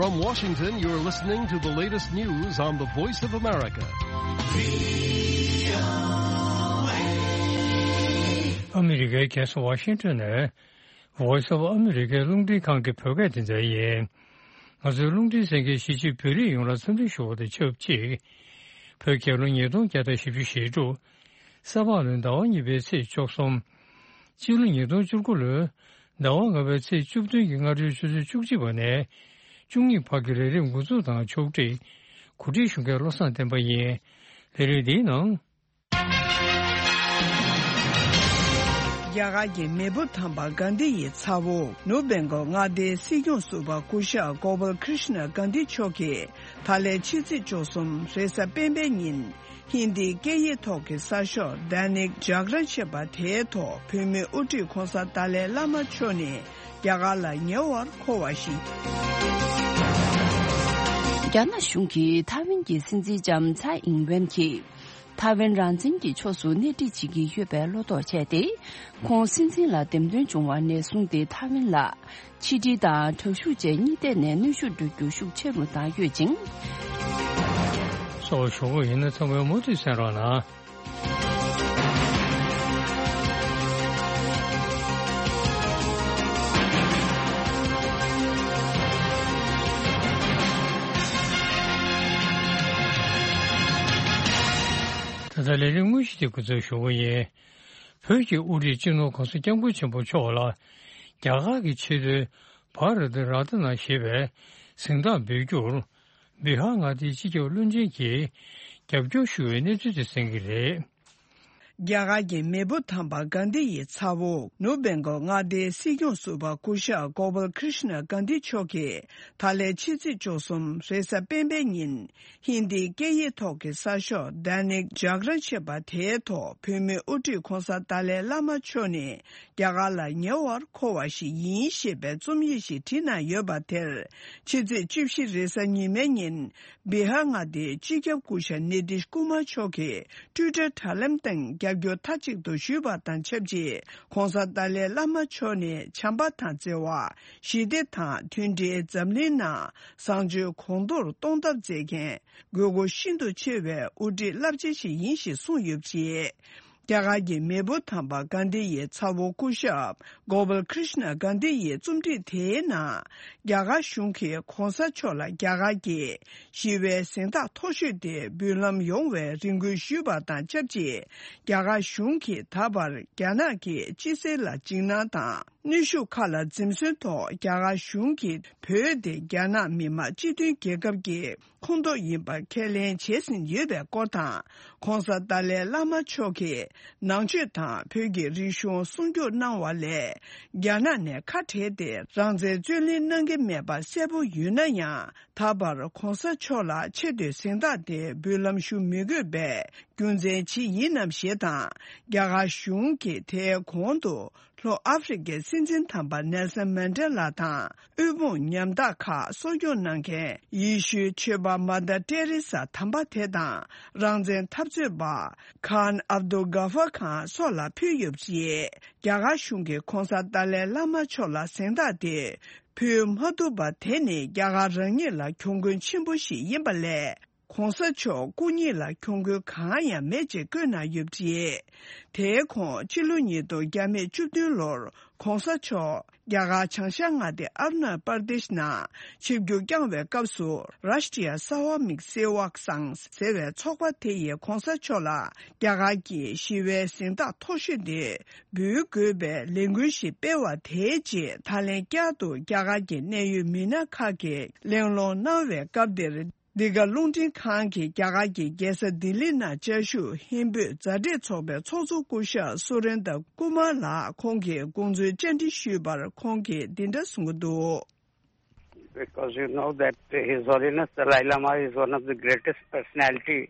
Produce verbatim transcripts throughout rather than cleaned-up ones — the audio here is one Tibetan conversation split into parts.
From Washington, you're listening to the latest news on the Voice of America. ཨ་མི་རི་ཀའི་རྒྱལ་ས་ཝ་ཤིང་ཏོན་ནས་Voice of America་རླུང་འཕྲིན་ཁང་གི་བོད་སྐད་སྡེ་ཚན་ཡིན། ང་ཚོའི་རླུང་འཕྲིན་གསན་མཁན་གཞིས་བྱེས་བོད་རིགས་ཡོངས་ལ་འཚམས་འདྲི་ཞུ་བ་དང་ཆབས་ཅིག་བོད་རྒྱལ་ལོ་ཉིས་སྟོང་བརྒྱ་དང་བཞི་བཅུ་ཞེ་དྲུག་ས་ཕག་ལོའི་ཟླ་བ་གཉིས་པའི་ཚེས་བཅུ་གསུམ། སྤྱི་ལོ་ཉིས་སྟོང་བཅུ་དགུ་ལོའི་ཟླ་བ་ལྔ་པའི་ཚེས་བཅུ་བདུན་གྱི་སྔ་དྲོའི་ཆུ་ཚོད་བཅུ་གཅིག་པ་ནས་བཅུ་གཉིས་བར་གྱི་ལས་རིམ་འགོ་འཛུགས་དང་ཕྱོགས་སྒྲིག་གོ་སྒྲིག་ཞུ་མཁན་བློ་བཟང་བསྟན་པ་ཡིན། ལས་རིམ་འདིའི་ནང་། རྒྱ་གར་གྱི་མེས་པོ་དམ་པ་གྷན་དྷི་ཡི་ཚ་བོ་ནུབ་བེང་གོ་མངའ་སྡེའི་སྲིད་སྐྱོང་ཟུར་པ་སྐུ་ཞབས་གོ་པལ་ཀྲིཤ་ན་གྷན་དྷི་མཆོག་གིས་ད་ལན་ཕྱི་ཚེས་བཅུ་གསུམ་རེས་གཟའ་སྤེན་པའི་ཉིན་ཧིན་དིའི་སྐད་ཡིག་ཐོག་གི་གསར་ཤོག་དཱ་ནིག་ཇག་རན་ཞེས་པ་དེའི་ཐོག་བོད་མིའི་དབུ་ཁྲིད་༧གོང་ས་ཏཱ་ལའི་བླ་མ་མཆོག་ནས་རྒྱ་གར་ལ་ཉེ་བར་འཁོར་བ་ཞིག་རྒྱ་ནག་གཞུང་གིས་ཐའེ་ཝན་གྱི་སྲིད་འཛིན་ལྕམ་ཚའེ་ཨིང་ཝེན་གྱིས། ཐའེ་ཝན་རང་བཙན་གྱི་ཕྱོགས་སུ་སྣེ་ཁྲིད་བྱེད་ཀྱི་ཡོད་པའི་བློ་དོགས་བྱས་ཏེ། ཁོང་སྲིད་འཛིན་ལ་འདེམས་ཐོན་བྱུང་བ་ནས་བཟུང་སྟེ་ཐའེ་ཝན་ལ་ཕྱི་འབྲེལ་དང་དྲག་ཤུགས་བཅས་གཉིས་ཐད་ནས་གནོན་ཤུགས་སྤྲོད་རྒྱུ་ཤུགས་ཆེ་རུ་བཏང་ཡོད་ཅིང་། སོགས་ཞུ་གི་ཡིན་ན་ཚང་མས་མུ་མཐུད་གསན་རོགས་གནང་། ད་ལྟ་ལས་རིམ་དངོས་གཞི་དེ་འགོ་འཛུགས་ཞུ་གི་ཡིན། བོད་ཀྱི་དབུ་ཁྲིད་སྤྱི་ནོར་༧གོང་ས་༧སྐྱབས་མགོན་ཆེན་པོ་མཆོག་ལ་རྒྱ་གར་གྱི་ཆེས་མཐོའི་བྷ་ར་ཏི་རཏ་ན་ཞེས་པའི་གཟེངས་རྟགས་འབུལ་རྒྱུར་བི་ཧར་མངའ་སྡེའི་སྤྱི་ཁྱབ་བློན་ཆེན་གྱིས་རྒྱབ་སྐྱོར་ཞུ་བའི་གནས་ཚུལ་དེ་གསན་གྱི་རེད། རྒྱ་གར་གྱི་མེས་པོ་དམ་པ་གྷན་དྷི་ཡི་ཚ་བོ་ནུབ་བེང་གོ་མངའ་སྡེའི་སྲིད་སྐྱོང་ཟུར་པ་སྐུ་ཞབས་གོ་པལ་ཀྲིཤ་ན་གྷན་དྷི་མཆོག་གིས་ད་ལན་ཕྱི་ཚེས་བཅུ་གསུམ་རེས་གཟའ་སྤེན་པའི་ཉིན། ཧིན་དིའི་སྐད་ཡིག་ཐོག་གི་གསར་ཤོག་དཱ་ནིག་ཇག་རན་ཞེས་པ་དེའི་ཐོག་བོད་མིའི་དབུ་ཁྲིད་༧གོང་ས་ཏཱ་ལའི་བླ་མ་མཆོག་ནས་རྒྱ་གར་ལ་ཉེ་བར་འཁོར་བ་ཞིག་ཡིན་ཞེས་པའི་རྩོམ་ཡིག་ཞིག་བྲིས་གནང་ཡོད་པ་དེར། ཕྱི་ཚེས་བཅུ་བཞི་རེས་གཟའ་ཉི་མའི་ཉིན། བི་ཧར་མངའ་སྡེའི་སྤྱི་ཁྱབ་སྐུ་ཞབས་ནི་ཏིཤ་ཀུ་མར་མཆོག་གིས་ཊུའི་ཊར་དྲ་ལམ་སྟེང་རྒྱབ་སྐྱོར་མཐའ་གཅིག་ཏུ་ཞུས་པ་དང་ཆབས་ཅིག ༧གོང་ས་ཏཱ་ལའི་བླ་མ་མཆོག་ནས་བྱམས་པ་དང་བརྩེ་བ། ཞི་བདེ་དང་མཐུན་སྒྲིལ། འཛམ་གླིང་ནང་བཟང་སྤྱོད་གོང་མཐོར་གཏོང་ཐབས་མཛད་མཁན་དགོས་མཁོ་ཤིན་ཏུ་ཆེ་བའི་དབུ་ཁྲིད་རླབས་ཆེན་ཞིག་ཡིན་ཞེས་གསུངས་ཡོད་པ་རེད། རྒྱ་གར་གྱི་མེས་པོ་དམ་པ་གྷན་དྷི་ཡི་ཚ་བོ་སྐུ་ཞབས་གོ་པལ་ཀྲིཤ་ན་གྷན་དྷི་ཡི་རྩོམ་སྒྲིག་དེའི་ནང་། རྒྱ་གར་གཞུང་གིས་༧གོང་ས་མཆོག་ལ་རྒྱ་གར་གྱི་ཞི་བའི་གཟེངས་རྟགས་མཐོ་ཤོས་དེ་འབུལ་ལམ་ཡོང་བའི་རེ་སྐུལ་ཞུས་པ་དང་ཆབས་ཅིག་རྒྱ་གར་གཞུང་གིས་ད་བར་རྒྱ་ནག་གི་སྤྱི་སེལ་ལ་འཇིགས་སྣང་དང་། གནོན་ཤུགས་ཁག་ལ་འཛེམ་ཟོན་ཐོག་རྒྱ་གར་གཞུང་གིས་བོད་དེ་རྒྱ་ནག་མི་དམངས་སྤྱི་མཐུན་རྒྱལ་ཁབ་ཀྱི་ཁོངས་གཏོགས་ཡིན་པ་ཁས་ལེན་བྱས་ཟིན་ཡོད་པའི་སྐོར་དང་། ༧གོང་ས་ཏཱ་ལའི་བླ་མ་མཆོག་གིས་ནང་ཆོས་དང་བོད་ཀྱི་རིག་གཞུང་སྲུང་སྐྱོབ་གནང་བ་ལས། རྒྱ་ནག་ནས་ཁ་བྲལ་ཏེ་རང་བཙན་རྩོད་ལེན་གནང་གི་མེད་པ་གསལ་པོ་ཡོད་ན་ཡང་། ད་བར་༧གོང་ས་མཆོག་ལ་ཆེ་བསྟོད་གཟེངས་རྟགས་དེ་འབུལ་ལམ་ཞུ་མི་དགོས་པའི་རྒྱུ་མཚན་ཅི་ཡིན་ནམ་ཞེས་དང་། རྒྱ་གར་གཞུང་གིས་དེའི་གོང་དུ། ལྷོ་ཨ་ཧྥེ་རི་ཁའི་སྲིད་འཛིན་དམ་པ་ནེལ་སན་མན་ཌེ་ལ་དང་དབུལ་ཕོངས་ཉམ་ཐག་ཁག་གསོ་སྐྱོང་གནང་མཁན་ཡེ་ཤུའི་ཆོས་པ་མ་དར་ཏེ་རེ་ས་དམ་པ་དེ་དང་རང་བཙན་འཐབ་རྩོད་པ་ཁཱན་ཨབ་དུ་གྷ་ཧྥར་ཁཱན་སོགས་ལ་ཕུལ་ཡོད་པ་རེད། རྒྱ་གར་གཞུང་གིས་༧གོང་ས་ཏཱ་ལའི་བླ་མ་མཆོག་ལ་གཟེངས་རྟགས་དེ་ཕུལ་མ་ཐུབ་པ་དེ་ནི་རྒྱ་གར་རང་ཉིད་ལ་གྱོང་གུན་ཆེན་པོ་ཞིག་ཡིན་པ་ལས། ༧གོང་ས་མཆོག་སྐུ་ཉིད་ལ་གྱོང་གུན་གང་ཡང་མེད་ཅེས་བཀོད་གནང་ཡོད་པ་རེད། དེའི་གོང་ཕྱི་ལོ་ཉིས་སྟོང་བརྒྱ་མེད་བཅུ་བདུན་ལོར་༧གོང་ས་མཆོག་རྒྱ་གར་བྱང་ཤར་མངའ་སྡེ་ཨ་རུ་ན་པར་དེཤ་ནང་ཆིབས་བསྒྱུར་བསྐྱངས་པའི་སྐབས་སུ་རཱཤ་ཊྲི་ཡ་ས་ཝ་མིག་སེ་ཝག་སང་ཟེར་བའི་ཚོགས་པ་དེ་ཡིས་༧གོང་ས་མཆོག་ལ་རྒྱ་གར་གྱི་ཞི་བའི་གཟེངས་རྟགས་མཐོ་ཤོས་དེ་འབུལ་དགོས་པའི་ལས་འགུལ་ཞིག་སྤེལ་བ་དེའི་རྗེས་ད་ལན་བསྐྱར་དུ་རྒྱ་གར་གྱི་གནད་ཡོད་མི་སྣ་ཁག་གིས་གླེང་སློང་གནང་བའི་སྐབས་དེར། འདི་ག་རླུང་འཕྲིན་ཁང་གིས་རྒྱ་གར་གྱི་རྒྱལ་ས་ལྡི་ལི་ནང་བཅའ་བཞུགས་ཧིན་བོད་མཛའ་འབྲེལ་ཚོགས་པའི་ཚོགས་གཙོ་སྐུ་ཞབས་སུ་རེན་དྲ་ཀུ་མར་ལགས་ཁོང་གི་དགོངས་ཚུལ་བཅར་འདྲི་ཞུས་པར་ཁོང་གིས་འདི་འདྲ་གསུངས་ཀྱི་འདུག Because you know that His Holiness Dalai Lama is one of the greatest personality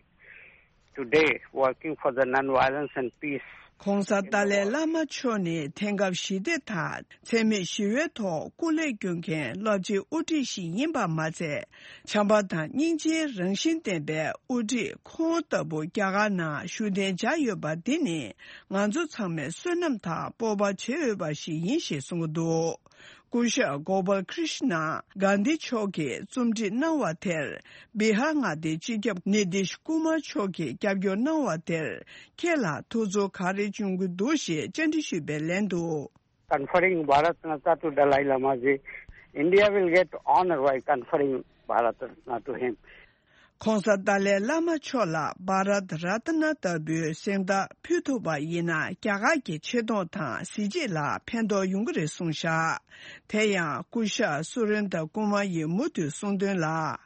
today working for the non-violence and peace. ༧གོང་ས་ཏཱ་ལའི་བླ་མ་མཆོག་ནི་དེང་སྐབས་ཞི་བདེ་དང་འཚེ་མེད་ཞི་བའི་ཐོག་སྐུ་ལས་བསྐྱོན་མཁན་རླབས་ཆེན་དབུ་ཁྲིད་ཞིག་ཡིན་པ་མ་ཚད། བྱམས་པ་དང་སྙིང་རྗེའི་རང་བཞིན་ལྡན་པའི་དབུ་ཁྲིད་ཁོང་ལྟ་བུ་རྒྱ་གར་ནང་བཞུགས་གདན་འཇགས་ཡོད་པ་འདི་ནི་ང་ཚོ་ཚང་མས་བསོད་ནམས་དང་སྤོབས་པ་བྱེད་འོས་པ་ཞིག་ཡིན་ཞེས་གསུངས་ཀྱི་འདུག་སྐུ་ཞབས་གོ་པལ་ཀྲིཤ་ན་གྷན་དྷི་མཆོག་གིས་རྩོམ་སྒྲིག་གནང་བ་དེར། བི་ཧར་མངའ་སྡེའི་སྤྱི་ཁྱབ་ནི་ཏིཤ་ཀུ་མར་མཆོག་གིས་རྒྱབ་སྐྱོར་གནང་བ་དེར། ཁྱེད་ལ་ཐུགས་ཚོར་ག་རེ་བྱུང་གི་འདུག་ཞེས་བཅར་འདྲི་ཞུས་པའི་ལན་དུ། Conferring Bharat Ratna to Dalai Lama ji, India will get honor by conferring Bharat Ratna to him. ྋགོང་ས་ཏཱ་ལའི་བླ་མ་མཆོག་ལ་བྷ་རཏ་རཏ་ན་ལྟ་བུའི་གཟེངས་རྟགས་ཕུལ་ཐུབ་པ་ཡིན་ན། རྒྱ་གར་གྱི་ཆེ་མཐོང་དང་གཟི་བརྗིད་ལ་ཕན་ཐོགས་ཡོང་གི་རེད་གསུངས་བཞག་དེ་ཡང་སྐུ་ཞབས་སུ་རེན་དྲ་ཀུ་མར་ཡིས་མུ་མཐུད་གསུངས་དོན་ལ།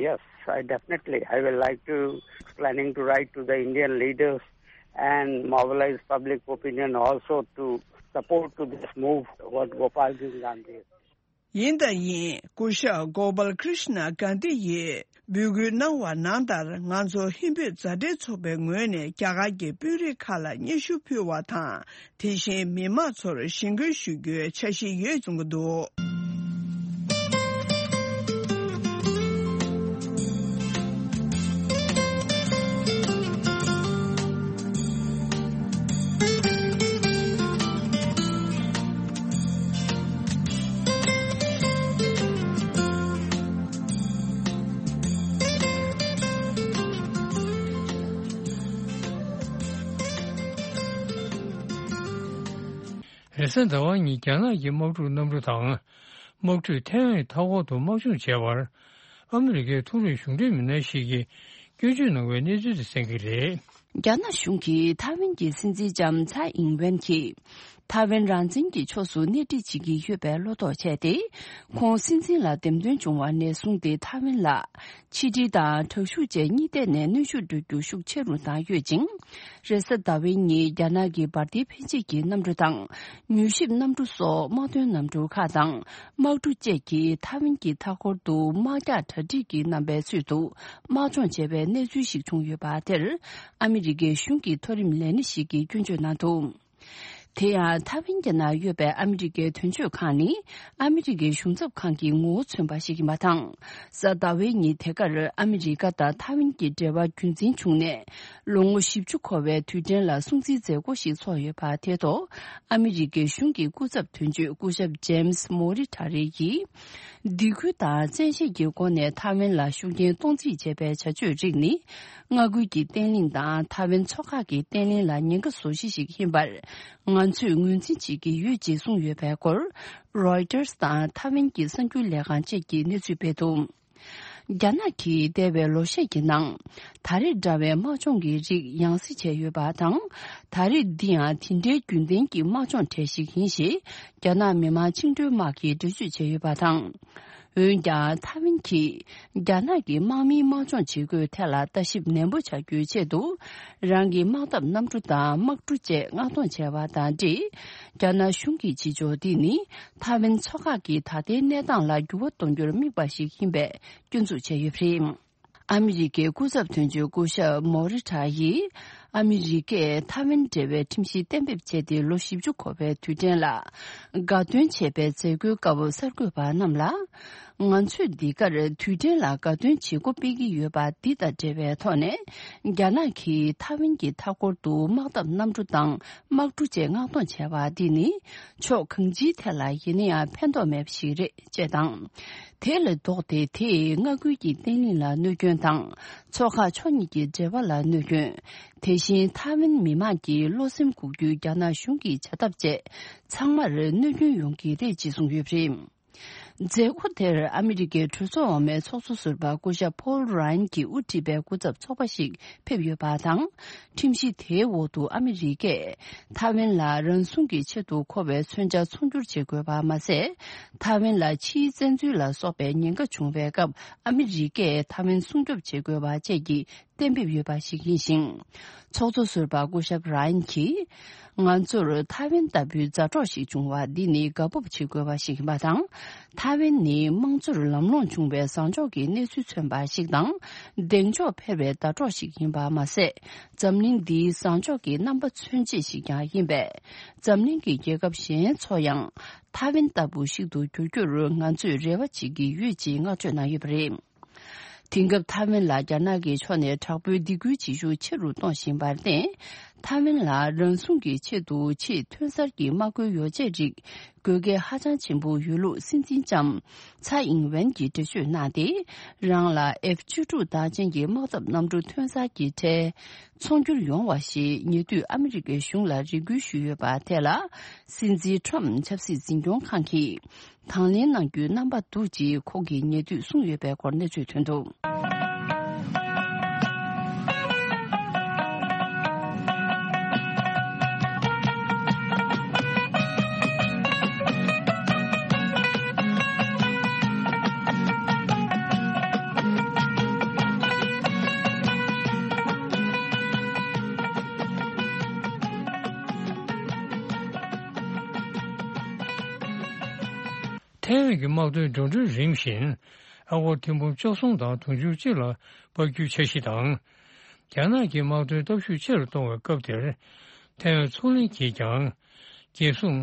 Yes, I definitely, I will like to, planning to write to the Indian leaders and mobilize public opinion also to support to this move what Gopal Ji Gandhi. ཡིན་དང་ཡིན། སྐུ་ཞབས་གོ་པལ་ཀྲིཤ་ན་གྷན་དྷི་ཡིས་འབོད་སྐུལ་གནང་བ་ནང་ལྟར། ང་ཚོ་ཧིན་བོད་མཛའ་འབྲེལ་ཚོགས་པའི་ངོས་ནས་རྒྱ་གར་གྱི་དཔོན་རིགས་ཁག་ལ་སྙན་ཞུ་ཕུལ་བ་དང་། དེ་བཞིན་མི་མང་ཚོར་ཞི་རྒོལ་ཞུ་རྒྱུའི་འཆར་གཞི་ཡོད་གསུང་གི་འདུག་རེས་གཟའ་ཟླ་བ་ཉིན་རྒྱ་ནག་གི་དམག་འཁྲུག་གནམ་གྲུ་དང་། དམག་འཁྲུག་ཐའེ་ཝན་མཐའ་འཁོར་དུ་དམག་སྦྱོང་བྱས་པར། ཨ་མི་རི་ཀའི་མཐོ་རིམ་གཞུང་འབྲེལ་མི་སྣ་ཞིག་གིས་སྐྱོན་བརྗོད་གནང་བའི་གནས་ཚུལ་དེ་གསན་གྱི་རེད། རྒྱ་ནག་གཞུང་གིས་ཐའེ་ཝན་གྱི་སྲིད་འཛིན་ལྕམ་ཚའེ་ཨིང་ཝེན་གྱིས། ཐའེ་ཝན་རང་བཙན་གྱི་ཕྱོགས་སུ་སྣེ་ཁྲིད་བྱེད་ཀྱི་ཡོད་པའི་བློ་དོགས་བྱས་ཏེ། ཁོང་སྲིད་འཛིན་ལ་འདེམས་ཐོན་བྱུང་བ་ནས་བཟུང་སྟེ། ཐའེ་ཝན་ལ་ཕྱི་འབྲེལ་དང་དྲག་ཤུགས་བཅས་གཉིས་ཐད་ནས་གནོན་ཤུགས་སྤྲོད་རྒྱུ་ཤུགས་ཆེ་རུ་བཏང་ཡོད་ཅིང་། རེས་གཟའ་ཟླ་བའི་ཉིན་རྒྱ་ནག་གི་འབར་མདེལ་འཕེན་བྱེད་ཀྱི་གནམ་གྲུ་དང་། མྱུལ་ཞིབ་གནམ་གྲུ་སོགས་དམག་དོན་གནམ་གྲུ་ཁག་དང་། དམག་གྲུ་བཅས་ཀྱིས་ཐའེ་ཝན་གྱི་མཐའ་འཁོར་དུ་དམག་རྒྱག་གྲ་སྒྲིག་གི་རྣམ་པའི་ཚུལ་དུ་དམག་སྦྱོང་བྱས་པའི་གནས་ཚུལ་ཞིག་བྱུང་ཡོད་པ་དེར། ཨ་མི་རི་ཀའི་གཞུང་གི་མཐོ་རིམ་ལས་སྣེ་ཞིག་གིས་སྐྱོན་བརྗོད་གནང་འདུག་དེ་ཡང་ཐའེ་ཝན་གྱི་ནང་ཡོད་པའི་ཨ་མི་རི་ཀའི་དོན་གཅོད་ཁང་ནི། ཨ་མི་རི་ཀའི་གཞུང་ཚབ་ཁང་གི་ངོ་བོ་མཚོན་པ་ཞིག་ཡིན་པ་དང་། གཟའ་ཟླ་བའི་ཉིན་དེ་གར་ཨ་མི་རི་ཀ་དང་ཐའེ་ཝན་གྱི་འབྲེལ་བ་རྒྱུན་འཛིན་བྱུང་ནས། ལོ་ངོ་བཞི་བཅུ་འཁོར་བའི་དུས་དྲན་ལ་སྲུང་བརྩིའི་མཛད་སྒོ་ཞིག་ཚོགས་ཡོད་པ་དེའི་ཐོག་ཨ་མི་རི་ཀའི་གཞུང་གི་སྐུ་ཚབ་དོན་གཅོད་སྐུ་ཞབས་ཇེམ་སི་མོ་རི་ཊ་རེ་ཡིས། སྡིགས་སྐུལ་དང་བཙན་ཤེད་ཀྱི་སྒོ་ནས་ཐའེ་ཝན་ལ་ཤུགས་རྐྱེན་གཏོང་རྩིས་བྱས་པའི་བྱ་སྤྱོད་རིགས་ནི། མངའ་ཁུལ་གྱི་བརྟན་ལྷིང་དང་ཐའེ་ཝན་མཚོ་འགག་གི་བརྟན་ལྷིང་ལ་ཉེན་ཁ་བཟོ་གཞི་ཞིག་ཡིན་པར། ང་ཚོས་ངོས་འཛིན་བྱེད་ཀྱི་ཡོད་ཅེས་གསུངས་ཡོད་པའི་སྐོར། རོའི་ཊར་དང་ཐའེ་ཝན་གྱི་གསར་འགྱུར་ལས་ཁང་བཅས་ཀྱིས་གནས་ཚུལ་སྤེལ་འདུག་རྒྱ་ནག་གིས་འདས་པའི་ལོ་ཤས་ཀྱི་ནང་། ད་རེས་འདྲ་བའི་དམག་སྦྱོང་གི་རིགས་ཡང་སེ་བྱས་ཡོད་པ་དང་། ད་རེས་འདི་ཡང་དེ་འདྲའི་རྒྱུན་ལྡན་གྱི་དམག་སྦྱོང་གྲས་ཤིག་ཡིན་ཞེས། རྒྱ་ནག་མི་དམངས་བཅིངས་འགྲོལ་དམག་གིས་འགྲེལ་བརྗོད་བྱས་ཡོད་པ་དང་། འོན་ཀྱང་ཐའེ་ཝན་གྱིས། རྒྱ་ནག་གི་དམག་མིའི་དམག་སྦྱོང་བྱེད་སྒོའི་ཐད་ལ་ལྟ་ཞིབ་ནན་པོ་བྱ་རྒྱུའི་ཆེད་དུ། རང་གི་དམག་འཐབ་གནམ་གྲུ་དང་དམག་གྲུ་བཅས་མངགས་གཏོང་བྱས་པ་དང་འབྲེལ། རྒྱ་ནག་གཞུང་གིས་བྱེད་ཕྱོགས་འདི་ནི། ཐའེ་ཝན་མཚོ་འགག་གི་ད་ལྟའི་གནས་སྟངས་ལ་འགྱུར་བ་གཏོང་རྒྱུར་དམིགས་པ་ཞིག་ཡིན་པའི་སྐྱོན་འཛུགས་བྱས་ཡོད་པ་རེད། ཨ་མི་རི་ཀའི་སྐུ་ཚབ་དོན་གཅོད་སྐུ་ཞབས་མོ་རི་ཊ་ཡིས། ཨ་མི་རི་ཀས་ཐའེ་ཝན་འབྲེལ་བའི་ཁྲིམས་གཞི་གཏན་འབེབས་བྱས་ཏེ་ལོ་བཞི་བཅུ་འཁོར་བའི་དུས་དྲན་ལ། དགའ་སྟོན་བྱས་པའི་མཛད་སྒོའི་སྐབས་གསར་འགོད་པ་རྣམས་ལ། ང་ཚོས་འདི་གར་དུས་དྲན་ལ་དགའ་སྟོན་བྱེད་སྒོ་སྤེལ་གྱི་ཡོད་པ་འདི་དང་འབྲེལ་བའི་ཐོག་ནས། རྒྱ་ནག་གིས་ཐའེ་ཝན་གྱི་མཐའ་འཁོར་དུ་དམག་འཐབ་གནམ་གྲུ་དང་དམག་གྲུ་བཅས་མངགས་གཏོང་བྱས་པ་འདི་ནི། ཕྱོགས་གང་ཅིའི་ཐད་ལ་ཡིན་ན་ཡང་ཕན་ཐོགས་མེད་པ་ཞིག་རེད། ཅེས་དང་། དེ་ལས་ལྡོག་སྟེ་དེས་མངའ་ཁུལ་གྱི་བརྟན་ལྷིང་ལ་གནོད་སྐྱོན་དང་། མཚོ་འགག་ཕྱོགས་གཉིས་ཀྱི་འབྲེལ་བ་ལ་གནོད་སྐྱོན། དེ་བཞིན་ཐའེ་ཝན་མི་དམངས་ཀྱིས་བློ་སེམས་འགུག་རྒྱུའི་རྒྱ་ནག་གཞུང་གི་བྱ་ཐབས་བཅས་ཚང་མར་གནོད་སྐྱོན་ཡོང་གི་རེད་ཅེས་གསུངས་ཡོད་པ་རེད། མཛད་སྒོ་དེར་ཨ་མི་རི་ཀའི་གྲོས་ཚོགས་འོག་མའི་ཚོགས་གཙོ་ཟུར་པ་སྐུ་ཞབས་ཕོལ་རཱ་ཡན་གྱིས་དབུ་ཁྲིད་པའི་སྐུ་ཚབ་ཚོགས་པ་ཞིག་ཕེབས་ཡོད་པ་དང་། ཁྲིམས་གཞི་དེའི་འོག་ཏུ་ཨ་མི་རི་ཀས་ཐའེ་ཝན་ལ་རང་སྲུང་གི་ཆེད་དུ་མཁོ་བའི་མཚོན་ཆ་ཚོང་སྒྱུར་བྱེད་དགོས་པ་མ་ཟད། ཐའེ་ཝན་ལ་ཕྱིའི་བཙན་འཛུལ་ལ་སོགས་པའི་ཉེན་ཁ་བྱུང་བའི་སྐབས་ཨ་མི་རི་ཀས་ཐའེ་ཝན་སྲུང་སྐྱོབ་བྱེད་དགོས་པ་བཅས་ཀྱི་གཏན་འབེབས་ཡོད་པ་ཞིག་ཡིན་ཞིང་། ཚོགས་གཙོ་ཟུར་པ་སྐུ་ཞབས་རཱ་ཡན་གྱིས། ང་ཚོར་ཐའེ་ཝན་ལྟ་བུའི་མཛའ་གྲོགས་ཤིག་བྱུང་བ་འདི་ནི་དགའ་སྤོབས་བྱེད་དགོས་པ་ཞིག་ཡིན་པ་དང་། ཐའེ་ཝན་ནི་དམངས་གཙོར་ལམ་ལྷོང་བྱུང་བའི་བཟང་ཕྱོགས་ཀྱི་གནས་ཚུལ་མཚོན་པ་ཞིག་དང་། གདེང་འཇོག་འཕེར་བའི་ཟླ་གྲོགས་ཤིག་ཡིན་པ་མ་ཟད། འཛམ་གླིང་འདིའི་བཟང་ཕྱོགས་ཀྱི་རྣམ་པ་མཚོན་བྱེད་ཞིག་ཀྱང་ཡིན་པས། འཛམ་གླིང་གི་རྒྱལ་ཁབ་གཞན་ཚོ་ཡང་ཐའེ་ཝན་ལྟ་བུ་ཞིག་ཏུ་འགྱུར་རྒྱུར་ང་ཚོས་རེ་བ་བྱེད་ཀྱི་ཡོད་ཅེས་བསྔགས་བརྗོད་གནང་ཡོད་པ་རེད། དེང་སྐབས་ཐའེ་ཝན་ལ་རྒྱ་ནག་གི་ཕྱོགས་ནས་དྲག་པོའི་སྡིགས་སྐུལ་བྱེད་ཤུགས་ཆེ་རུ་གཏོང་བཞིན་པར་བརྟེན། ཐའེ་ཝན་ལ་རང་སྲུང་གི་ཆེད་དུ་ཆེས་ཐོན་གསར་གྱི་དམག་དཔོན་ཡོ་བྱད་རིགས་དགོས་གལ་ཧ་ཅང་ཆེན་པོ་ཡོད་ལུགས་སྲིད་འཛིན་ལྕམ་ཚའེ་ཨིང་ཝེན་གྱིས་འགྲེལ་བརྗོད་གནང་སྟེ། རང་ལ་ཨེཕ་བཅུ་དྲུག་དར་ཅན་གྱི་དམག་འཐབ་གནམ་གྲུ་ཐོན་གསར་གྱི་གྲས་ཚོང་སྒྱུར་ཡོང་བ་ཞེས་ཉེ་དུས་ཨ་མི་རི་ཀའི་གཞུང་ལ་རེ་སྐུལ་ཞུས་ཡོད་པ་དེ་ལ། སྲིད་འཛིན་ཁྲོམ་ཆབ་སྲིད་འཛིན་སྐྱོང་ཁང་གིས་དང་ལེན་གནང་རྒྱུའི་རྣམ་པ་འདུག་ཅེས་ཁོང་གིས་ཉེ་དུས་གསུངས་ཡོད་པའི་སྐོར་གནས་ཚུལ་ཐོན་འདུག། ཐའེ་ཝན་གྱི་དམག་དོན་འགྲོ་གྲོན་རིམ་བཞིན་ཨ་སྒོར་ཐེར་འབུམ་བཅུ་གསུམ་དང་དུང་ཕྱུར་གཅིག་ལ་སྤར་རྒྱུའི་འཆར་གཞི་དང་། རྒྱ་ནག་གི་དམག་དོན་སྟོབས་ཤུགས་ཆེ་རུ་གཏོང་བའི་སྐབས་དེར། ཐའེ་ཝན་མཚོ་གླིང་གིས་ཀྱང་རྒྱལ་སྲུང་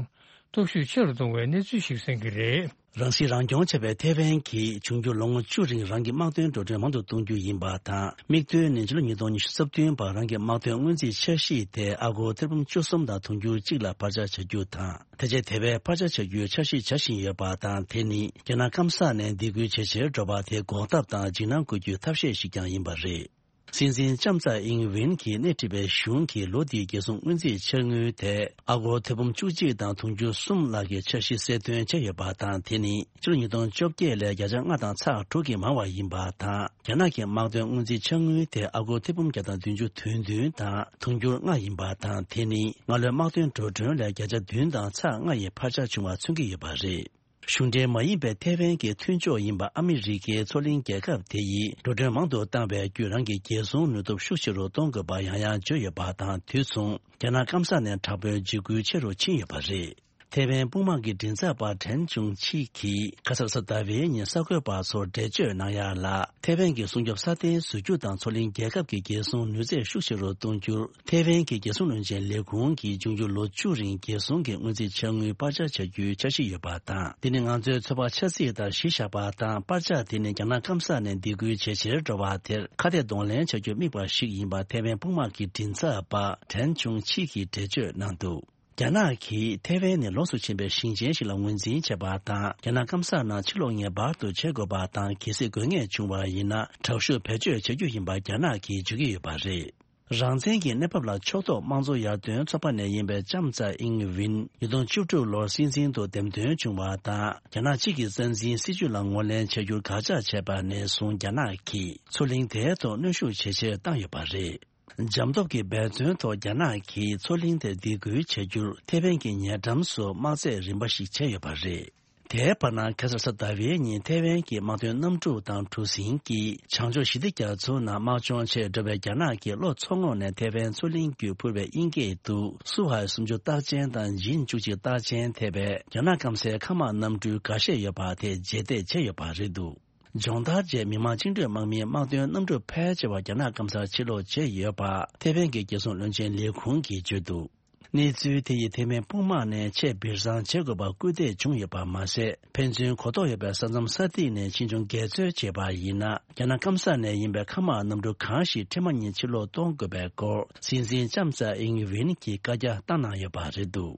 སྟོབས་ཤུགས་ཆེ་རུ་གཏོང་བའི་གནས་ཚུལ་ཞིག་གསན་གྱི་རེད། རང་སྲིད་རང་སྐྱོང་བྱས་པའི་ཐའེ་ཝན་གྱིས་འབྱུང་འགྱུར་ལོ་ངོ་བཅུ་རིང་རང་གི་དམག་དོན་འགྲོ་གྲོན་མང་དུ་གཏོང་རྒྱུ་ཡིན་པ་དང་། དམིགས་དོན་ནི་ཕྱི་ལོ་ཉིས་སྟོང་ཉི་ཤུ་རྩ་བདུན་བར་རང་གི་དམག་དོན་སྔོན་རྩིས་འཆར་གཞི་དེ་ཨ་སྒོར་ཐེར་འབུམ་བཅུ་གསུམ་དང་དུང་ཕྱུར་གཅིག་ལ་བར་ཆད་བྱ་རྒྱུ་དང་། དེ་རྗེས་དེ་བས་བར་ཆད་བྱ་རྒྱུའི་འཆར་གཞི་བྱ་བཞིན་ཡོད་པ་དང་། དེ་ནི་རྒྱ་ནག་སྐམ་ས་ནས་སྡིགས་སྐུལ་ཇེ་ཆེར་འགྲོ་བ་དེ་འགོག་ཐབས་དང་འཇིགས་སྣང་སྐུལ་རྒྱུའི་ཐབས་ཤེས་ཤིག་ཀྱང་ཡིན་པ་རེད། སྲིད་འཛིན་ལྕམ་ཚའེ་ཨིང་ཝིན་གྱིས་སྣེ་ཁྲིད་པའི་གཞུང་གིས་ལོ་འདིའི་རྒྱལ་སྲུང་སྔོན་རྩིས་འཆར་དངུལ་དེ་ཨ་སྒོར་ཐེར་འབུམ་བཅུ་གཅིག་དང་དུང་ཕྱུར་གསུམ་ལྷག་གི་འཆར་གཞི་གསལ་སྟོན་བྱས་ཡོད་པ་དང་། དེ་ནི་ཕྱི་ལོ་ཉིས་སྟོང་བཅོ་བརྒྱད་ལས་བརྒྱ་ཆ་ལྔ་དང་ཚེག་དྲུག་གིས་མང་བ་ཡིན་པ་དང་། རྒྱ་ནག་གི་དམག་དོན་སྔོན་རྩིས་འཆར་དངུལ་དེ་ཨ་སྒོར་ཐེར་འབུམ་བརྒྱ་དང་བདུན་ཅུ་དོན་བདུན་དང་དུང་ཕྱུར་ལྔ་ཡིན་པ་དང་། དེ་ནི་སྔ་ལོའི་དམག་དོན་འགྲོ་གྲོན་ལས་བརྒྱ་ཆ་བདུན་དང་ཚེག་ལྔ་ཡི་འཕར་ཆ་བྱུང་བ་མཚོན་གྱི་ཡོད་པ་རེད། གཞུང་འབྲེལ་མ་ཡིན་པའི་ཐའེ་ཝན་གྱི་མཐུན་ཕྱོགས་ཡིན་པ་ཨ་མི་རི་ཀའི་མཚོ་གླིང་རྒྱལ་ཁབ་དེ་ཡིས་འགྲོ་གྲོན་མང་དུ་བཏང་བའི་བརྒྱུད་རང་གི་རྒྱལ་སྲུང་ནུས་སྟོབས་ཤུགས་ཆེ་རུ་གཏོང་དགོས་པ་ཡང་ཡང་བརྗོད་ཡོད་པ་དང་། དུས་མཚུངས་རྒྱ་ནག་སྐམ་ས་ནས་དྲག་པོའི་འཇིགས་སྐུལ་ཆེ་རུ་ཕྱིན་ཡོད་པ་རེད། ཐའེ་ཝན་དཔུང་དམག་གི་མགྲིན་ཚབ་པ་ཁྲེན་ཆུང་ཆི་གིས་ཁ་སང་གཟའ་ཟླ་བའི་ཉིན་གསར་འགོད་པ་ཚོར་འགྲེལ་བརྗོད་གནང་ཡ་ལ། ཐའེ་ཝན་གྱི་སྲུང་སྐྱོབ་སྲ་བརྟན་བཟོ་རྒྱུ་དང་མཚོ་གླིང་རྒྱལ་ཁབ་ཀྱི་རྒྱལ་སྲུང་ནུས་ཚད་ཤུགས་ཆེ་རུ་གཏོང་རྒྱུར། ཐའེ་ཝན་གྱི་རྒྱལ་སྲུང་བློན་ཆེན་ལས་ཁུངས་ཀྱིས་འབྱུང་འགྱུར་ལོ་བཅུ་རིང་རྒྱལ་སྲུང་གི་སྔོན་རྩིས་འཆར་དངུལ་སྤར་ཆ་བྱ་རྒྱུའི་འཆར་གཞི་ཡོད་པ་དང་། འདི་ནི་ང་ཚོའི་ཚོད་དཔག་འཆར་རྩིས་ལྟར་གཞི་བཞག་པ་དང་། སྤར་ཆ་དེ་ནི་རྒྱ་ནག་སྐམ་ས་ནས་སྡིགས་སྐུལ་ཇེ་ཆེར་འགྲོ་བ་དེར་ཁ་གཏད་གདོང་ལེན་བྱ་རྒྱུར་དམིགས་པ་ཞིག་ཡིན་པ་ཐའེ་ཝན་དཔུང་དམག་གི་མགྲིན་ཚབ་པ་ཁྲེན་ཆུང་ཆི་གིས་འགྲེལ་བརྗོད་གནང་འདུག། རྒྱ་ནག་གིས་ཐའེ་ཝན་ནི་ལོངས་སུ་ཕྱིན་པའི་ཞིང་ཆེན་ཞིག་ལ་ངོས་འཛིན་བྱས་པ་དང་། རྒྱ་ནག་སྐམ་ས་ནང་ཕྱིར་ལོག་ངེས་པར་དུ་བྱེད་དགོས་པ་དང་། གལ་སྲིད་དགོས་ངེས་བྱུང་བ་ཡིན་ན། དྲག་ཤུགས་བེད་སྤྱོད་བྱ་རྒྱུ་ཡིན་པ་རྒྱ་ནག་གིས་བརྗོད་ཀྱི་ཡོད་པ་རེད། རང་བཙན་གྱི་གནས་བབ་ལ་ཕྱོགས་གཏོགས་དམངས་གཙོ་ཡར་ཐོན་ཚོགས་པ་ནས་ཡིན་པའི་ལྕམ་ཚའེ་ཨིང་ཝིན་ཉིས་སྟོང་བཅུ་དྲུག་ལོར་སྲིད་འཛིན་དུ་འདེམས་ཐོན་བྱུང་བ་དང་། རྒྱ་ནག་གཅིག་གི་རྩ་འཛིན་སྲིད་བྱུས་ལ་ངོས་ལེན་བྱ་རྒྱུར་དགག་བྱ་བྱས་པ་ནས་བཟུང་། རྒྱ་ནག་གིས་མཚོ་གླིང་དེའི་ཐོག་གནོན་ཤུགས་ཇེ་ཆེར་བཏང་ཡོད་པ་རེད། འཇམ་སྟོབས་ཀྱི་འབད་བརྩོན་ཐོག་རྒྱ་ནག་གིས་མཚོ་གླིང་དེར་སྡིགས་སྐུལ་བྱ་རྒྱུར་ཐའེ་ཝན་གྱི་ཉེ་འགྲམ་སུ་དམག་རྫས་རིམ་པ་ཞིག་བྱས་ཡོད་པ་རེད། དེའི་བར་ན་ཁ་སང་གཟའ་ཟླ་བའི་ཉིན་ཐའེ་ཝན་གྱི་དམག་དོན་གནམ་གྲུ་དང་གྲུ་གཟིངས་ཀྱིས་བྱང་ཕྱོགས་ཞི་བདེ་རྒྱ་མཚོ་ནང་དམག་སྦྱོང་ཆེད་འགྲོ་བའི་རྒྱ་ནག་གི་གློ་མཚོ་ངོགས་ནས་ཐའེ་ཝན་མཚོ་གླིང་བརྒྱུད་འཕུར་བའི་དབྱིན་སྐད་དུ་སུ་ཧའེ་སུམ་ཅུ་རྟགས་ཅན་དང་ཇིན་བཅུ་གཅིག་རྟགས་ཅན་ཐེ་བའི་རྒྱ་ནག་སྐམ་སའི་མཁའ་དམག་གནམ་གྲུའི་འགའ་ཤས་ཡོད་པ་དེ་རྗེས་འདེད་བྱས་ཡོད་པ་རེད་འདུག། སྦྱོང་བརྡར་རྗེས་མི་དམངས་བཅིངས་འགྲོལ་དམག་མིའི་དམག་དོན་གནམ་གྲུ་ཕལ་ཆེ་བ་རྒྱ་ནག་སྐམ་སར་ཕྱིར་ལོག་བྱས་ཡོད་པ་ཐའེ་ཝན་གྱི་རྒྱལ་སྲུང་བློན་ཆེན་ལས་ཁུངས་ཀྱིས་བརྗོད་འདུག། གནས་ཚུལ་དེ་ཡིས་ཐའེ་ཝན་དཔུང་དམག་ནས་ཆེས་སྦིར་བཟང་བྱེད་དགོས་པར་སྐུལ་འདེད་བྱུང་ཡོད་པ་མ་ཟད། ཕན་ཚུན་གོ་རྟོགས་ཡོད་པའི་ས་མཚམས་ས་ཐིག་ནས་ཕྱིས་འབྱུང་འགལ་འཛོལ་བྱས་པ་ཡིན་ན། རྒྱ་ནག་སྐམ་ས་ནས་ཡིན་པའི་མཁའ་དམག་གནམ་གྲུ་གང་ཞིག་འཕྲལ་མ་ཉིད་ཕྱིར་ལོག་གཏོང་དགོས་པའི་སྐོར་སྲིད་འཛིན་ལྕམ་ཚའེ་ཨིང་ཝིན་གྱིས་བཀའ་རྒྱ་བཏང་གནང་ཡོད་པ་རེད་འདུག།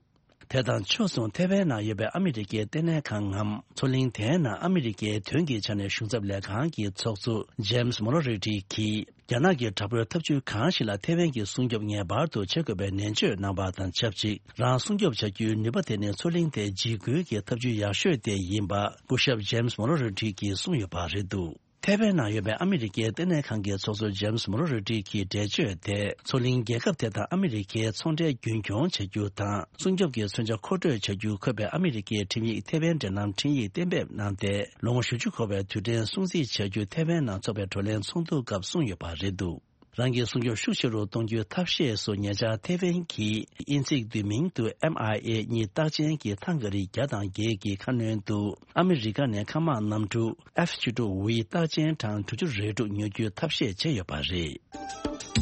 དེ་དང་ཕྱོགས་མཚུངས་ཐའེ་ཝན་ནང་ཡོད་པའི་ཨ་མི་རི་ཀའི་ལྟེ་གནས་ཁང་ངམ་མཚོ་གླིང་དེའི་ནང་ཨ་མི་རི་ཀའི་དོན་གྱི་ཆ་ནས་གཞུང་ཚབ་ལས་ཁང་གི་ཚོགས་གཙོ་ཇེམ་སི་མོ་རོ་རི་ཊི་གིས། རྒྱ་ནག་གི་དྲག་པོའི་ཐབས་ཇུས་གང་ཞིག་ལ་ཐའེ་ཝན་གྱིས་སྲུང་སྐྱོབ་ངེས་པར་དུ་བྱེད་དགོས་པའི་ནན་བརྗོད་གནང་བ་དང་ཆབས་ཅིག། རང་སྲུང་སྐྱོབ་བྱ་རྒྱུའི་ནུས་པ་དེ་ནི་མཚོ་གླིང་དེ་འཇིགས་སྐུལ་གྱི་ཐབས་ཇུས་ཡག་ཤོས་དེ་ཡིན་པ་སྐུ་ཞབས་ཇེམ་སི་མོ་རོ་རི་ཊི་གིས་གསུངས་ཡོད་པ་རེད་འདུག། ཐའེ་ཝན་ནང་ཡོད་པའི་ཨ་མི་རི་ཀའི་ལྟེ་གནས་ཁང་གི་ཚོགས་གཙོ་ཇེམ་སི་མོ་རོ་རི་ཊི་གིས་འགྲེལ་བརྗོད་དེ། མཚོ་གླིང་རྒྱལ་ཁབ་དེ་དང་ཨ་མི་རི་ཀའི་ཚོང་འབྲེལ་རྒྱུན་འཁྱོངས་བྱ་རྒྱུ་དང་། སྲུང་སྐྱོབ་ཀྱི་མཚོན་ཆ་མཁོ་སྤྲོད་བྱ་རྒྱུ་འཁོད་པའི་ཨ་མི་རི་ཀའི་ཁྲིམས་ཡིག་ཐའེ་ཝན་འབྲེལ་ལམ་ཁྲིམས་ཡིག་གཏན་འབེབས་གནང་སྟེ། ལོ་ངོ་བཞི་བཅུ་འཁོར་བའི་དུས་དྲན་སྲུང་བརྩི་བྱ་རྒྱུ་ཐའེ་ཝན་ནང་འཚོགས་པའི་བགྲོ་གླེང་ཚོགས་འདུ་སྐབས་གསུངས་ཡོད་པ་རེད་འདུག། རང་གི་སྲུང་སྐྱོབ་ཤུགས་ཆེ་རུ་གཏོང་རྒྱུའི་ཐབས་ཤེས་སུ་ཉེ་ཆར་ཐའེ་ཝན་གྱིས་དབྱིན་ཚིག་བསྡུས་མིང་དུ་ཨེམ་ཨའི་ཨེ་གཉིས་རྟགས་ཅན་གྱི་ཐང་ག་རིགས་བརྒྱ་དང་བརྒྱད་ཀྱི་ཁ་སྣོན་དུ་ཨ་མི་རི་ཀ་ནས་མཁའ་དམག་གནམ་གྲུ་ཨེཕ་བཅུ་དྲུག་ཝི་རྟགས་ཅན་གྲངས་དྲུག་ཅུ་རེ་དྲུག་ཉོ་རྒྱུའི་ཐབས་ཤེས་བྱས་ཡོད་པ་རེད།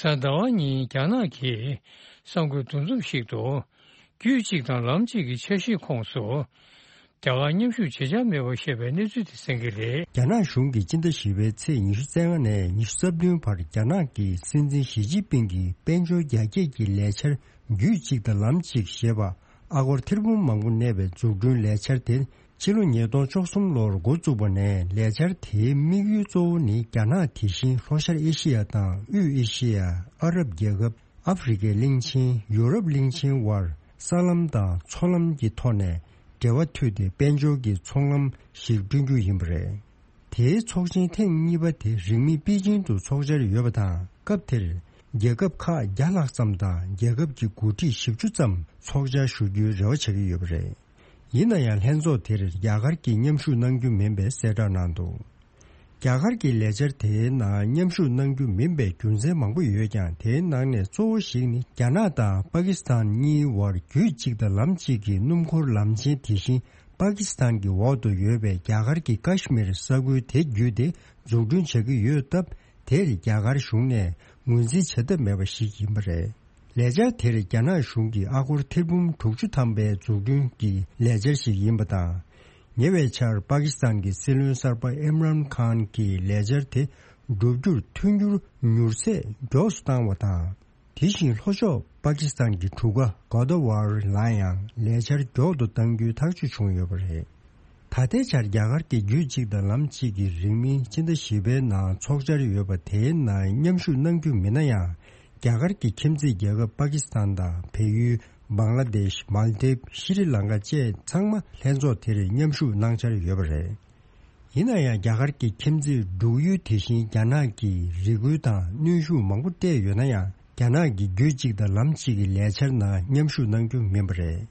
གཟའ་ཟླ་བ་ཉིན་རྒྱ་ནག་གིས་གསར་འགོད་འདུ་འཛོམས་ཤིག་ཏུ། རྒྱུད་གཅིག་དང་ལམ་གཅིག་གི་འཆར་གཞིའི་ཁོངས་སུ། རྒྱ་གར་མཉམ་ཞུགས་བྱེད་འཆར་མེད་པར་བཤད་པའི་གནས་ཚུལ་དེ་གསན་གྱི་རེད། རྒྱ་ནག་གཞུང་གིས་སྤྱི་ཟླ་བཞི་པའི་ཚེས་ཉི་ཤུ་རྩ་ལྔ་ནས་ཉི་ཤུ་རྩ་བདུན་བར་རྒྱ་ནག་གི་སྲིད་འཛིན་ཞི་ཅིན་ཕིང་གི་དཔལ་འབྱོར་རྒྱ་སྐྱེད་ཀྱི་ལས་འཆར་རྒྱུད་གཅིག་དང་ལམ་གཅིག་ཞེས་པ་ཨ་སྒོར་ཐེར་འབུམ་མང་པོ་གནས་པའི་འཛུགས་སྐྲུན་ལས་འཆར་དེ། ཕྱི་ལོ་ཉིས་སྟོང་བཅུ་གསུམ་ལོར་འགོ་བཙུགས་པ་ནས་ལས་འཆར་དེའི་དམིགས་ཡུལ་གཙོ་བོ་ནི་རྒྱ་ནག་དེ་བཞིན་ལྷོ་ཤར་ཨེ་ཤི་ཡ་དང་དབུས་ཨེ་ཤི་ཡ། ཨ་རབ་རྒྱལ་ཁབ། ཨ་ཧྥེ་རི་ཁའི་གླིང་ཆེན། ཡུ་རོབ་གླིང་ཆེན་བར་ས་ལམ་དང་མཚོ་ལམ་གྱི་ཐོག་ནས་འབྲེལ་བ་མཐུད་དེ་དཔལ་འབྱོར་གྱི་ཚོང་ལམ་ཞིག་བསྐྲུན་རྒྱུ་ཡིན་པ་རེད། དེའི་ཚོགས་ཆེན་ཐེངས་གཉིས་པ་དེ་རིང་མིན་པེ་ཅིང་དུ་ཚོགས་འཆར་ཡོད་པ་དང་། སྐབས་དེར་རྒྱལ་ཁབ་ཁག་བརྒྱ་ལྷག་ཙམ་དང་རྒྱལ་ཁབ་ཀྱི་འགོ་ཁྲིད་བཞི་བཅུ་ཙམ་ཚོགས་བཅར་ཞུ་རྒྱུའི་རེ་བ་བྱེད་ཀྱི་ཡོད་པ་རེད། ཡིན་ན་ཡང་ལྷན་ཚོགས་དེར་རྒྱ་གར་གྱིས་མཉམ་ཞུགས་གནང་རྒྱུ་མིན་པའི་གསལ་བསྒྲགས་གནང་འདུག་རྒྱ་གར་གྱི་ལས་འཆར་དེའི་ནང་མཉམ་ཞུགས་གནང་རྒྱུ་མིན་པའི་རྒྱུ་མཚན་མང་པོ་ཡོད་ཀྱང་། དེའི་ནང་ནས་གཙོ་བོ་ཞིག་ནི། རྒྱ་ནག་དང་པ་ཀི་སི་ཐན་གཉིས་བར་རྒྱུད་གཅིག་དང་ལམ་གཅིག་གི་སྣུམ་འཁོར་ལམ་ཆེན་དེ་བཞིན་པ་ཀི་སི་ཐན་གྱི་འོག་ཏུ་ཡོད་པའི་རྒྱ་གར་གྱི་ཀ་ཤི་མིར་ས་ཁུལ་དེ་བརྒྱུད་དེ་འཛུགས་སྐྲུན་བྱ་གི་ཡོད་སྟབས། དེར་རྒྱ་གར་གཞུང་ནས་ངོས་འཛིན་བྱ་ཐབས་མེད་པ་ཞིག་ཡིན་པ་རེད། ལས་འཆར་དེར་རྒྱ་ནག་གཞུང་གིས་ཨ་སྒོར་ཐེར་འབུམ་དྲུག་ཅུ་ཐམ་པའི་འཛུགས་སྐྲུན་གྱི་ལས་འཆར་ཞིག་ཡིན་པ་དང་། ཉེ་བའི་ཆར་པ་ཀི་སི་ཐན་གྱི་སྲིད་བློན་གསར་པ་ཨིམ་རཱན་ཁཱན་གྱིས་ལས་འཆར་དེ་བསྒྲུབ་རྒྱུར་མཐུན་འགྱུར་མྱུར་ཚད་མགྱོགས་སུ་བཏང་བ་དང་། དེ་བཞིན་ལྷོ་ཕྱོགས་པ་ཀི་སི་ཐན་གྱི་གྲུ་ཁ་གོ་ད་ཝར་ལ་ཡང་ལས་འཆར་མགྱོགས་དུ་གཏང་རྒྱུའི་ཐག་གཅོད་བྱུང་ཡོད་པ་རེད། ད་ལྟའི་ཆར་རྒྱ་གར་གྱི་རྒྱུད་གཅིག་དང་ལམ་གཅིག་གི་རིང་མིན་སྤྱི་ཟླ་བཞི་པའི་ནང་ཚོགས་འཆར་ཡོད་པ་དེའི་ནང་མཉམ་ཞུགས་གནང་རྒྱུ་མིན་ན་ཡང་། རྒྱ་གར་གྱི་ཁྱིམ་མཚེས་རྒྱལ་ཁབ་པ་ཀི་སི་ཐན་དང་བལ་ཡུལ། བང་ལ་དེཤ། མཱལ་དིབ། ཤི་རི་ལང་ཀ་བཅས་ཚང་མ་ལྷན་ཚོགས་དེར་མཉམ་ཞུགས་གནང་འཆར་ཡོད་པ་རེད། ཡིན་ན་ཡང་རྒྱ་གར་གྱི་ཁྱིམ་མཚེས་འབྲུག་ཡུལ་དེ་བཞིན་རྒྱ་ནག་གིས་རེ་སྐུལ་དང་གནོན་ཤུགས་མང་པོ་སྤྲད་ཡོད་ན་ཡང་། རྒྱ་ནག་གི་རྒྱུད་གཅིག་དང་ལམ་གཅིག་གི་ལས་འཆར་ནང་མཉམ་ཞུགས་གནང་རྒྱུ་མིན་པ་རེད།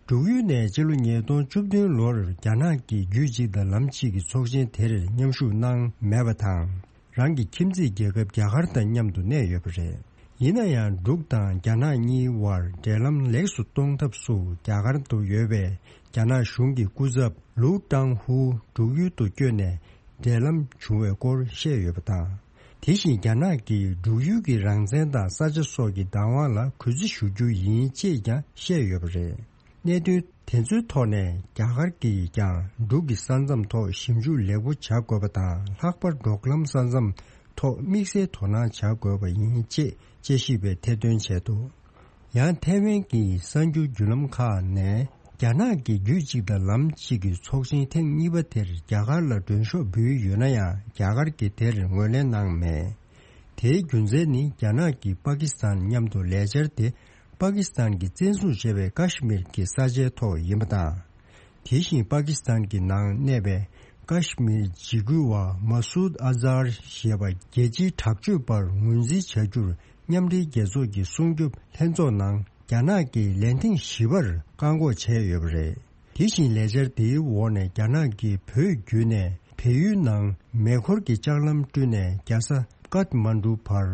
འབྲུག་ཡུལ་ནས་ཕྱི་ལོ་ཉིས་སྟོང་བཅུ་བདུན་ལོར་རྒྱ་ནག་གི་རྒྱུད་གཅིག་དང་ལམ་གཅིག་གི་ཚོགས་ཆེན་དེར་མཉམ་ཞུགས་གནང་མེད་པ་དང་། རང་གི་ཁྱིམ་མཚེས་རྒྱལ་ཁབ་རྒྱ་གར་དང་མཉམ་དུ་གནས་ཡོད་པ་རེད། ཡིན་ན་ཡང་། འབྲུག་དང་རྒྱ་ནག་གཉིས་བར་འབྲེལ་ལམ་ལེགས་སུ་གཏོང་ཐབས་སུ་རྒྱ་གར་དུ་ཡོད་པའི་རྒྱ་ནག་གཞུང་གི་སྐུ་ཚབ་ལུའུ་ཀྲང་ཧུ་འབྲུག་ཡུལ་དུ་བསྐྱོད་ནས་འབྲེལ་ལམ་བྱུང་བའི་སྐོར་བཤད་ཡོད་པ་དང་། དེ་བཞིན་རྒྱ་ནག་གིས་འབྲུག་ཡུལ་གྱི་རང་བཙན་དང་ས་ཆ་སོགས་ཀྱི་བདག་དབང་ལ་གུས་བརྩི་ཞུ་རྒྱུ་ཡིན་ཅེས་ཀྱང་བཤད་ཡོད་པ་རེད། གནད་དོན་དེ་ཚོའི་ཐོག་ནས་རྒྱ་གར་གྱིས་ཀྱང་འབྲུག་གི་ས་མཚམས་ཐོག་ཞིབ་འཇུག་ལེགས་པོ་བྱ་དགོས་པ་དང་། ལྷག་པར་འབྲོག་ལམ་ས་མཚམས་ཐོག་དམིགས་བསལ་དོ་སྣང་བྱ་དགོས་པ་ཡིན་ཅེས་དཔྱད་ཞིབ་པས་ཐེར་འདོན་བྱས་འདུག་ཡང་ཐའེ་ཝན་གྱི་གསར་འགྱུར་བརྒྱུད་ལམ་ཁག་ནས། རྒྱ་ནག་གི་རྒྱུད་གཅིག་དང་ལམ་གཅིག་གི་ཚོགས་ཆེན་ཐེངས་གཉིས་པ་དེར་རྒྱ་གར་ལ་མགྲོན་ཤོག་འབུལ་ཡོད་ན་ཡང་། རྒྱ་གར་གྱིས་དེར་ངོས་ལེན་གནང་མེད། དེའི་རྒྱུ་མཚན་ནི། རྒྱ་ནག་གིས་པ་ཀི་སི་ཐན་མཉམ་དུ་ལས་འཆར་དེ། པ་ཀི་སི་ཐན་གྱིས་བཙན་བཟུང་བྱས་པའི་ཀ་ཤི་མིར་གྱི་ས་ཆའི་ཐོག་ཡིན་པ་དང་། དེ་བཞིན་པ་ཀི་སི་ཐན་གྱི་ནང་གནས་པའི་ཀ་ཤི་མིར་འཇིགས་སྐུལ་བ་མ་སུད་ཨ་ཛར་ཞེས་པ་རྒྱལ་སྤྱིའི་དྲག་སྤྱོད་པར་ངོས་འཛིན་བྱ་རྒྱུར། མཉམ་འབྲེལ་རྒྱལ་ཚོགས་ཀྱི་སྲུང་སྐྱོབ་ལྷན་ཚོགས་ནང་རྒྱ་ནག་གིས་ལན་ཐེངས་བཞི་པར་བཀག་འགོག་བྱས་ཡོད་པ་རེད། དེ་བཞིན་ལས་འཆར་དེའི་འོག་ནས་རྒྱ་ནག་གིས་བོད་བརྒྱུད་ནས་བལ་ཡུལ་ནང་མེ་འཁོར་གྱི་ལྕགས་ལམ་བསྐྲུན་ནས་རྒྱལ་ས་ཀཏ་མན་ཌུ་བར་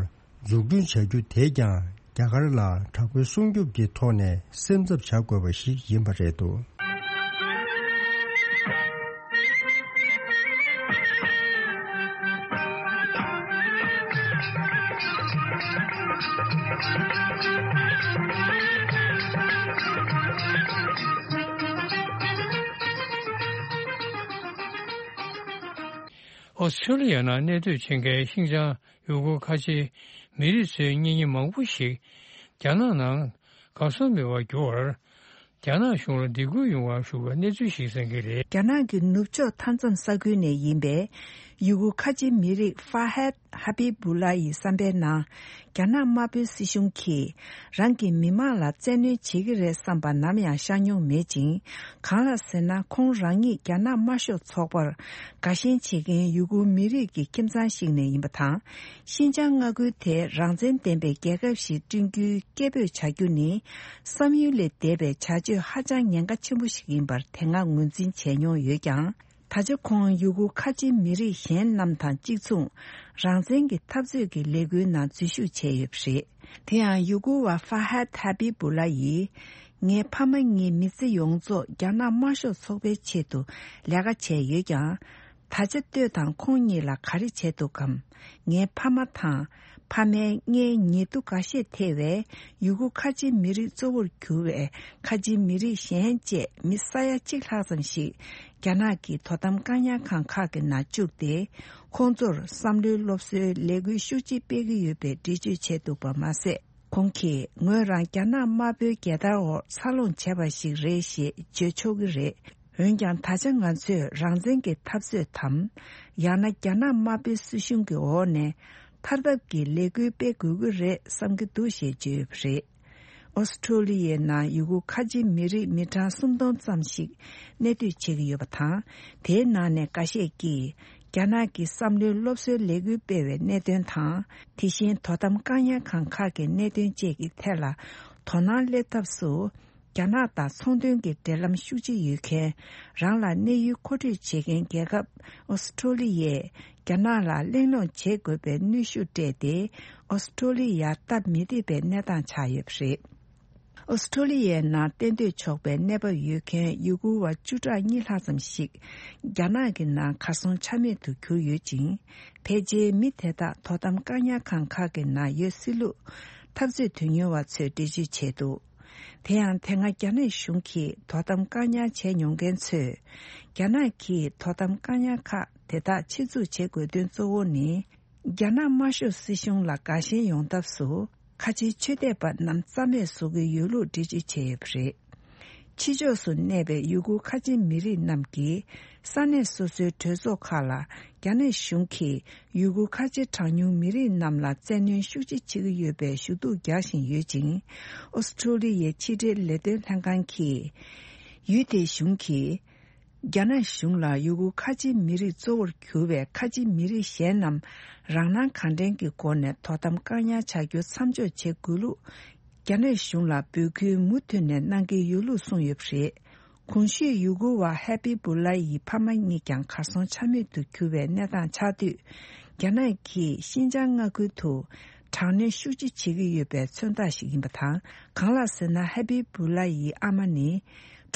འཛུགས་སྐྲུན་བྱ་རྒྱུ་དེས་ཀྱང་རྒྱ་གར་ལ་དྲག་པོའི་སྲུང་སྐྱོབ་ཀྱི་ཐོག་ནས་སེམས་འཚབ་བྱ་དགོས་པ་ཞིག་ཡིན་པ་རེད་འདུག་ཨོ་སི་ཁྲུ་ལི་ཡ་ནང་གནས་སྡོད་བྱེད་མཁན་ཤིན་ཅང་ཡུ་གུར་ཁ་ཆེའི་མི་རིགས་ཚོའི་གཉེན་ཉེ་མང་པོ་ཞིག་རྒྱ་ནག་ནང་གར་སོང་མེད་པར་གྱུར་བར། རྒྱ་ནག་གཞུང་ལ་སྡིགས་སྐུལ་ཡོང་བར་ཞུ་བའི་གནས་ཚུལ་ཞིག་གསན་གྱི་རེད། རྒྱ་ནག་གི་ནུབ་ཕྱོགས་མཐའ་མཚམས་ས་ཁུལ་ནས་ཡིན་པའི་ཡུ་གུར་ཁ་ཆེ་མི་རིགས་ཧྥ་ཧད་ཧ་པི་བུ་ལ་ཡི་བསམ་པའི་ནང་། རྒྱ་ནག་དམར་པོའི་སྲིད་གཞུང་གིས་རང་གི་མི་མང་ལ་བཙན་གནོན་བྱེད་ཀྱི་རེད་བསམ་པ་ནམ་ཡང་ཤར་མྱོང་མེད་ཅིང་། གང་ལགས་ཟེར་ན། ཁོང་རང་ཉིད་རྒྱ་ནག་དམར་ཤོག་ཚོགས་པར་དགའ་ཞེན་བྱེད་མཁན་ཡུ་གུར་མི་རིགས་ཀྱི་ཁྱིམ་ཚང་ཞིག་ནས་ཡིན་པ་དང་། ཤིན་ཅང་མངའ་ཁུལ་དེ་རང་བཙན་ལྡན་པའི་རྒྱལ་ཁབ་ཞིག་བསྐྲུན་རྒྱུའི་སྐད་འབོད་བྱ་རྒྱུ་ནི། བསམ་ཡུལ་ལས་འདས་པའི་བྱ་སྤྱོད་ཧ་ཅང་ཉེན་ཁ་ཆེན་པོ་ཞིག་ཡིན་པར་དེ་སྔ་ངོས་འཛིན་བྱས་མྱོང་ཡོད་ཀྱང་། ད་ཆ་ཁོང་ཡུ་གུར་ཁ་ཆེ་མི་རིགས་གཞན་རྣམས་དང་གཅིག་མཚུངས། རང་བཙན་གྱི་འཐབ་རྩོད་ཀྱི་ལས་འགུལ་ནང་འཛུལ་ཞུགས་བྱས་ཡོད་པ་རེད། དེ་ཡང་ཡུ་གུར་བ་ཧྥ་ཧད་ཧ་པི་བུ་ལ་ཡིས། ངའི་ཕ་མ་ངའི་མི་ཚེ་ཡོངས་རྫོགས་རྒྱ་ནག་དམར་ཤོག་ཚོགས་པའི་ཆེད་དུ་ལས་ཀ་བྱས་ཡོད་ཀྱང་། ད་ཆ་ལྟོས་དང་ཁོང་གཉིས་ལ་ག་རེ་བྱས་འདུག་གམ། ངའི་ཕ་མ་དང་ ཕ་མའི་མངལ་ཉེ་དུ་འགའ་ཤས་ཐེ་བའི་ཡུ་གུར་ཁ་ཆེ་མི་རིགས་གཙོ་བོར་གྱུར་བའི་ཁ་ཆེ་མི་རིགས་གཞན་བཅས་མི་ས་ཡ་གཅིག་ལྷག་ཙམ་ཞིག་རྒྱ་ནག་གི་དོ་དམ་བཀག་ཉར་ཁང་ཁག་གི་ནང་བཅུག་སྟེ། ཁོང་ཚོར་བསམ་བློའི་སློབ་གསོའི་ལས་འགུལ་ཤུགས་ཆེ་སྤེལ་གྱི་ཡོད་པའི་འགྲེལ་བརྗོད་བྱས་འདུག་པ་མ་ཟད། ཁོང་གིས་ངོས་རང་རྒྱ་ནག་དམར་པོའི་རྒྱལ་དར་འོག་འཚར་ལོངས་བྱས་པ་ཞིག་རེད་ཞེས་བརྗོད་ཆོག་གི་རེད། འོན་ཀྱང་། ད་ཆ་ང་ཚོས་རང་བཙན་གྱི་འཐབ་རྩོད་དམ། ཡང་ན་རྒྱ་ནག་དམར་པོའི་སྲིད་གཞུང་གི་འོག་ནས་ཐར་ཐབས་ཀྱི་ལས་འགུལ་སྤེལ་དགོས་ཀྱི་རེད་བསམ་གྱི་འདུག་ཞེས་བརྗོད་ཡོད་པ་རེད། ཨོ་སི་ཁྲུ་ལི་ཡའི་ནང་ཡུ་གུར་ཁ་ཆེ་མི་རིགས་མི་གྲངས་སུམ་སྟོང་ཙམ་ཞིག་གནས་སྡོད་བྱེད་ཀྱི་ཡོད་པ་དང་། དེའི་ནང་ནས་འགའ་ཤས་ཀྱིས་རྒྱ་ནག་གི་བསམ་བློའི་སློབ་གསོའི་ལས་འགུལ་སྤེལ་བའི་གནད་དོན་དང་། དེ་བཞིན་དོ་དམ་བཀག་ཉར་ཁང་ཁག་གི་གནད་དོན་བཅས་ཀྱི་ཐད་ལ་དོ་སྣང་སླེབས་ཐབས་སུ། རྒྱ་ནག་དང་ཚོང་དོན་གྱི་འབྲེལ་ལམ་ཤུགས་ཆེ་ཡོད་མཁན། རང་ལ་གནས་ཡུལ་མཁོ་སྤྲོད་བྱེད་མཁན་རྒྱལ་ཁབ་ཨོ་སི་ཁྲུ་ལི་ཡས་རྒྱ་ནག་ལ་གླེང་སློང་བྱེད་དགོས་པའི་གནོན་ཤུགས་སྤྲད་དེ། ཨོ་སི་ཁྲུ་ལི་ཡར་སྟབས་མི་བདེ་བའི་གནས་སྟངས་ཆགས་ཡོད་པ་རེད། ཨོ་སི་ཁྲུ་ལི་ཡའི་ནང་གཏན་སྡོད་ཆོག་པའི་གནས་བབ་ཡོད་མཁན་ཡུ་གུར་བ་བཅུ་ཕྲག་གཉིས་ལྷག་ཙམ་ཞིག་རྒྱ་ནག་གི་ནང་གར་སོང་ཆ་མེད་དུ་གྱུར་ཡོད་ཅིང་། ཕལ་ཆེར་མི་དེ་དག་དོ་དམ་བཀག་ཉར་ཁང་ཁག་གི་ནང་ཡོད་སྲིད་ལུགས་འཐབ་རྩོད་དོན་གཉེར་བ་ཚོས་འགྲེལ་བརྗོད་བྱས་འདུག། དེ་ཡང་། དེ་སྔ་རྒྱ་ནག་གཞུང་གིས་དོ་དམ་བཀག་ཉར་བྱས་མྱོང་མཁན་ཚོས། རྒྱ་ནག་གིས་དོ་དམ་བཀག་ཉར་ཁག་དེ་དག་ཆེད་འཛུགས་བྱེད་དགོས་དོན་གཙོ་བོ་ནི། རྒྱ་ནག་དམར་ཤོག་སྲིད་གཞུང་ལ་དགའ་ཞེན་ཡོང་ཐབས་སུ། ཁ་ཆེའི་ཆོས་དད་པ་རྣམས་རྩ་མེད་བཟོ་གི་ཡོད་ལུགས་འགྲེལ་བརྗོད་བྱས་ཡོད་པ་རེད། ཕྱི་ཕྱོགས་སུ་གནས་པའི་ཡུ་གུར་ཁ་ཆེ་མི་རིགས་རྣམས་ཀྱིས། ས་གནས་སོ་སོའི་གྲོས་ཚོགས་ཁག་ལ། རྒྱ་ནག་གཞུང་གིས། ཡུ་གུར་ཁ་ཆེ་གྲངས་ཉུང་མི་རིགས་རྣམས་ལ་བཙན་གནོན་ཤུགས་ཆེ་བྱེད་ཀྱི་ཡོད་པའི་ཞུ་གཏུག་རྒྱག་བཞིན་ཡོད་ཅིང་། ཨོ་སི་ཁྲུ་ལི་ཡའི་ཕྱི་འབྲེལ་ལས་དོན་ལྷན་ཁང་གིས། ཡུལ་དེའི་གཞུང་གིས། རྒྱ་ནག་གཞུང་ལ་ཡུ་གུར་ཁ་ཆེའི་མི་རིགས་གཙོ་བོར་གྱུར་བའི་ཁ་ཆེའི་མི་རིགས་གཞན་རྣམས་རང་སྣང་གང་དྲན་གྱི་སྒོ་ནས་དོ་དམ་བཀག་ཉར་བྱ་རྒྱུ་མཚམས་འཇོག་བྱེད་དགོས་ལུགས། རྒྱ་ནག་གཞུང་ལ་འབོད་སྐུལ་མུ་མཐུད་ནས་གནང་གི་ཡོད་ལུགས་གསུངས་ཡོད་པ་རེད། གོང་ཞུས་ཡུ་གུར་བ་ཧེ་པི་བུ་ལ་ཡི་ཕ་མ་གཉིས་ཀྱང་གར་སོང་ཆ་མེད་དུ་གྱུར་བའི་གནས་སྟངས་ཆགས་དུས། རྒྱ་ནག་གིས་ཤིན་ཅང་མངའ་ཁུལ་དུ་དྲག་གནོན་ཤུགས་ཆེ་བྱེད་ཀྱི་ཡོད་པའི་མཚོན་རྟགས་ཤིག་ཡིན་པ་དང་། གང་ལགས་ཟེར་ན། ཧེ་པི་བུ་ལ་ཡི་ཨ་མ་ནི་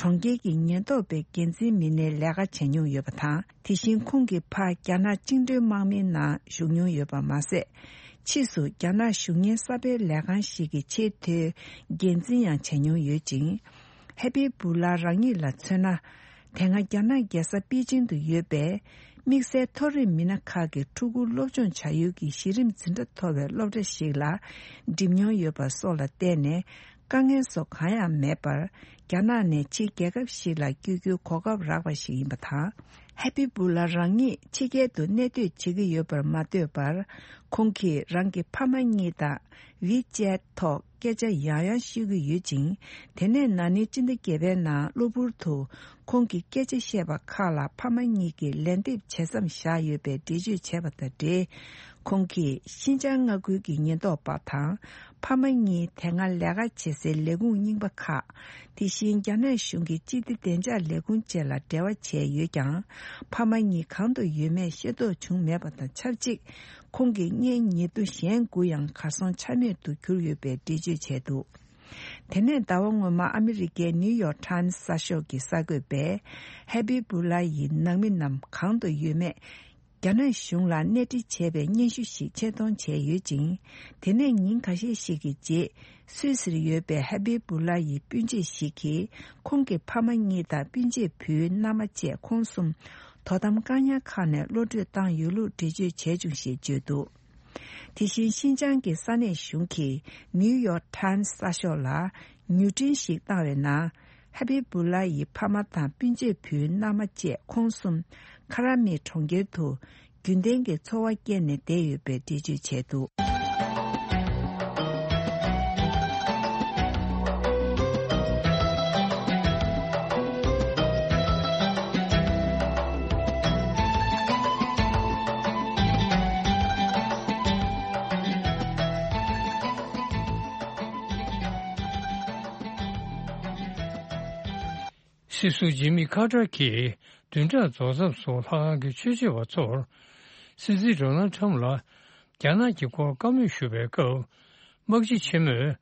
གྲོང་ཁྱེར་གྱི་ཉེན་རྟོག་པའི་འགན་འཛིན་མི་སྣའི་ལས་ཀ་བྱས་མྱོང་ཡོད་པ་དང་། དེ་བཞིན་ཁོང་གི་ཕ་རྒྱ་ནག་བཅིངས་འགྲོལ་དམག་མིའི་ནང་ཞུགས་མྱོང་ཡོད་པ་མ་ཟད། ཕྱིས་སུ་རྒྱ་ནག་གཞུང་གཉེར་གསར་སྤེལ་ལས་ཁང་ཞིག་གི་ཆེས་མཐོའི་འགན་འཛིན་ཡང་བྱས་མྱོང་ཡོད་ཅིང་། ཧེ་པི་བུ་ལ་རང་ཉིད་ལ་མཚོན་ན། དེ་སྔ་རྒྱ་ནག་རྒྱལ་ས་པེ་ཅིང་དུ་ཡོད་པའི་དམིགས་བསལ་མཐོ་རིམ་མི་སྣ་ཁག་གི་ཕྲུ་གུ་སློབ་སྦྱོང་བྱ་ཡུལ་གྱི་གཞི་རིམ་འཛིན་གྲྭ་མཐོ་བའི་སློབ་གྲྭ་ཞིག་ལ་འགྲིམ་མྱོང་ཡོད་པ་སོགས་ལ་བརྟེན་ནས། དཀའ་ངལ་སོགས་གང་ཡང་མེད་པར། རྒྱ་ནག་ནས་ཕྱིའི་རྒྱལ་ཁབ་ཞིག་ལ་བསྐྱོད་རྒྱུའི་གོ་སྐབས་རག་པ་ཞིག་ཡིན་པ་དང་། ཧེ་པི་བུ་ལ་རང་ཉིད་ཕྱི་རྒྱལ་དུ་གནས་སྡོད་བྱེད་ཀྱི་ཡོད་པར་མ་ལྟོས་པར། ཁོང་གིས་རང་གི་ཕ་མ་གཉིས་དང་ཝི་ཅེད་ཐོག་སྐད་ཆ་ཡང་ཡང་ཤོད་ཀྱི་ཡོད་ཅིང་། དེ་ནས་ན་ནིང་སྤྱི་ཟླ་བརྒྱད་པའི་ནང་གློ་བུར་དུ་ཁོང་གིས་སྐད་ཆ་བཤད་པ་ཁག་ལ་ཕ་མ་གཉིས་ཀྱིས་ལན་འདེབས་བྱེད་མཚམས་བཞག་ཡོད་པའི་འགྲེལ་བརྗོད་བྱས་པ་དང་འབྲེལ། ཁོང་གིས་ཤིན་ཅང་མངའ་ཁུལ་གྱི་ཉེན་རྟོག་པ་དང་། ཕ་མ་གཉིས་དེ་སྔ་ལས་ཀ་བྱེད་སའི་ལས་ཁུངས་རྙིང་པ་ཁག་དེ་བཞིན་རྒྱ་ནག་གཞུང་གི་སྤྱི་བདེ་བདེ་འཇགས་ལས་ཁུངས་བཅས་ལ་འབྲེལ་བ་བྱས་ཡོད་ཀྱང་། ཕ་མ་གཉིས་གང་དུ་ཡོད་མེད་ཤེས་རྟོགས་བྱུང་མེད་པ་དང་ཆབས་ཅིག་ཁོང་གི་མངལ་ཉེ་དུ་གཞན་དགུ་ཡང་གར་སོང་ཆ་མེད་དུ་གྱུར་ཡོད་པའི་འགྲེལ་བརྗོད་བྱས་འདུག། དེ་ནས་ཟླ་བ་སྔོན་མ་ཨ་མི་རི་ཀའི་ནིའུ་ཡོག་ཊའིམ་གསར་ཤོག་གི་གསར་འགོད་པས། ཧེ་པི་བུ་ལ་ཡི་ནང་མི་རྣམས་གང་དུ་ཡོད་མེད། རྒྱ་ནག་གཞུང་ལ་གནས་འདྲི་བྱས་པའི་སྙན་ཞུ་ཞིག་ཆེད་གཏོང་བྱས་ཡོད་ཅིང་། དེ་ནས་ཉིན་ཁ་ཤས་ཤིག་གི་རྗེས། སུད་སིར་ཡོད་པའི་ཧེ་པི་བུ་ལ་ཡི་སྤུན་མཆེད་ཞིག་གིས། ཁོང་གི་ཕ་མ་གཉིས་དང་སྤུན་མཆེད་བུའི་མནའ་མ་བཅས་ཁོང་གསུམ་དོ་དམ་བཀག་ཉར་ཁང་ནས་གློད་བཀྲོལ་བཏང་ཡོད་ལུགས་འགྲེལ་བརྗོད་བྱས་བྱུང་ཞེས་བརྗོད་འདུག། དེ་བཞིན་ཤིན་ཅང་གི་ས་གནས་གཞུང་གིས་ནིའུ་ཡོག་ཊའིམ་གསར་ཤོག་ལ་མྱུར་འཕྲིན་ཞིག་བཏང་བའི་ནང་། ཧ་པི་བུ་ལ་ཡི་ཕ་མ་དང་སྤུན་མཆེད་བུའི་མནའ་མ་བཅས་ཁོང་གསུམ་ཁ་ར་མི་གྲོང་ཁྱེར་དུ་རྒྱུན་ལྡན་གྱི་འཚོ་བ་སྐྱེལ་ནས་བསྡད་ཡོད་པའི་འགྲེལ་བརྗོད་བྱས་འདུག། སྲིད་ཟུར་ཇི་མི་ཁ་ཏར་གྱིས་བདུན་ཕྲག་རྫོགས་མཚམས་སུ་ལྷག་དཀར་གྱི་ཆོས་བྱེད་པ་ཚོར་སྲིད་འཛིན་ཌོ་ནལ་ཊམ་ལ་རྒྱ་ནག་གི་སྐོར་བཀའ་མོལ་ཞུ་བའི་སྐབས། དམག་སྤྱི་ཆེན་མོས་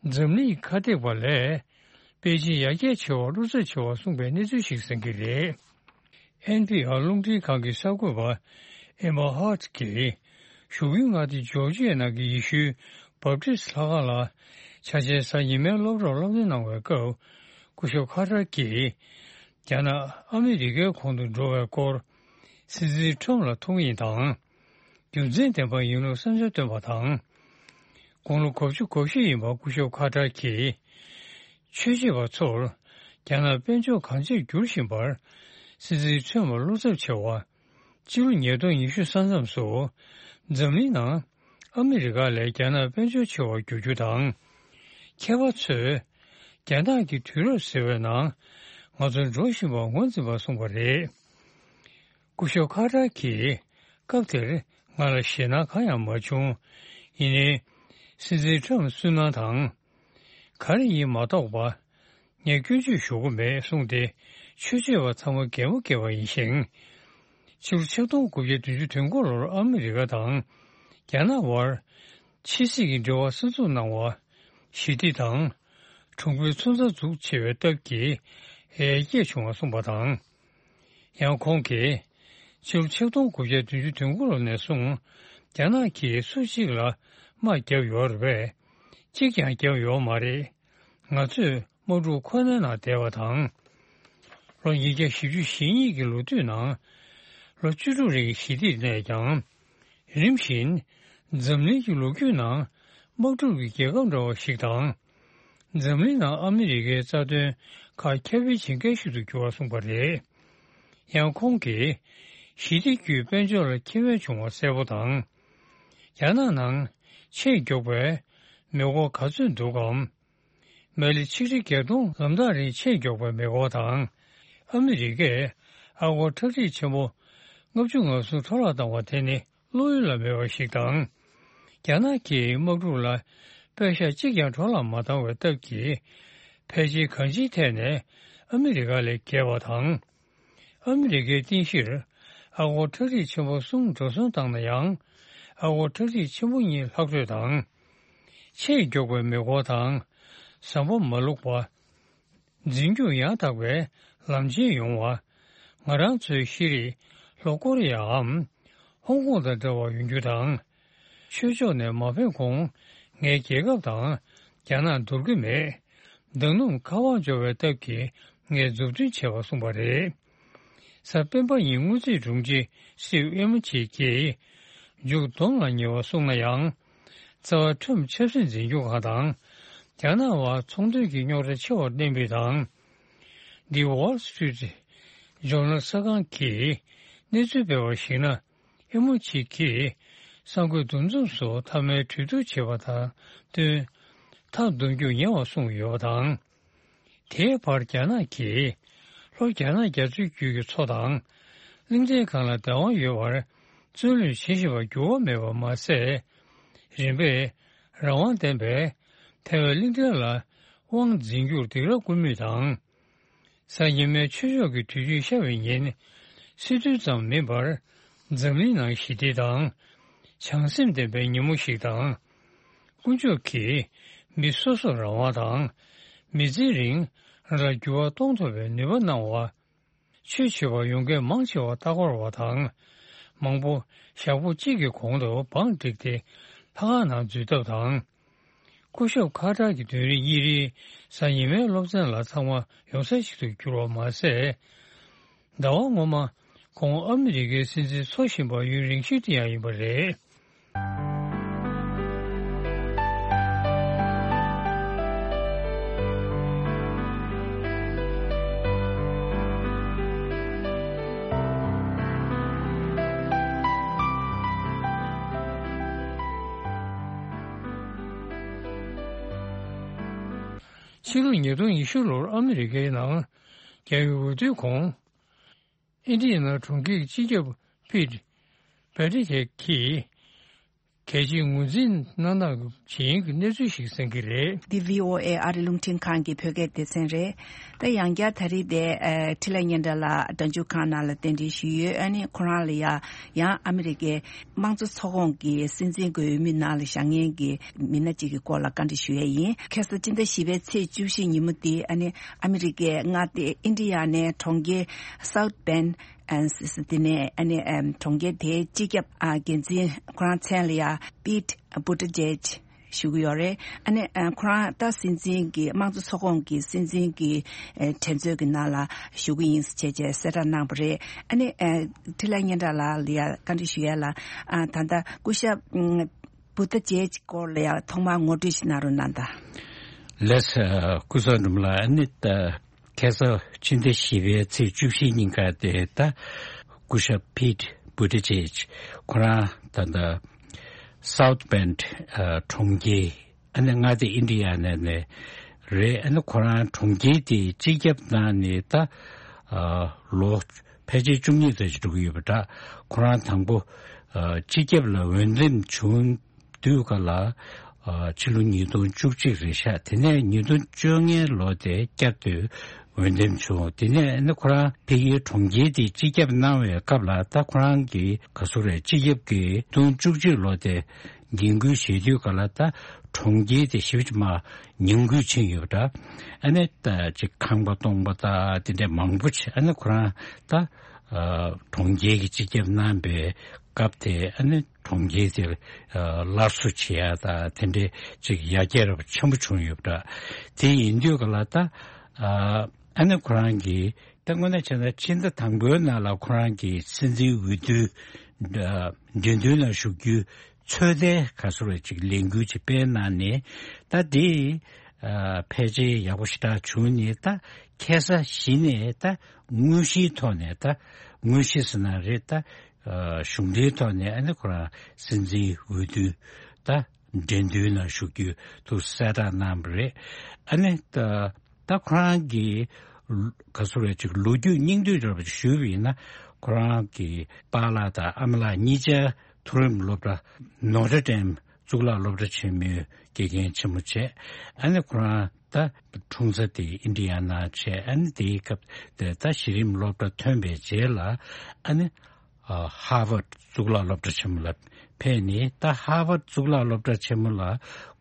འཛམ་གླིང་ཁ་གཏད་པ་ལས་པེ་ཅིན་ཡར་རྒྱས་ཆེ་བ་བློ་འཚབ་ཆེ་བ་གསུངས་པའི་གནས་ཚུལ་ཞིག་གསན་གྱི་རེད། ཨེན་པི་ཨར་རླུང་འཕྲིན་ཁང་གི་གསར་འགོད་པ་ཨེ་མ་ཧཱ་ཊི་གིས། བཞུགས་ཁུལ་མངའ་སྡེ་ཇོར་ཇི་ཡའི་ནང་གི་ཡེ་ཤུའི་བབ་ཏིས་ལྷ་ཁང་ལ་ཆ་ཆེན་གཟའ་ཉི་མའི་སློབ་གྲྭར་སློབ་སྟོན་གནང་བའི་སྐབས། སྐུ་ཞབས་ཁ་ཏར་གྱིས་རྒྱ་ནག་ཨ་མི་རི་ཀའི་གོང་དུ་འགྲོ་བའི་སྐོར་སྲིད་འཛིན་ཁྲོམ་ལ་ཐུགས་མཉེས་དང་། རྒྱུ་མཚན་ལྡན་པ་ཡིན་ལུགས་བསམ་འཆར་བཏོན་པ་དང་། དགུང་ལོ་དགུ་བཅུ་གོ་བཞི་ཡིན་པ་སྐུ་ཞབས་ཁ་ཏར་གྱིས། ཆོས་བྱེད་པ་ཚོར་རྒྱ་ནག་དཔལ་འབྱོར་གང་ཆེར་འགྱུར་བཞིན་པར་སྲིད་འཛིན་ཁྲོམ་ལ་བློ་འཚབ་ཆེ་བ། ཕྱི་ལོ་ཉིས་སྟོང་ཉི་ཤུ་ས་མཚམས་སུ་འཛམ་གླིང་ནང་ཨ་མི་རི་ཀ་ལས་རྒྱ་ནག་དཔལ་འབྱོར་ཆེ་བར་འགྱུར་རྒྱུ་དང་། མཁས་པ་ཚོས་རྒྱ་ནག་གི་དུས་རབས་ཟེར་བའི་ནང་ང་ཚོ་འགྲོ་བཞིན་པར་ངོས་འཛིན་པར་གསུངས་པ་རེད། སྐུ་ཞབས་ཁ་ཏར་གྱིས་སྐབས་དེར་ང་ལ་ཞེད་སྣང་གང་ཡང་མ་བྱུང་། ཡིན་ནའི་སྲིད་འཛིན་ཁྲོམ་སུན་སྣང་དང་། ག་རེ་ཡིན་མ་རྟོགས་པ། ངས་སྐྱོན་བརྗོད་ཞུ་གི་མེད་གསུངས་ཏེ། ཆོས་བྱེད་པ་ཚང་མ་གད་མོ་བགད་པ་ཡིན་ཞིང་། ཕྱི་ལོ་ཆིག་སྟོང་དགུ་བརྒྱ་བདུན་ཅུ་དོན་དགུ་ལོར་ཨ་མི་རི་ཀ་དང་རྒྱ་ནག་དབར་ཕྱི་སྲིད་ཀྱི་འབྲེལ་བ་གསར་འཛུགས་གནང་བ། ཞི་བདེ་དང་གྲོང་ཁྱེར་མཚོན་རྩ་འཛུགས་ཆེ་བའི་སྟབས་ཀྱིས་ཡར་རྒྱས་བྱུང་བ་གསུངས་པ་དང་། ཡང་ཁོང་གིས། ཕྱི་ལོ་ཆིག་སྟོང་དགུ་བརྒྱ་བདུན་ཅུ་དོན་དགུ་ལོ་ནས་བཟུང་རྒྱ་ནག་གིས་སུ་གཅིག་ལ་དམག་བརྒྱབ་ཡོད་རེད་པས། གཅིག་ཀྱང་བརྒྱབ་ཡོད་མ་རེད། ང་ཚོས་དམག་འཁྲུག་ཁོ་ནའི་ནང་བསྡད་པ་དང་། ལོ་ཉིས་བརྒྱ་བཞི་བཅུ་ཞེ་གཉིས་ཀྱི་ལོ་དུས་ནང་ལོ་བཅུ་དྲུག་རིང་ཞི་བདེ་གནས་ཀྱང་། རིམ་བཞིན་འཛམ་གླིང་གི་ལོ་རྒྱུས་ནང་དམག་འཁྲུག་གི་རྒྱལ་ཁབ་འདྲ་བ་ཞིག་དང་། འཛམ་གླིང་ནང་ཨ་མི་རི་ཀའི་རྩ་དོན་ཁག་ཁྱབ་སྤེལ་བྱེད་མཁན་ཞིག་ཏུ་གྱུར་བ་གསུངས་པ་རེད། ཡང་ཁོང་གིས་ཞི་བདེ་བརྒྱུད་དཔལ་འབྱོར་ལ་ཁེ་ཕན་བྱུང་བ་གསལ་པོ་དང་། རྒྱ་ནག་ནང་ཆེས་མགྱོགས་པའི་མེ་འཁོར་ག་ཚོད་འདུག་གམ། མ་ལེ་ཆིག་ཁྲི་བརྒྱད་སྟོང་ལམ་ཐག་རིང་ཆེས་མགྱོགས་པའི་མེ་འཁོར་དང་། ཨ་མི་རི་ཀས་ཨ་སྒོར་ཁྲག་ཁྲིག་ཆེན་པོ་ལྔ་བཅུ་ང་གསུམ་འཕྲོ་བརླག་བཏང་བ་དེ་ནི་བློ་ཡུལ་ལ་མེད་པ་ཞིག་དང་། རྒྱ་ནག་གིས་དམག་འཁྲུག་ལ་པེ་ཤག་གཅིག་ཀྱང་འཕྲོ་བརླག་མ་བཏང་བའི་སྟབས་ཀྱིས། ཕལ་ཆེར་གང་ཅིའི་ཐད་ནས་ཨ་མི་རི་ཀ་ལས་བརྒལ་བ་དང་། ཨ་མི་རི་ཀའི་རྟེན་གཞིར་ཨ་སྒོར་ཁྲག་ཁྲིག་ཆེན་པོ་གསུམ་འགྲོ་སོང་བཏང་ན་ཡང་། ཨ་སྒོར་ཁྲག་ཁྲིག་ཆེན་པོ་གཉིས་ལྷག་འཕྲོས་དང་། ཆེས་མགྱོགས་པའི་མེ་འཁོར་དང་། ཟམ་པ་མ་བླུགས་པ། འཛིན་སྐྱོང་ཡང་དག་པའི་ལམ་ཆེན་ཡོང་བ། ང་རང་ཚོའི་ཤེས་རིག་ལྷོ་ཀོ་རི་ཡའམ་ཧོང་ཀོང་དང་འདྲ་བ་ཡོང་རྒྱུ་དང་། ཆོས་ཕྱོགས་ནས་མ་ཕེབས་གོང་ངའི་རྒྱལ་ཁབ་དང་རྒྱ་ནག་འདོར་གྱི་མེད། མདང་ནུབ་ཁ་བ་འབྱོར་བའི་སྟབས་ཀྱིས་ངས་མཛུབ་སྟོན་བྱས་པ་གསུངས་པ་རེད། གཟའ་སྤེན་པ་ཉིན་དངུལ་རྩིས་དྲུང་ཆེ་སིའུ་ཨེ་མོ་ཆི་གིས་མཇུག་སྡོམ་ལ་ཉེ་བ་གསུངས་ན་ཡང་། རྩ་བ་ཁྲོམ་ཆབ་སྲིད་འཛིན་སྐྱོང་ཁང་དང་རྒྱ་ནག་དབར་ཚོང་དོན་གྱི་རྙོག་དྲ་ཆེ་བར་བརྟེན་པའི་དང་། The Wall Street Journal གསར་ཁང་གིས་གནས་ཚུལ་སྤེལ་བར་གཞིགས་ན། ཨེ་མོ་ཆི་གིས་གསར་འགོད་འདུ་འཛོམས་སུ་མཐའ་མའི་གྲོས་བསྡུར་བྱས་པ་དང་བསྟུན། མཐའ་འདོན་རྒྱུ་ཉེ་བར་གསུངས་ཡོད་པ་དང་། དེའི་བར་རྒྱ་ནག་གིས་ལྷོ་རྒྱ་ནག་རྒྱ་མཚོའི་རྒྱུད་ཀྱི་མཚོ་དང་། གླིང་ཕྲན་སྒང་ལ་བདག་དབང་ཡོད་པར་བཙོན་ལེན་བྱེད་བཞིན་པར་འགྱུར་བ་མེད་པ་མ་ཟད། རིམ་པས་རང་དབང་ལྡན་པའི་ཐའེ་ཝན་གླིང་ཕྲན་ལ་དབང་འཛིན་རྒྱུར་སྡིགས་ར་བསྐུལ་མུས་དང་། གཟའ་ཉི་མའི་ཆོས་ཕྱོགས་ཀྱི་དུས་ཆེན་ཤར་བའི་ཉིན། སྲིད་དོན་ཙམ་མིན་པར། འཛམ་གླིང་ནང་ཞི་བདེ་དང་། བྱང་སེམས་ལྡན་པའི་ཉིན་མོ་ཞིག་དང་། དཀོན་མཆོག་གིས་མི་སོ་སོར་རང་དབང་དང་། མི་ཚེ་རིང་རང་ལ་འགྱུར་བ་གཏོང་ཐུབ་པའི་ནུས་པ་གནང་བ། ཆོས་བྱེད་པར་ཡོང་མཁན་མང་ཆེ་བ་ལྟ་སྐོར་བ་དང་། མང་པོ་ཞག་པོ་གཅིག་གི་གོང་དུ་བང་བསྒྲིགས་ཏེ་ལྷ་ཁང་ནང་འཛུལ་ཐབས་དང་། སྐུ་ཞབས་ཁ་ཏར་གྱི་དོན་རིག་གཉིས་རེའི་གཟའ་ཉི་མའི་སློབ་ཚན་ལ་ཚང་མ་ཡོང་ས་ཞིག་ཏུ་གྱུར་བ་མ་ཟད། ཟླ་བ་སྔོན་མ་ཁོང་ཨ་མི་རི་ཀའི་སྲིད་འཛིན་འཚོ་བཞིན་པ་ཡུན་རིང་ཤོས་དེ་ཡང་ཡིན་པ་རེད། ཕྱི་ལོ་ཉིས་སྟོང་ཉི་ཤུ་ལོར་ཨ་མི་རི་ཀའི་ནང་རྒྱལ་བའི་འོས་བསྡུའི་གོང་། ཨིན་ཌི་ཡ་ན་གྲོང་ཁྱེར་གྱི་སྤྱི་ཁྱབ་པིད་བྷེ་ཏི་ཁེ་གིས་གལ་ཆེའི་ངོས་འཛིན་གནང་སྟངས་ཇི་ཡིན་གྱི་གནས་ཚུལ་ཞིག་གསན་གྱི་རེད། འདི་བྷི་ཨོ་ཨེ་ཨ་རི་རླུང་འཕྲིན་ཁང་གི་བོད་སྐད་སྡེ་ཚན་རེད། ད་ཡང་བསྐྱར་ད་རེས་དེ་ཨ་འཕྲིན་ལས་སྙན་གྲགས་ལགས་སྒྲ་འཇུག་ཁང་ནང་ལ་གདན་འདྲེན་ཞུས་ཡོད། ཨ་ནི་ཁོ་རང་ལ་ཡང་ཡང་ཨ་མི་རི་ཀའི་དམངས་གཙོ་ཚོགས་ཁོངས་ཀྱི་སྲིད་འཛིན་གྱི་འོས་མི་ནང་ལ་བཞེངས་མཁན་གྱི་མི་སྣ་གཅིག་གི་སྐོར་ལ་བཀའ་འདྲི་ཞུ་ཡས་ཡིན། ཁ་སང་སྤྱི་ཟླ་བཞི་པའི་ཚེས་བཅུ་བཞི་ཉིན་མོ་དེ་ཨ་ནི་ཨ་མི་རི་ཀའི་མངའ་སྡེ་ཨིན་ཌི་ཡ་ནའི་གྲོང་ཁྱེར་South Bend ཨ་སི་སི་དེ་ནས་ཨ་ནི་ཨམ་གྲོང་ཁྱེར་དེའི་སྤྱི་ཁྱབ་ཨ་འགན་འཛིན་ཁོ་རང་མཚན་ལ་ཡ་Pete Buttigieg བཞུགས་ཡོད་རེད། ཨ་ནི་ཨ་ཁོ་རང་ད་སྲིད་འཛིན་གྱི་དམངས་གཙོ་ཚོགས་ཁོངས་ཀྱི་སྲིད་འཛིན་གྱི་ཨ་གྲོས་ཚོགས་ཀྱི་ནང་ལ་བཞུགས་ཀྱི་ཡིན་ཟེར་བྱས་བྱས་གསལ་བསྒྲགས་གནང་བ་རེད། ཨ་ནི་ཨ་འཕྲིན་ལས་སྙན་གྲགས་ལགས་ལ་ཡ་བཀའ་འདྲི་ཞུ་ཡ་ལ། ཨ་ད་ལྟ་སྐུ་ཞབས་ཨམ་Buttigieg སྐོར་ལ་ཡ་ཐོག་མར་ངོ་སྤྲོད་ཞིག་གནང་རོགས་གནང་དང་། ལགས་སོ། སྐུ་ཞབས་འབྲུག་ལགས། ཨ་ནི་ད་ཁ་སང་ཕྱི་ཟླ་བཞི་པའི་ཚེས་བཅུ་བཞི་ཉིན་ཀ་དེ་ད་སྐུ་ཞབས་Pete Buttigieg ཁོ་རང་ད་ལྟ་South Bend ཨ་གྲོང་ཁྱེར། ཨ་ནི་མངའ་སྡེ་ཨིན་ཌི་ཡ་ན་ནས་རེད། ཨ་ནི་ཁོ་རང་གྲོང་ཁྱེར་དེའི་སྤྱི་ཁྱབ་གནང་ནས་ད་ཨ་ལོ་ཕལ་ཆེར་བཅུ་གཉིས་ཙམ་ཞིག་འགྲོ་གི་ཡོད་པ་འདྲ། ཁོ་རང་དང་པོ་ཨ་སྤྱི་ཁྱབ་ལ་འོས་འདེམས་བྱུང་དུས་ག་ལ་ཨ་ཕྱི་ལོ་ཉིས་སྟོང་བཅུ་གཅིག་རེད་ཤག་དེ་ནས་ཉིས་སྟོང་བཅོ་ལྔའི་ལོ་དེ་བསྐྱར་དུ་འོས་འདེམས་བྱུང་། དེ་ནས་ཨ་ནི་ཁོ་རང་ཕ་གིའི་གྲོང་ཁྱེར་དེ་སྤྱི་ཁྱབ་གནང་བའི་སྐབས་ལ་ད་ཁོ་རང་གི་ག་ཟེར་རེད། སྤྱི་ཁྱབ་ཀྱི་ཉིས་སྟོང་བཅུ་གཅིག་ལོ་དེ་འགན་ཁུར་བཞེས་དུས་ག་ལ་ད་གྲོང་ཁྱེར་དེ་ཞེ་པོ་ཅིག་མར་ཉམས་རྒུད་ཕྱིན་ཡོད་པ་འདྲ། ཨ་ནི་ད་ཅིག་ཁང་པ་སྟོང་པ་དང་དེ་འདྲ་མང་པོ་ཅིག་ཨ་ནི་ཁོ་རང་ད་ཨ་གྲོང་ཁྱེར་གྱི་སྤྱི་ཁྱབ་གནང་པའི་སྐབས་དེ་ཨ་ནི་གྲོང་ཁྱེར་དེར་ཨ་སླར་གསོ་བྱེད་ཡ་དང་དེ་འདྲའི་ཅིག་ཡར་རྒྱས་རབ་ཆེན་པོ་བྱུང་ཡོད་པ་འདྲ། དེ་ཡིན་དུས་ག་ལ་ད་ཨ་ཨ་ནི་ཁོ་རང་གིས་ད་དངོས་གནས་བྱས་ན་ཕྱི་ཟླ་དང་པོའི་ནང་ལ་ཁོ་རང་གིས་སྲིད་འཛིན་འོས་བསྡུ་ཨ་འགྲན་བསྡུར་ནང་ཞུགས་རྒྱུའི་ཚོད་ལྟའི་ག་ཟེར་བའི་ཅིག་ལས་འགུལ་ཅིག་སྤེལ་གནང་ནས། ད་དེ་ཨ་ཕལ་ཆེར་ཡག་པོ་ཞེ་དྲག་བྱུང་ནས། ད་ཁ་སང་གཞི་ནས་ད་དངོས་གཞིའི་ཐོག་ནས། ད་དངོས་གཞི་ཟེར་ན་རེད། ད་ཨ་གཞུང་འབྲེལ་ཐོག་ནས་ཨ་ནི་ཁོ་རང་སྲིད་འཛིན་འོས་བསྡུ་ད་འགྲན་བསྡུར་ནང་ཞུགས་རྒྱུ་དུ་གསལ་བསྒྲགས་གནང་བ་རེད། ཨ་ནི་ད་ད་ཁོ་རང་གིས་ག་ཟེར་བའི་ཅིག་ལོ་རྒྱུས་སྙིང་བསྡུས་འདྲ་བ་ཞུས་པ་ཡིན་ན། ཁོ་རང་གི་པཱ་ལགས་དང་ཨ་མ་ལགས་གཉིས་ཆ་མཐོ་རིམ་སློབ་གྲྭ་Notre Dame གཙུག་ལག་སློབ་གྲྭ་ཆེན་མོའི་དགེ་རྒན་ཆེན་མོ་བྱས། ཨ་ནི་ཁོ་རང་ད་འཁྲུངས་ས་དེ་ཨིན་ཌི་ཡ་ན་བྱས། ཨ་ནི་དེའི་སྐབས་དེ་ད་གཞི་རིམ་སློབ་གྲྭ་ཐོན་པའི་རྗེས་ལ་ཨ་ནི་ཨ་ཧར་ཝརཌ་གཙུག་ལག་སློབ་གྲྭ་ཆེན་མོ་ལ་ཕེབས་ནས། ད་ཧར་ཝརཌ་གཙུག་ལག་སློབ་གྲྭ་ཆེན་མོ་ལ་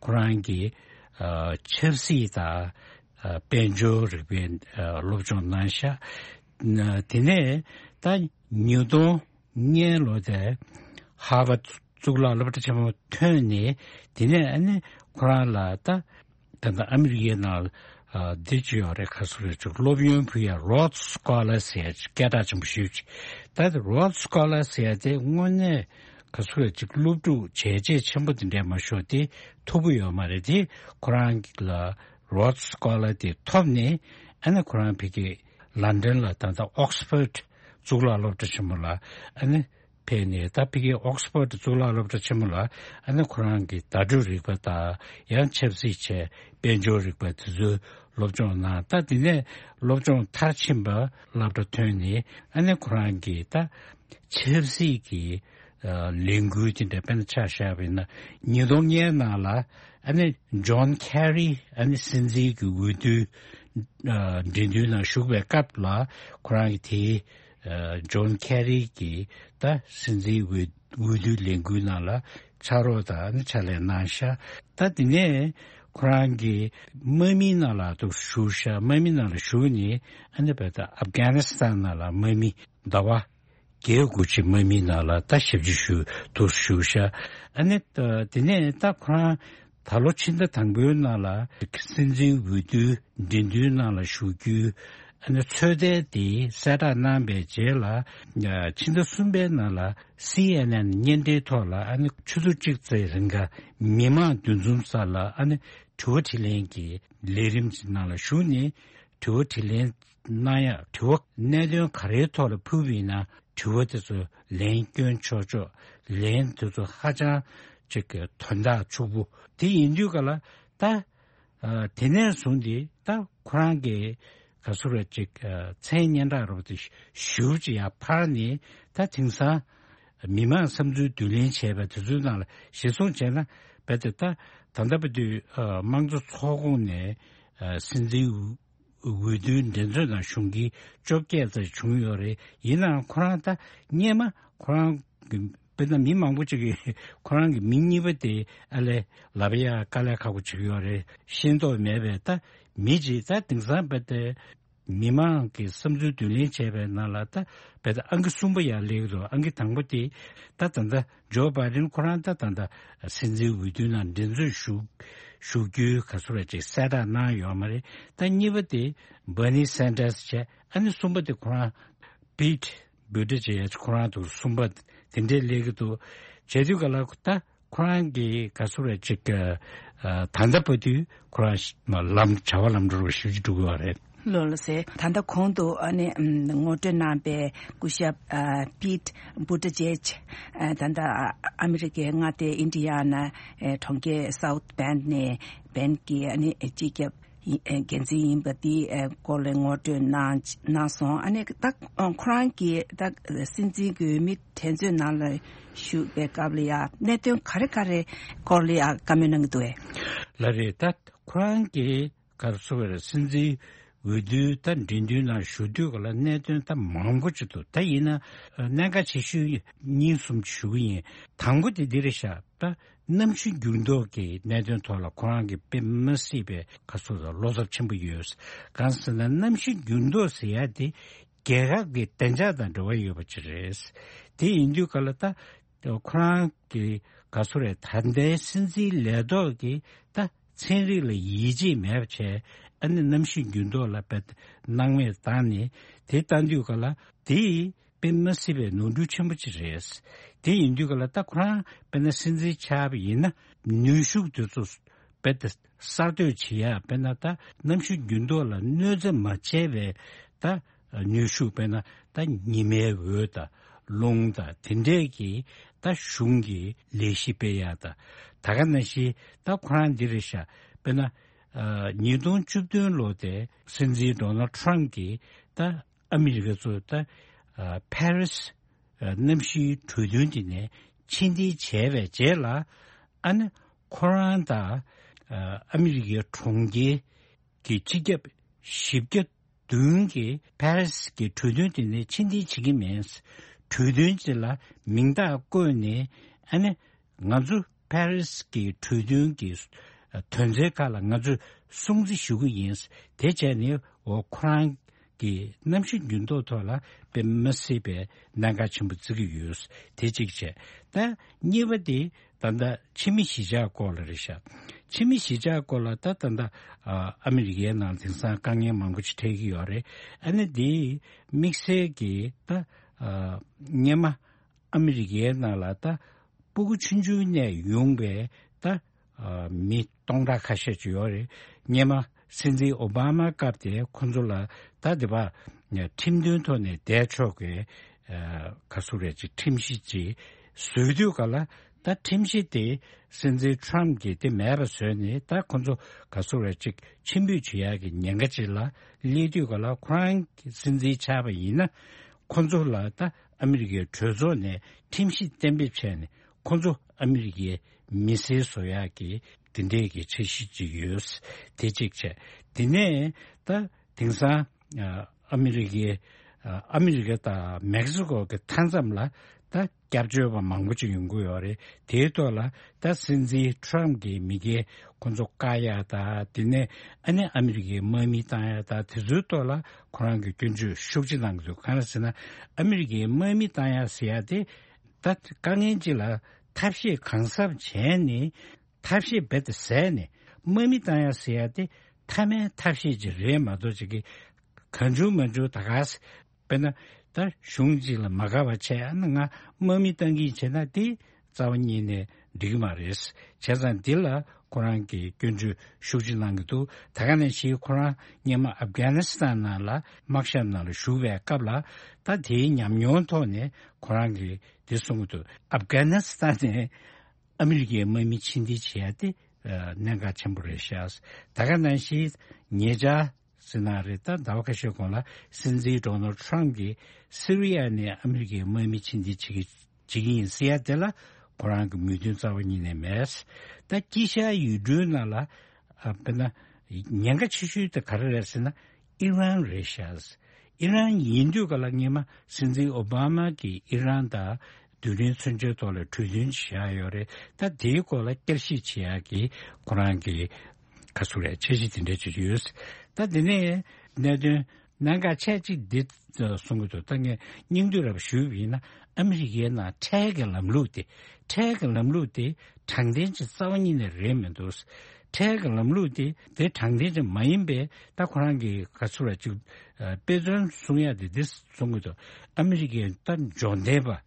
ཁོ་རང་གིས་ཨ་ཆབ་སྲིད་དང་ཨ་དཔལ་འབྱོར་རིག་པའི་ཨ་སློབ་སྦྱོང་གནང་ཤག་ན་དེ་ནས་ད་ཉིས་སྟོང་ལྔ་ལོ་དེ་ཧར་ཝརཌ་གཙུག་ལག་སློབ་གྲྭ་ཆེན་མོ་ཐོན་ནས། དེ་ནས་ཨ་ནི་ཁོ་རང་ལ་ད་ད་ལྟ་ཨ་མི་རི་ཀའི་ནང་ཨ་འདི་ཅིག་ཡོད་རེད། ག་ཟེར་རེད། ཅིག་སློབ་ཡོན་ཕུལ་ཡ་Rhodes Scholar ཟེར་ཡ་ཅིག་སྐད་གྲགས་ཆེན་པོ་ཞེ་ཅིག་ད་དེ་Rhodes Scholar ཟེར་ཡ་དེ་དངོས་གནས་ག་ཟེར་རེད། ཅིག་སློབ་ཕྲུག་བྱས་རྗེས་ཆེན་པོ་དེ་འདྲས་མ་ཤོར་དེ་ཐོབ་ཀྱི་ཡོད་མ་རེད། དེ་ཁོ་རང་ལ་Rhodes Scholar དེ་ཐོབ་ནས་ཨ་ནི་ཁོ་རང་ཕ་གི་ལན་ཌན་ལ་ད་ལྟ་Oxford གཙུག་ལག་སློབ་གྲྭ་ཆེན་མོ་ལ་ཨ་ནི་ཕེབས་ནས། ད་ཕ་གི་Oxford གཙུག་ལག་སློབ་གྲྭ་ཆེན་མོ་ལ་ཨ་ནི་ཁོ་རང་གི་བརྡ་སྤྲོད་རིག་པ་དང་ཡང་ཆབ་སྲིད་བྱས་དཔལ་འབྱོར་རིག་པ་དེ་ཚོའི་སློབ་སྦྱོང་གནང་། ད་དེ་ནས་སློབ་སྦྱོང་མཐར་ཕྱིན་པ་སློབ་གྲྭ་ཐོན་ནས་ཨ་ནི་ཁོ་རང་གིས་ད་ཆབ་སྲིད་ཀྱི་ཨ་ལས་འགུལ་དེ་འདྲ་དཔེར་ན་ཆ་བཞག་པ་ཡིན་ན། ཉིས་སྟོང་ལྔའི་ནང་ལ་ཨ་ནི་John Kerry ཨ་ནི་སྲིད་འཛིན་གྱི་འོས་བསྡུ་ཨ་འགྲན་བསྡུར་ནང་ཞུགས་པའི་སྐབས་ལ་ཁོ་རང་གིས་དེའི་ཨ་John Kerry གྱི་ད་སྲིད་འཛིན་འོས་འོས་བསྡུ་ལས་འགུལ་ནང་ལ་ཕྱག་རོགས་དང་ཨ་ནི་ཕྱག་ལས་གནང་ཤག་ད་དེ་ནས་ཁོ་རང་གིས་དམག་མིའི་ནང་ལ་ཐུག་ཞུགས་ཤག་དམག་མིའི་ནང་ལ་ཞུགས་ནས་ཨ་ནི་བས་ད་ཨབ་གྷ་ནི་སི་ཐན་ནང་ལ་དམག་མི་ཟླ་བ་བརྒྱད་དགུ་ཅིག་དམག་མིའི་ནང་ལ་ད་ཞབས་ཕྱི་ཞུ་ཐུག་ཞུགས་ཤག་ཨ་ནི་ད་དེ་ནས་ད་ཁོ་རང་ད་ལོ་ཕྱི་ཟླ་དང་པོའི་ནང་ལ་སྲིད་འཛིན་འོས་བསྡུའི་འགྲན་བསྡུར་ནང་ལ་ཞུགས་རྒྱུའི་ཨ་ནི་ཚོད་ལྟ་དེ་གསལ་བསྒྲགས་གནང་པའི་རྗེས་ལ་ཕྱི་ཟླ་གསུམ་པའི་ནང་ལ་སི་ཨེན་ཨེན་བརྙན་འཕྲིན་ཐོག་ལ་ཨ་ནི་ཆུ་ཚོད་གཅིག་ཙམ་རིང་ག་མི་མང་འདུ་འཛོམས་ས་ལ་ཨ་ནི་དྲི་བ་དྲིས་ལན་གྱི་ལས་རིམ་ཅིག་ནང་ལ་ཞུགས་ནས་དྲི་བ་དྲིས་ལན་གནང་ཡག་དྲི་བ་གནད་དོན་ག་རེའི་ཐོག་ལ་ཕུལ་བ་ཡིན་ན་དྲི་བ་དེ་ཚོ་ལན་སྐྱོན་ཆོག་ཆོག་ལན་དེ་ཚོ་ཧ་ཅང་ཅིག་གི་དོན་དག་ཕྱུག་པོ་དེ་ཡིན་དུས་ག་ལ་ད། ཨ་དེ་ནས་བཟུང་སྟེ་ད་ཁོ་རང་གི་ག་ཟེར་རེད། ཅིག་ཨ་མཚན་སྙན་གྲགས་རབ་ཏུ་ཞུ་ཅིག་ཡར་འཕར་ནས། ད་དེང་སང་མི་མང་བསམ་ཚུལ་བསྡུ་ལེན་བྱས་པ་དེ་ཚོའི་ནང་ལ་གཞིར་བཟུང་བྱས་ན། རྦད་དེ་ད་ད་ལྟ་བར་དུ་ཨ་དམངས་གཙོ་ཚོགས་ཁོངས་ནས་ཨ་སྲིད་འཛིན་འོས་འོས་བསྡུའི་འགྲན་རྩོད་ནང་ཞུགས་མཁན་བཅོ་བརྒྱད་ཙམ་བྱུང་ཡོད་རེད། ཡིན་ནའང་ཁོ་རང་ད་སྔོན་མ་ཁོ་རང་གི་དཔེར་ན་མི་མང་པོ་ཅིག་གིས་ཁོ་རང་གི་མིང་གཉིས་པ་དེ་ཨ་ལས་ལབ་ཡ་དཀའ་ལས་ཁག་པོ་ཅིག་ཡོད་རེད། ཤེས་རྟོགས་མེད་པའི་ད་མི་ཅིག་ད་དེང་སང་རྦད་དེ་ མི་མང་གི་བསམ་ཚུལ་བསྡུ་ལེན་བྱས་པའི་ནང་ལ་ད་བལ་ད་ཨང་ཀི་གསུམ་པ་ཡར་སླེབས་ཀྱི་འདུག་ཨང་ཀི་དང་པོ་དེ་ད་ད་ལྟ་ཇོ་བྷའི་ཌེན་ཁོ་རང་ད་ད་ལྟ་སྲིད་འཛིན་འོས་བསྡུའི་ནང་འགྲན་རྩོད་ཞུགས་ཞུགས་རྒྱུའི་ག་ཚོད་རེད་ཅིག་གསལ་བསྒྲགས་གནང་ཡོད་མ་རེད། ད་གཉིས་པ་དེ་བྷར་ནི་སན་ཌར་སི་བྱས། ཨ་ནི་གསུམ་པ་དེ་ཁོ་རང་པིད་བྷུ་ཊི་ཇེཇ་ཁོ་རང་འདུག་གསུམ་པ་དེ་འདྲས་སླེབས་ཀྱི་འདུག་བྱེད་དུས་ག་ལ་ད་ཁོ་རང་གི་ག་ཚོད་རེད་ཅིག་ཨ་ད་ལྟ་བར་དུ་ཁོ་རང་ལམ་བྱ་བ་ལམ་འགྲོ་བ་ཞེ་པོ་ཅིག་འགྲོ་གི་ཡོད་རེད། ལགས་ལགས་སེ། ད་ལྟ་གོང་དུ་ཨ་ནི་ཨམ་ངོ་སྤྲོད་གནང་པའི་སྐུ་ཞབས་ཨ་པིད་བྷུ་ཊི་ཇེཇ་ཨ་ད་ལྟ་ཨ་ཨ་མི་རི་ཀའི་མངའ་སྡེ་ཨིན་ཌི་ཡ་ན་ཨེ་གྲོང་ཁྱེར་སའུཐ་བྷེན་ནས་བྷེན་གྱི་ཨ་ནི་སྤྱི་ཁྱབ་ཡིན་ཨེ་འགན་འཛིན་ཡིན་པ་དེའི་ཨེ་སྐོར་ལ་ངོ་སྤྲོད་གནང་གནང་སོང་། ཨ་ནི་ད་ཁོ་རང་གིས་ད་སྲིད་འཛིན་གྱི་འོས་མི་འགྲན་རྩོད་ནང་ལ་ཞུགས་པའི་སྐབས་ལ་ཡང་གནད་དོན་ག་རེ་ག་རེ་སྐོར་ལ་ཡང་བཀའ་མོལ་གནང་གི་འདུག་གས། ལགས་རེད། ད་ཁོ་རང་གིས་ག་རེ་ཟེར་བ་རེད། སྲིད་འཛིན་འོས་བསྡུའི་ད་འགྲན་བསྡུར་ནང་ཞུགས་དུས་ག་ལ་གནད་དོན་ད་མང་པོ་ཅིག་འདུག་ད་ཡིན་ན་གནད་འགག་ཆེ་ཤོས་གཉིས་གསུམ་ཅིག་ཞུ་གི་ཡིན། དང་པོ་དེ་འདི་རེད་ཤག་ད་གནམ་གཤིས་འགྱུར་ལྡོག་གི་གནད་དོན་ཐོག་ལ་ཁོ་རང་གིས་དཔེ་མི་སྲིད་པའི་ག་ཚོད་ལ་བློ་འཚབ་ཆེན་པོ་ཡོད། གང་ཟེར་ན་གནམ་གཤིས་འགྱུར་ལྡོག་ཟེར་ཡ་དེ་རྒྱལ་ཁབ་ཀྱི་བདེ་འཇགས་དང་འབྲེལ་བ་ཡོད་པ་ཅིག་རེད། དེ་ཡིན་དུས་ག་ལ་ད་ཁོ་རང་གི་ག་ཚོད་རེད། ད་ལྟའི་སྲིད་འཛིན་ལས་ཐོག་གི་ད་ཚན་རིག་ལ་ཡིད་ཆེས་མེད་པ་བྱས། ཨ་ནི་གནམ་གཤིས་འགྱུར་ལྡོག་ལ་དཔེ་སྣང་མེད་བཏང་ནས་དེ་བཏང་དུས་ག་ལ་དེ་དཔེ་མི་སྲིད་པའི་ནོར་འཁྲུལ་ཆེན་པོ་ཅིག་རེད། དེ་ཡིན་དུས་ག་ལ་ད་ཁོ་རང་དཔེར་ན་སྲིད་འཛིན་ཆགས་པ་ཡིན་ན་ནུས་ཤུགས་དེ་ཚོ་དཔེ་ད་གསར་གཏོད་བྱེད་ཡ། དཔེར་ན་ད་གནམ་གཤིས་འགྱུར་ལྡོག་ལ་གནོད་འཚེ་མ་བྱས་པའི་ད་ནུས་ཤུགས། དཔེར་ན་ད་ཉི་མའི་འོད་དང་རླུང་དང་དེ་འདྲས་ཀྱི་ད་གཞུང་གི་ལས་གཞི་སྤེལ་ཡ་དང་། ད་ག་ནང་བཞིན་ད་ཁོ་རང་འདི་རེད་ཤག་དཔེར་ན་ཨ་ཉིས་སྟོང་བཅུ་བདུན་ལོ་དེ་སྲིད་འཛིན་ཌོ་ནལ་ཌི་ཊརམ་ཕི་གིས་ད་ཨ་མི་རི་ཀ་ཚོ་ད་ཨ་ཕ་རི་སི་ཨ་གནམ་གཤིས་གྲོས་མཐུན་དེ་ནས་ཕྱིར་འཐེན་བྱས་པའི་རྗེས་ལ། ཨ་ནི་ཁོ་རང་དང་ཨ་ཨ་མི་རི་ཀའི་གྲོང་ཁྱེར་གྱི་སྤྱི་ཁྱབ་བཞི་བརྒྱ་བདུན་གྱིས་ཕ་རི་སི་གི་གྲོས་མཐུན་དེ་ནས་ཕྱིར་འཐེན་བྱེད་ཀྱི་མེད། གྲོས་མཐུན་དེ་ལ་མིང་རྟགས་བཀོད་ནས། ཨ་ནི་ང་ཚོ་ཕ་རི་སི་གི་གྲོས་མཐུན་གྱི་དོན་ཚན་ཁག་ལ་ང་ཚོས་སྲུང་བརྩི་ཞུ་གི་ཡིན། དེ་བྱས་ནས་འོ་ཁོ་རང་གི་གནམ་གཤིས་འགྱུར་ལྡོག་ཐོག་ལ་དཔེ་མི་སྲིད་པའི་གནད་འགག་ཆེན་པོ་བརྩི་གི་ཡོད། དེ་གཅིག་བྱས། ད་གཉིས་པ་དེ་ད་ལྟ་ཕྱི་མི་གཞིས་ཆགས་སྐོར་ལ་རེད་ཤག་ཕྱི་མི་གཞིས་ཆགས་སྐོར་ལ་ད་ད་ལྟ་ཨ་ཨ་མི་རི་ཀའི་ནང་དེང་སང་དཀའ་ངལ་མང་པོ་ཅིག་འཕྲད་ཀྱི་ཡོད་རེད། ཨ་ནི་དེ་དམིགས་བསལ་གྱི་ད་ཨ་སྔོན་མ་ཨ་མི་རི་ཀའི་ནང་ལ་ད་སྤུ་གུ་ཆུང་ཆུང་ནས་ཡོང་པའི་ད་ཨ་མི་སྟོང་ཕྲག་ཁ་ཤས་ཅིག་ཡོད་རེད། སྔོན་མ་སྲིད་འཛིན་ཨོ་བྷ་མ་སྐབས་དེ་ཁོ་ཚོ་ལ་ད་དེ་བ་ཁྲིམས་མཐུན་ཐོག་ནས་བསྡད་ཆོག་གི་ཨ་ག་ཚོད་རེད་ཅིག་ཁྲིམས་གཞི་ཅིག་བཟོས་དུས་ག་ལ། ད་ཁྲིམས་གཞི་དེ་སྲིད་འཛིན་ཊརམ་ཕི་གིས་དེ་མེད་པ་བཟོས་ནས། ད་ཁོ་ཚོ་ག་ཚོད་རེད་ཅིག་ཕྱིར་འབུད་བྱེད་ཡག་གི་ཉེན་ཁ་ཅིག་ལ་སླེབས་དུས་ག་ལ། ཁོ་རང་སྲིད་འཛིན་ཆགས་པ་ཡིན་ན་ཁོ་ཚོ་ལ་ད་ཨ་མི་རི་ཀའི་གྲོས་ཚོགས་ནས་ཁྲིམས་གཞི་གཏན་འབེབས་བྱས་ནས་ཁོ་ཚོ་ཨ་མི་རི་ཀའི་མི་སེར་བཟོ་ཡག་གི་དེ་འདྲས་ཀྱི་འཆར་གཞི་ཅིག་ཡོད། དེ་གཅིག་བྱས། དེ་ནས་ད་དེང་སང་ཨ་ཨ་མི་རི་ཀའི་ཨ་ཨ་མི་རི་ཀ་དང་མེག་སི་ཀོ་གི་མཐའ་མཚམས་ལ་ད་སྐྱབས་བཅོལ་བ་མང་པོ་ཅིག་ཡོང་གི་ཡོད་རེད། དེའི་ཐོག་ལ་ད་སྲིད་འཛིན་ཊརམ་ཕི་གི་མི་སྒེར་ཁོ་ཚོ་བཀག་ཡག་དང་། དེ་ནས་ཨ་ནི་ཨ་མི་རི་ཀའི་དམག་མི་བཏང་ཡག་དང་། དེ་ཚོའི་ཐོག་ལ་ཁོ་རང་གིས་སྐྱོན་བརྗོད་ཤུགས་ཆེ་གནང་གི་འདུག་གང་ལ་ཟེར་ན་ཨ་མི་རི་ཀའི་དམག་མི་བཏང་ཡག་ཟེར་ཡག་དེ་ད་དཀའ་ངལ་ཅིག་ལ་ཐབས་ཤེས་གང་ཟབ་བྱས་ནས། ཐབས་ཤེས་རྦད་དེ་ཟད་ནས་དམག་མི་བཏང་ཡག་ཟེར་ཡག་དེ་མཐའ་མའི་ཐབས་ཤེས་ཅིག་རེད་མ་གཏོགས། ཅིག་གི་གང་བྱུང་མང་བྱུང་ད་ག་ས་དཔེར་ན་ད་གཞུང་གཅིག་ལ་མ་དགའ་བ་བྱས། ཨ་ནི་ང་དམག་མི་བཏང་གི་བྱས་ན་དེ་རྩ་བ་ཉིད་ནས་འགྲིག་གི་མ་རེད། བྱས་ཙང་འདི་ལ་ཁོ་རང་གིས་སྐྱོན་བརྗོད་ཤུགས་ཆེ་གནང་གི་འདུག་ད་ག་ནང་བཞིན་ཁོ་རང་སྔོན་མ་ཨབ་གྷ་ནི་སི་ཐན་ནང་ལ་དམག་ཞབས་ནང་ལ་ཞུགས་པའི་སྐབས་ལ་ད་དེའི་ཉམས་མྱོང་ཐོག་ནས་ཁོ་རང་གིས་འདི་གསུང་གི་འདུག་ཨབ་གྷ་ནི་སི་ཐན་ནས་ཨ་མི་རི་ཀའི་དམག་མི་ཕྱིར་འཐེན་བྱེད་ཡ་དེ་ཨ་གནད་འགག་ཆེན་པོ་རེད་ཤག་ད་ག་ནང་བཞིན་ཉེ་ཆར་ཟེར་ན་རེད། ད་ཟླ་བ་ཁ་ཤས་གོང་ལ་སྲིད་འཛིན་ཌོ་ནལ་ཌི་ཊརམ་ཕི་གིས་སི་རི་ཡ་ནས་ཨ་མི་རི་ཀའི་དམག་མི་ཕྱིར་འཐེན་བྱེད་ཀྱི་བྱེད་ཀྱི་ཡིན་ཟེར་ཡ་དེ་ལ་ཁོ་རང་གི་མོས་མཐུན་རྩ་བ་ཉིད་ནས་མེད། ད་དཀྱིལ་ཤར་ཡུལ་གྲུའི་ནང་ལ་ཨ་དཔེར་ན་ཉེན་ཁ་ཆེ་ཤོས་དེ་ག་རེ་རེད་ཟེར་ན་ཨི་རན་རེད་ཤག་ཨི་རན་ཡིན་དུས་ག་ལ་སྔོན་མ་སྲིད་འཛིན་ཨོ་བྷ་མ་གིས་ཨི་རན་དང་རྡུལ་ཕྲན་མཚོན་ཆའི་ཐོག་ལ་གྲོས་མཐུན་བཞག་ཡོད་རེད། ད་དེའི་སྐོར་ལ་བསྐྱར་ཞིབ་བྱེད་ཡག་གི་ཁོ་རང་གི་ག་ཚོད་རེད། འཆར་གཞི་དེ་འདྲ་ཅིག་ཡོད། ད་དེ་ནས་གནད་དོན་ གནད་འགག་ཆེ་གཅིག་འདི་གསུང་གི་འདུག་ད་ངས་སྙིང་བསྡུས་རབ་ཞུས་པ་ཡིན་ན། ཨ་མི་རི་ཀའི་ནང་ཁྲལ་གྱི་ལམ་ལུགས་དེ། ཁྲལ་གྱི་ལམ་ལུགས་དེ་དྲང་བདེན་ཅིག་རྩ་བ་ཉིད་ནས་རེད་མི་འདུག་ཁྲལ་གྱི་ལམ་ལུགས་དེ་དེ་དྲང་བདེན་ཅིག་མ་ཡིན་པའི། ད་ཁོ་རང་གི་ག་ཚོད་ར་ཅིག་དཔེ་མཚོན་གསུང་ཡ་དེ་འདི་གསུང་གི་འདུག་ཨ་མི་རི་ཀའི་ད་འབྱོར་ལྡན་པ།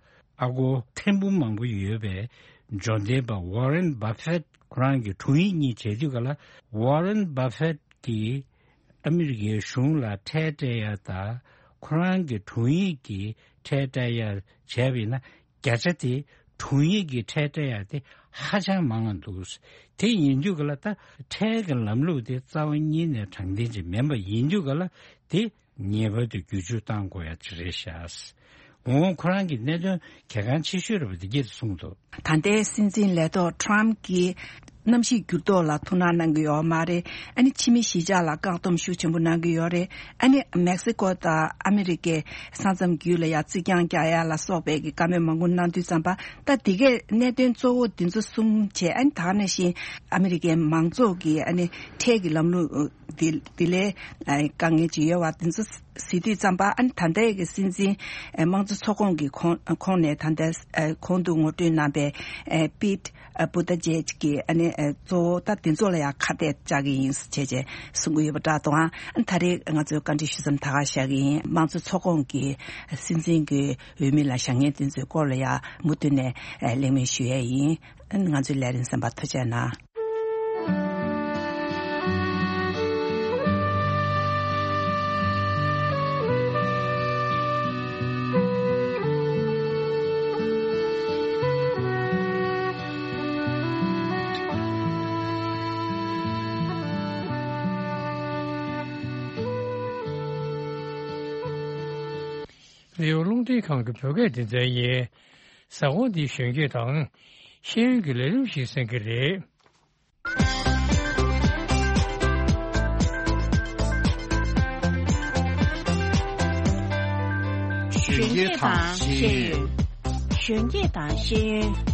ཨ་སྒོར་ཐེར་འབུམ་མང་པོ་ཡོད་པའི་འབྱོར་ལྡན་པ་ཝ་རན་བྷ་ཧྥེད་ཁོ་རང་གི་དྲུང་ཡིག་གཉིས་བྱས་དུས་ག་ལ། ཝ་རན་བྷ་ཧྥེད་ཀྱིས་ཨ་མི་རི་ཀའི་གཞུང་ལ་ཁྲལ་སྤྲད་ཡ་དང་། ཁོ་རང་གི་དྲུང་ཡིག་གིས་ཁྲལ་སྤྲད་ཡ་བྱས་པ་ཡིན་ན། བརྒྱ་ཆ་དེ་དྲུང་ཡིག་གིས་ཁྲལ་སྤྲད་ཡ་དེ་ཧ་ཅང་མང་ང་འདུག་དེ་ཡིན་དུས་ག་ལ། ད་ཁྲལ་གྱི་ལམ་ལུགས་དེ་རྩ་བ་ཉིད་ནས་དྲང་བདེན་ཅིག་མིན་པ་ཡིན་དུས་ག་ལ། དེ་ངེས་པར་དུ་བསྒྱུར་བཅོས་གཏང་དགོས་ཡ་ཅིག་རེད་ཤག་འོ་ཁོ་རང་གི་གནད་དོན་གལ་འགངས་ཆེ་ཤོས་རེད་པ། འདི་སྐད་དུ་གསུངས་འདུག་ད་ལྟའི་སྲིད་འཛིན་ལས་ཐོག་ཊམ་གྱིས་གནམ་གཤིས་འགྱུར་ལྡོག་ལ་ཐུགས་སྣང་གནང་གི་ཡོད་མ་རེད། ཨ་ནི་ཕྱི་མི་གཞིས་ཆགས་ལ་བཀག་སྡོམ་ཤུགས་ཆེན་པོ་གནང་གི་ཡོད་རེད། ཨ་ནི་མེག་སི་ཀོ་དང་ཨ་མི་རི་ཀའི་ས་མཚམས་བརྒྱུད་ལ་ཡ་རྩིག་གྱང་རྒྱག་ཡ་ལ་སོགས་པའི་གི་བཀའ་མོལ་མང་པོ་གནང་དུས་ཙམ་པ། ད་འདི་གའི་གནད་དོན་གཙོ་བོ་འདི་ཚོ་གསུམ་བྱས། ཨ་ནི་ད་ག་ནང་བཞིན་ཨ་མི་རི་ཀའི་མང་ཚོགས་ཀྱི་ཨ་ནི་ཁྲལ་གྱི་ལམ་ལུགས་དེ་དེ་ལས་དཀའ་ངལ་ཅིག་ཡོད་པ་དེ་ཚོ་གཟིགས་དུས་ཙམ་པ། ཨ་ནི་ད་ལྟའི་གི་སྲིད་འཛིན་དམངས་གཙོ་ཚོགས་ཁོངས་ཀྱི་ཁོངས་ཁོངས་ནས་ད་ལྟ་གོང་དུ་ངོ་སྤྲོད་གནང་པའི་པིད་བུ་ཏ་ཇེཇ་གྱིས་ཨ་ནི་གཙོ་བོ་ད་དེ་ཚོ་ལ་ཡང་ཁ་གཏད་བཅག་གི་ཡིན་ཟེར་བྱས་བྱས་གསུང་གི་ཡོད་པ་འདྲ་འདུག་ཨ་ནི་ད་རེས་ང་ཚོའི་བཀའ་འདྲི་ཞུ་མཚམས་ད་ག་བཞག་གི་ཡིན། དམངས་གཙོ་ཚོགས་ཁོངས་ཀྱི་སྲིད་འཛིན་གྱི་འོས་མི་ལ་བཞེངས་མཁན་དེ་ཚོའི་སྐོར་ལ་ཡང་མུ་མཐུད་ནས་གླེང་མོལ་ཞུ་ཡས་ཡིན། ང་ཚོའི་ལས་རིམ་གསན་པར་ཐུགས་རྗེ་གནང་། རེའུ་རླུང་འཕྲིན་ཁང་གི་བོད་སྐད་སྡེ་ཚན་ཡིན། གཟའ་འཁོར་འདིའི་གཞོན་སྐྱེས་དང་ཤེས་ཡོན་གྱི་ལས་རིམ་ཞིག་གསན་གྱི་རེད། གཞོན་སྐྱེས་དང་ཤེས་ཡོན། གཞོན་སྐྱེས་དང་ཤེས་ཡོན།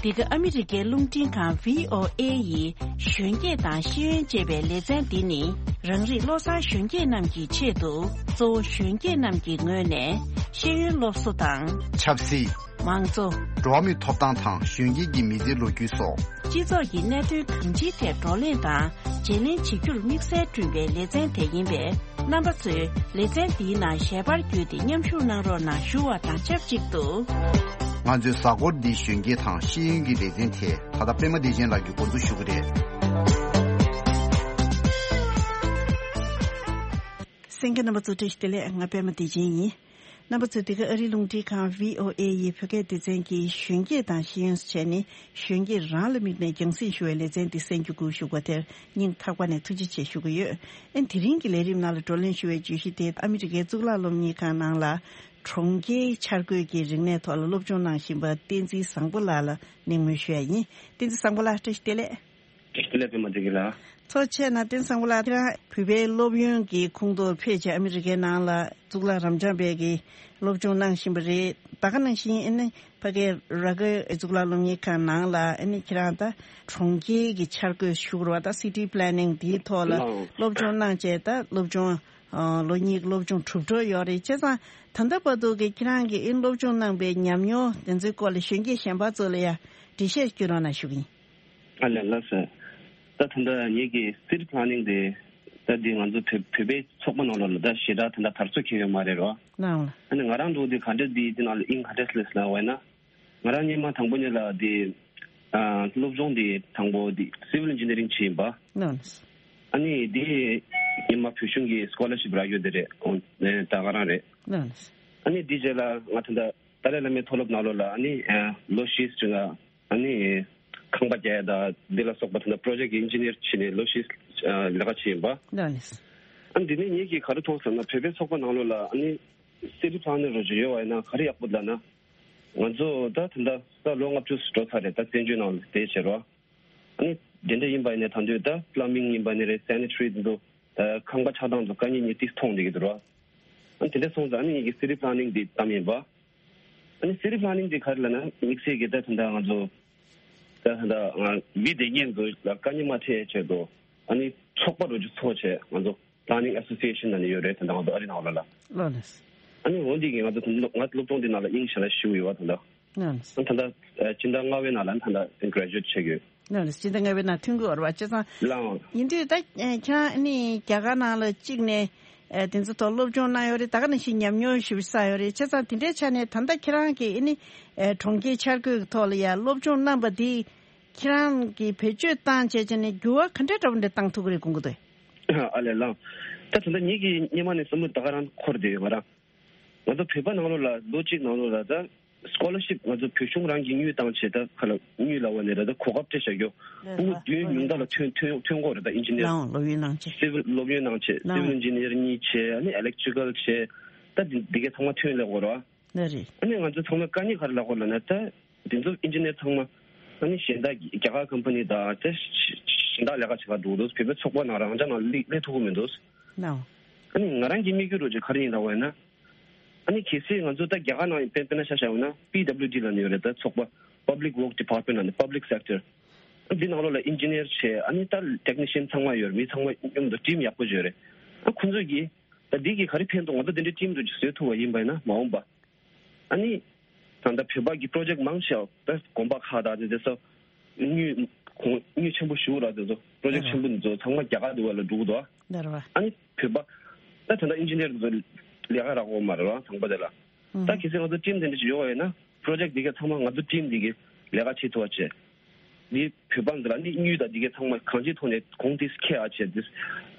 འདི་ག་ཨ་མི་རི་ཀའི་རླུང་འཕྲིན་ཁང་བྷི་ཨོ་ཨེ་ཡི་གཞོན་སྐྱེས་དང་ཤེས་ཡོན་ཅེས་པའི་ལེ་ཚན་འདི་ནི། རང་རིགས་བློ་བཟང་གཞོན་སྐྱེས་རྣམས་ཀྱི་ཆེད་དུ། གཙོ་བོ་གཞོན་སྐྱེས་རྣམས་ཀྱི་ངོས་ནས་ཤེས་ཡོན་སློབ་གསོ་དང་། ཆབ་སྲིད། མང་གཙོ། འགྲོ་བ་མིའི་ཐོབ་ཐང་དང་གཞོན་སྐྱེས་ཀྱི་མི་ཚེའི་ལོ་རྒྱུས་སོགས། སྤྱི་ཚོགས་ཀྱི་གནད་དོན་གང་ཅིའི་ཐད་བགྲོ་གླེང་དང་བརྗེ་ལེན་བྱེད་རྒྱུར་དམིགས་བསལ་བསྐྲུན་པའི་ལེ་ཚན་དེ་ཡིན་པས། རྣམ་པ་ཚོས་ལེ་ཚན་འདིའི་ནང་ཞལ་པར་བརྒྱུད་དེ་མཉམ་ཞུགས་གནང་རོགས་གནང་ཞུ་བ་དང་ཆབས་ཅིག་ཏུ། ང་ཚོའི་གཟའ་འཁོར་འདིའི་གཞོན་སྐྱེས་དང་ཤེས་ཡོན་གྱི་ལེ་ཚན་དེ་ད་ལྟ་པད་མ་བདེ་ཆེན་ལགས་ཀྱིས་འགོ་འཛུགས་ཞུ་གི་རེད། གསན་མཁན་རྣམ་པ་ཚོ་བཀྲ་ཤིས་བདེ་ལེགས། ང་པད་མ་བདེ་ཆེན་ཡིན། རྣམ་པ་ཚོས་འདི་ག་ཨ་རིའི་རླུང་འཕྲིན་ཁང་བྷི་ཨོ་ཨེ་ཡི་བོད་སྐད་སྡེ་ཚན་གྱི་གཞོན་སྐྱེས་དང་ཤེས་ཡོན་ཟེར་བྱས་ནས། གཞོན་སྐྱེས་རང་ལ་དམིགས་ནས་རྒྱང་སྲིང་ཞུ་བའི་ལེ་ཚན་འདི་གསན་རྒྱུ་བསྒུགས་བཞུགས་པ་དེར་སྙིང་ཐག་པ་ནས་ཐུགས་རྗེ་ཆེ་ཞུ་གི་ཡོད། ཨེ་དེ་རིང་གི་ལས་རིམ་ནང་ལ་བགྲོ་གླེང་ཞུ་བའི་བརྗོད་གཞི་དེ་ཨ་མི་རི་ཀའི་གཙུག་ལག་སློབ་གཉེར་ཁང་ནང་ལ་གྲོང་ཁྱེར་འཆར་འགོད་ཀྱི་རིག་གནས་ཐོག་ལ་སློབ་སྦྱོང་གནང་བཞིན་པ་བསྟན་འཛིན་བཟང་པོ་ལགས་ལ་གླེང་མོལ་ཞུ་ཡ་ཡིན། བསྟན་འཛིན་བཟང་པོ་ལགས་བཀྲ་ཤིས་བདེ་ལེགས། བཀྲ་ཤིས་བདེ་ལེགས། པད་མ་བདེ་ཆེན་ལགས། ཐུགས་རྗེ་ཆེ་གནང་། བསྟན་འཛིན་བཟང་པོ་ལགས། ཁྱེད་རང་བོད་པའི་སློབ་ཡོན་གྱི་ཁོངས་གཏོགས་ཕེབས་བྱས་ཨ་མི་རི་ཀའི་ནང་ལ་གཙུག་ལག་རབ་འབྱམས་པའི་གི་སློབ་སྦྱོང་གནང་བཞིན་པ་རེད། ད་ག་ནང་བཞིན་ཨ་ནི་ཕ་གིའི་ར་གྷལ་གཙུག་ལག་སློབ་གཉེར་ཁང་ནང་ལ་ཨ་ནི་ཁྱེད་རང་ད་གྲོང་ཁྱེར་གྱི་འཆར་འགོད་ཞུ་དགོས་རེད་པ། ད་སི་ཊི་པི་ལེ་ནིང་དེའི་ཐོག་ལ་ལགས། སློབ་སྦྱོང་གནང་བྱས་ད་སློབ་སྦྱོང་ལོ་གཉིས་ཀྱི་སློབ་སྦྱོང་གྲུབ་འགྲོ་ཡོད་རེད། བྱས་ཙང་ད་ལྟ་བར་དུ་གི་ཁྱེད་རང་གིས་ཨ་ནི་སློབ་སྦྱོང་གནང་པའི་ཉམས་མྱོང་དེ་ཚོའི་སྐོར་ལ་གཞོན་སྐྱེས་གཞན་པ་ཚོ་ལ་ཡང་འགྲེལ་བཤད་སྐྱོན་རོགས་གནང་ཞུ་གི་ཡིན། ཨ་ལས། ལགས་སོ། ད་ད་ལྟ་ངེད་ཀྱི་city planning དེ་ད་འདི་ང་ཚོ་བོད་བོད་པའི་ཚོགས་པ་ནང་ལོགས་ལ་ད་ཞེ་དྲག་ད་ལྟ་དར་སྲོལ་ཁེལ་ཡོད་མ་རེད་རོ། ལགས་ལགས། ཨ་ནི་ང་རང་འདུག་འདི་ག་འདྲ་འདི་འདི་ནང་ལ་དབྱིངས་ག་འདྲ་སླེབས་ལབ་པ་ཡིན་ན། ང་རང་སྔོན་མ་དང་པོ་ཉིད་ལ་འདི་ཨ་སློབ་སྦྱོང་འདི་དང་པོ་འདི་civil engineering བྱས་ཡིན་པ། ལགས་ལགས། ཨ་ནི་འདི་སྔོན་མ་བོད་གཞུང་གི་scholarship རག་ཡོད་དེ་རེད། ཨོ་ད་ག་རང་རེད། ལགས་ལགས། ཨ་ནི་འདི་རྗེས་ལ་ང་ད་ལྟ་ཏཱ་ལའི་བླ་མའི་མཐོ་སློབ་ནང་ལོགས་ལ་ཨ་ནི་ཨ་ལོ་བཞི་ཙམ་ལ། ཨ་ནི་ཁང་པ་རྒྱག་ཡ་དང་འདི་ལ་སོགས་པ་དེ་འདྲ་project engineer བྱས་ནས་ལོ་བཞི་ལས་ཀ་བྱས་ཡིན་པ། ལགས་ལགས། ཨ་ནི་འདི་ནས་ངེད་ཀྱིས་ག་རེ་མཐོང་ཟེར་ན། བོད་པའི་ཚོགས་པ་ནང་ལོགས་ལ་ཨ་ནི་city planning རོ་ཅིག་ཡོད་པ་ཡིན་ན་ག་རེ་ཡག་པོ་ལབ་ན། ང་ཚོ་ད་ད་ལྟ་ད་ལོ་ལྔ་བཅུ་འགྲོ་ཚར་རེད། ད་བཙན་བྱོལ་ནང་ལ་བསྡད་བྱས་རོ། ཨ་ནི་དེ་འདྲ་ཡིན་པ་ཡིན་ན་ད་དུང་ད་plumbing ཡིན་པ་ནི་རེད། sanitary དེ་ཚོ་ད་ཁང་པ་ཆགས་སྟངས་ཚོ་དཀའ་ངལ་ཉིད་དེ་མཐོང་བསྡད་ཀྱི་འདུག་རོ། ཨ་ནི་དེ་འདྲ་སོང་ཙང་ཨ་ནི་ངེད་ཀྱིས་city planning འདི་བདམས་ཡིན་པ། ཨ་ནི་city planning འདི་ག་རེ་ལབ་ན་དམིགས་བསལ་གྱི་ད་ད་ལྟ་ང་ཚོ་ད་ད་ལྟ་ང་མི་སྡེ་ངན་ཚོ་ལ་དཀའ་ངལ་མ་འཕྲད་ཆེད་དུ་ཨ་ནི་ཚོགས་པ་རུ་ཅིག་ཚོགས་བྱས་ང་ཚོ་ Planning Association ནང་ནས་ཡོད་རེད། ད་ལྟ་ང་ཚོ་ཨ་རི་ནང་ལ་ལ། ལགས་ལགས། ཨ་ནི་འོ་འདི་གི་ང་ཚོ་ད་ང་སློབ་སྦྱོང་འདི་ནང་ལ་དབྱིངས་ཞེ་ལ་ཞུགས་ཡོད་པ་ད་ལྟ། ལགས་ལགས། ད་ལྟ་ཨ་སྤྱི་ཟླ་ལྔ་པའི་ནང་ལ་ད་ལྟ་graduate བྱེད་ཀྱི་ཡོད། ལགས་ལགས། སྤྱི་ཟླ་ལྔ་པའི་ནང་ཐོན་གྱི་ཡོད་རེད་པ། བྱས་ཙང་། ལགས། ཡིན་དུས་ད་ཨ་ཁྱེད་རང་ཨ་ནི་རྒྱ་གར་ནང་ལ་གཅིག་ནས་ཨ་དེ་ཚོ་ཐོག་སློབ་སྦྱོང་གནང་ཡོད་རེད། ད་ག་ནང་བཞིན་ཉམས་མྱོང་ཞེ་པོ་བསགས་ཡོད་རེད། བྱས་ཙང་དེ་འདྲའི་ཆ་ནས་ད་ལྟ་ཁྱེད་རང་གིས་ཨ་ནི་ཨ་གྲོང་ཁྱེར་འཆར་འགོད་ཀྱི་ཐོག་ལ་ཡ་སློབ་སྦྱོང་གནང་པ་འདི་ཁྱེད་རང་གིས་བེད་སྤྱོད་བཏང་བྱས་བྱས་ནས་འགྱུར་བ་ག་འདྲ་འདྲ་པོ་འདྲ་བཏང་ཐུབ་ཀྱི་རེད་དགོངས་ཀྱི་འདུག་ཨ་ལས། ལགས། ད་ད་ལྟ་ངེད་ཀྱིས་སྔོན་མ་ནས་བསམ་བློ་ད་ག་རང་འཁོར་བསྡད་ཡོད། ང་རང་ང་ཚོ་བོད་པ་ནང་ལོགས་ལ་ལོ་གཅིག་ནང་ལོགས་ལ་ད་scholarship ང་ཚོ་བོད་གཞུང་རང་གིས་དངུལ་བཏང་བྱས། ད་ག་ལ་དངུལ་ལབ་པ་ནས་རེད། ད་གོ་སྐབས་སྤྲད་བྱ་རྒྱུ། ལགས་ཕྲུ་གུ་བདུན་ཉུང་མཐའ་ལ་ཐོན་ཐོན་ཐོན་དགོས་རེད། ད་engineer། ལགས་འོང་། སློབ་ཡོན་གནང་བྱས། civil སློབ་ཡོན་གནང་བྱས། ལགས་འོང་། civil engineer གཉིས་བྱས། ཨ་ནི་electrical བྱས། ད་འདི་འདི་གའི་ཚང་མ་ཐོན་ལས་དགོས་རེད་པ། ལགས་རེད། ཨ་ནི་ང་ཚོ་ཚང་མ་དཀའ་ངལ་ག་རེ་ལབ་དགོས་ལབ་ན། ད་འདི་ཚོ་engineer ཚང་མ་ཨ་ནི་གཞན་དག་རྒྱ་གར་company དང་ད་གཞན་དག་ལས་ཀ་བྱེད་ག་འགྲོ་འདུག་བོད་པའི་ཚོགས་པ་ནང་རང་འཇགས་ནང་སླེབས་སླེབས་ཐུབ་ཀྱི་མི་འདུག་ལགས་འོང་། ཨ་ནི་ང་རང་གི་དམིགས་ཡུལ་རོ་ཅིག་ག་རེ་ཡིན་ལབ་པ་ཡིན་ན། ཨ་ནི་གལ་སྲིད་ང་ཚོ་ད་རྒྱ་གར་ནང་དཔེ་དཔེར་ན་ཆ་བཞག་ཡོད་ན་པི་ཌབ་ལིའུ་ཌི་ལབ་ནས་ཡོད་རེད། ད་ཚོགས་པ་public work department ལབ་ནས་public sector འདི་ནང་ལོགས་ལ་engineer བྱས། ཨ་ནི་ད་technician ཚང་མ་ཡོད་རེད། མི་ཚང་མ་མཉམ་དུ་team ཡག་པོ་ཅིག་ཡོད་རེད། ཨ་ཁོང་ཚོས་ཀྱིས་ད་འདི་གིས་ག་རེ་ཕན་ཐོགས། ང་ཚོ་འདི་འདྲའི་team རོ་ཅིག་བཟོས་ཐུབ་པ་ཡིན་པ་ཡིན་ན་མ་འོངས་པ། ཨ་ནི་ད་ལྟ་བོད་པ་གི་project མང་ཆེ་བ་ད་དགོན་པ་ཁག་དང་དེ་ཚོ་དངུལ་ཁོང་དངུལ་ཆེན་པོ་ཞུ་ར། དེ་ཚོ་project ཆེན་པོ་འདི་ཚོ་ཚང་མ་རྒྱ་གར་འདི་བ་ལ་འགྲོ་གི་འདུག་ལགས་རེད་པ། ཨ་ནི་བོད་པ་ད་ད་ལྟ་engineer འདི་ཚོ་ལས་ཀ་རག་གི་མ་རེད་པ། ཚང་མ་དེ་ལ། ད་གལ་སྲིད་ང་ཚོ་team དེ་འདྲ་ཞིག་ཡོད་པ་ཡིན་ན་project འདི་ག་ཚང་མ་ང་ཚོ་team འདི་གི་ལས་ཀ་བྱེད་ཐུབ་པ་བྱས། འདི་བོད་པ་འདི་ལ་ནི་དངུལ་དང་འདི་ག་ཚང་མ་གང་ཅིའི་ཐོག་ནས་གོང་དེ་འཁེལ་ཡག་བྱས།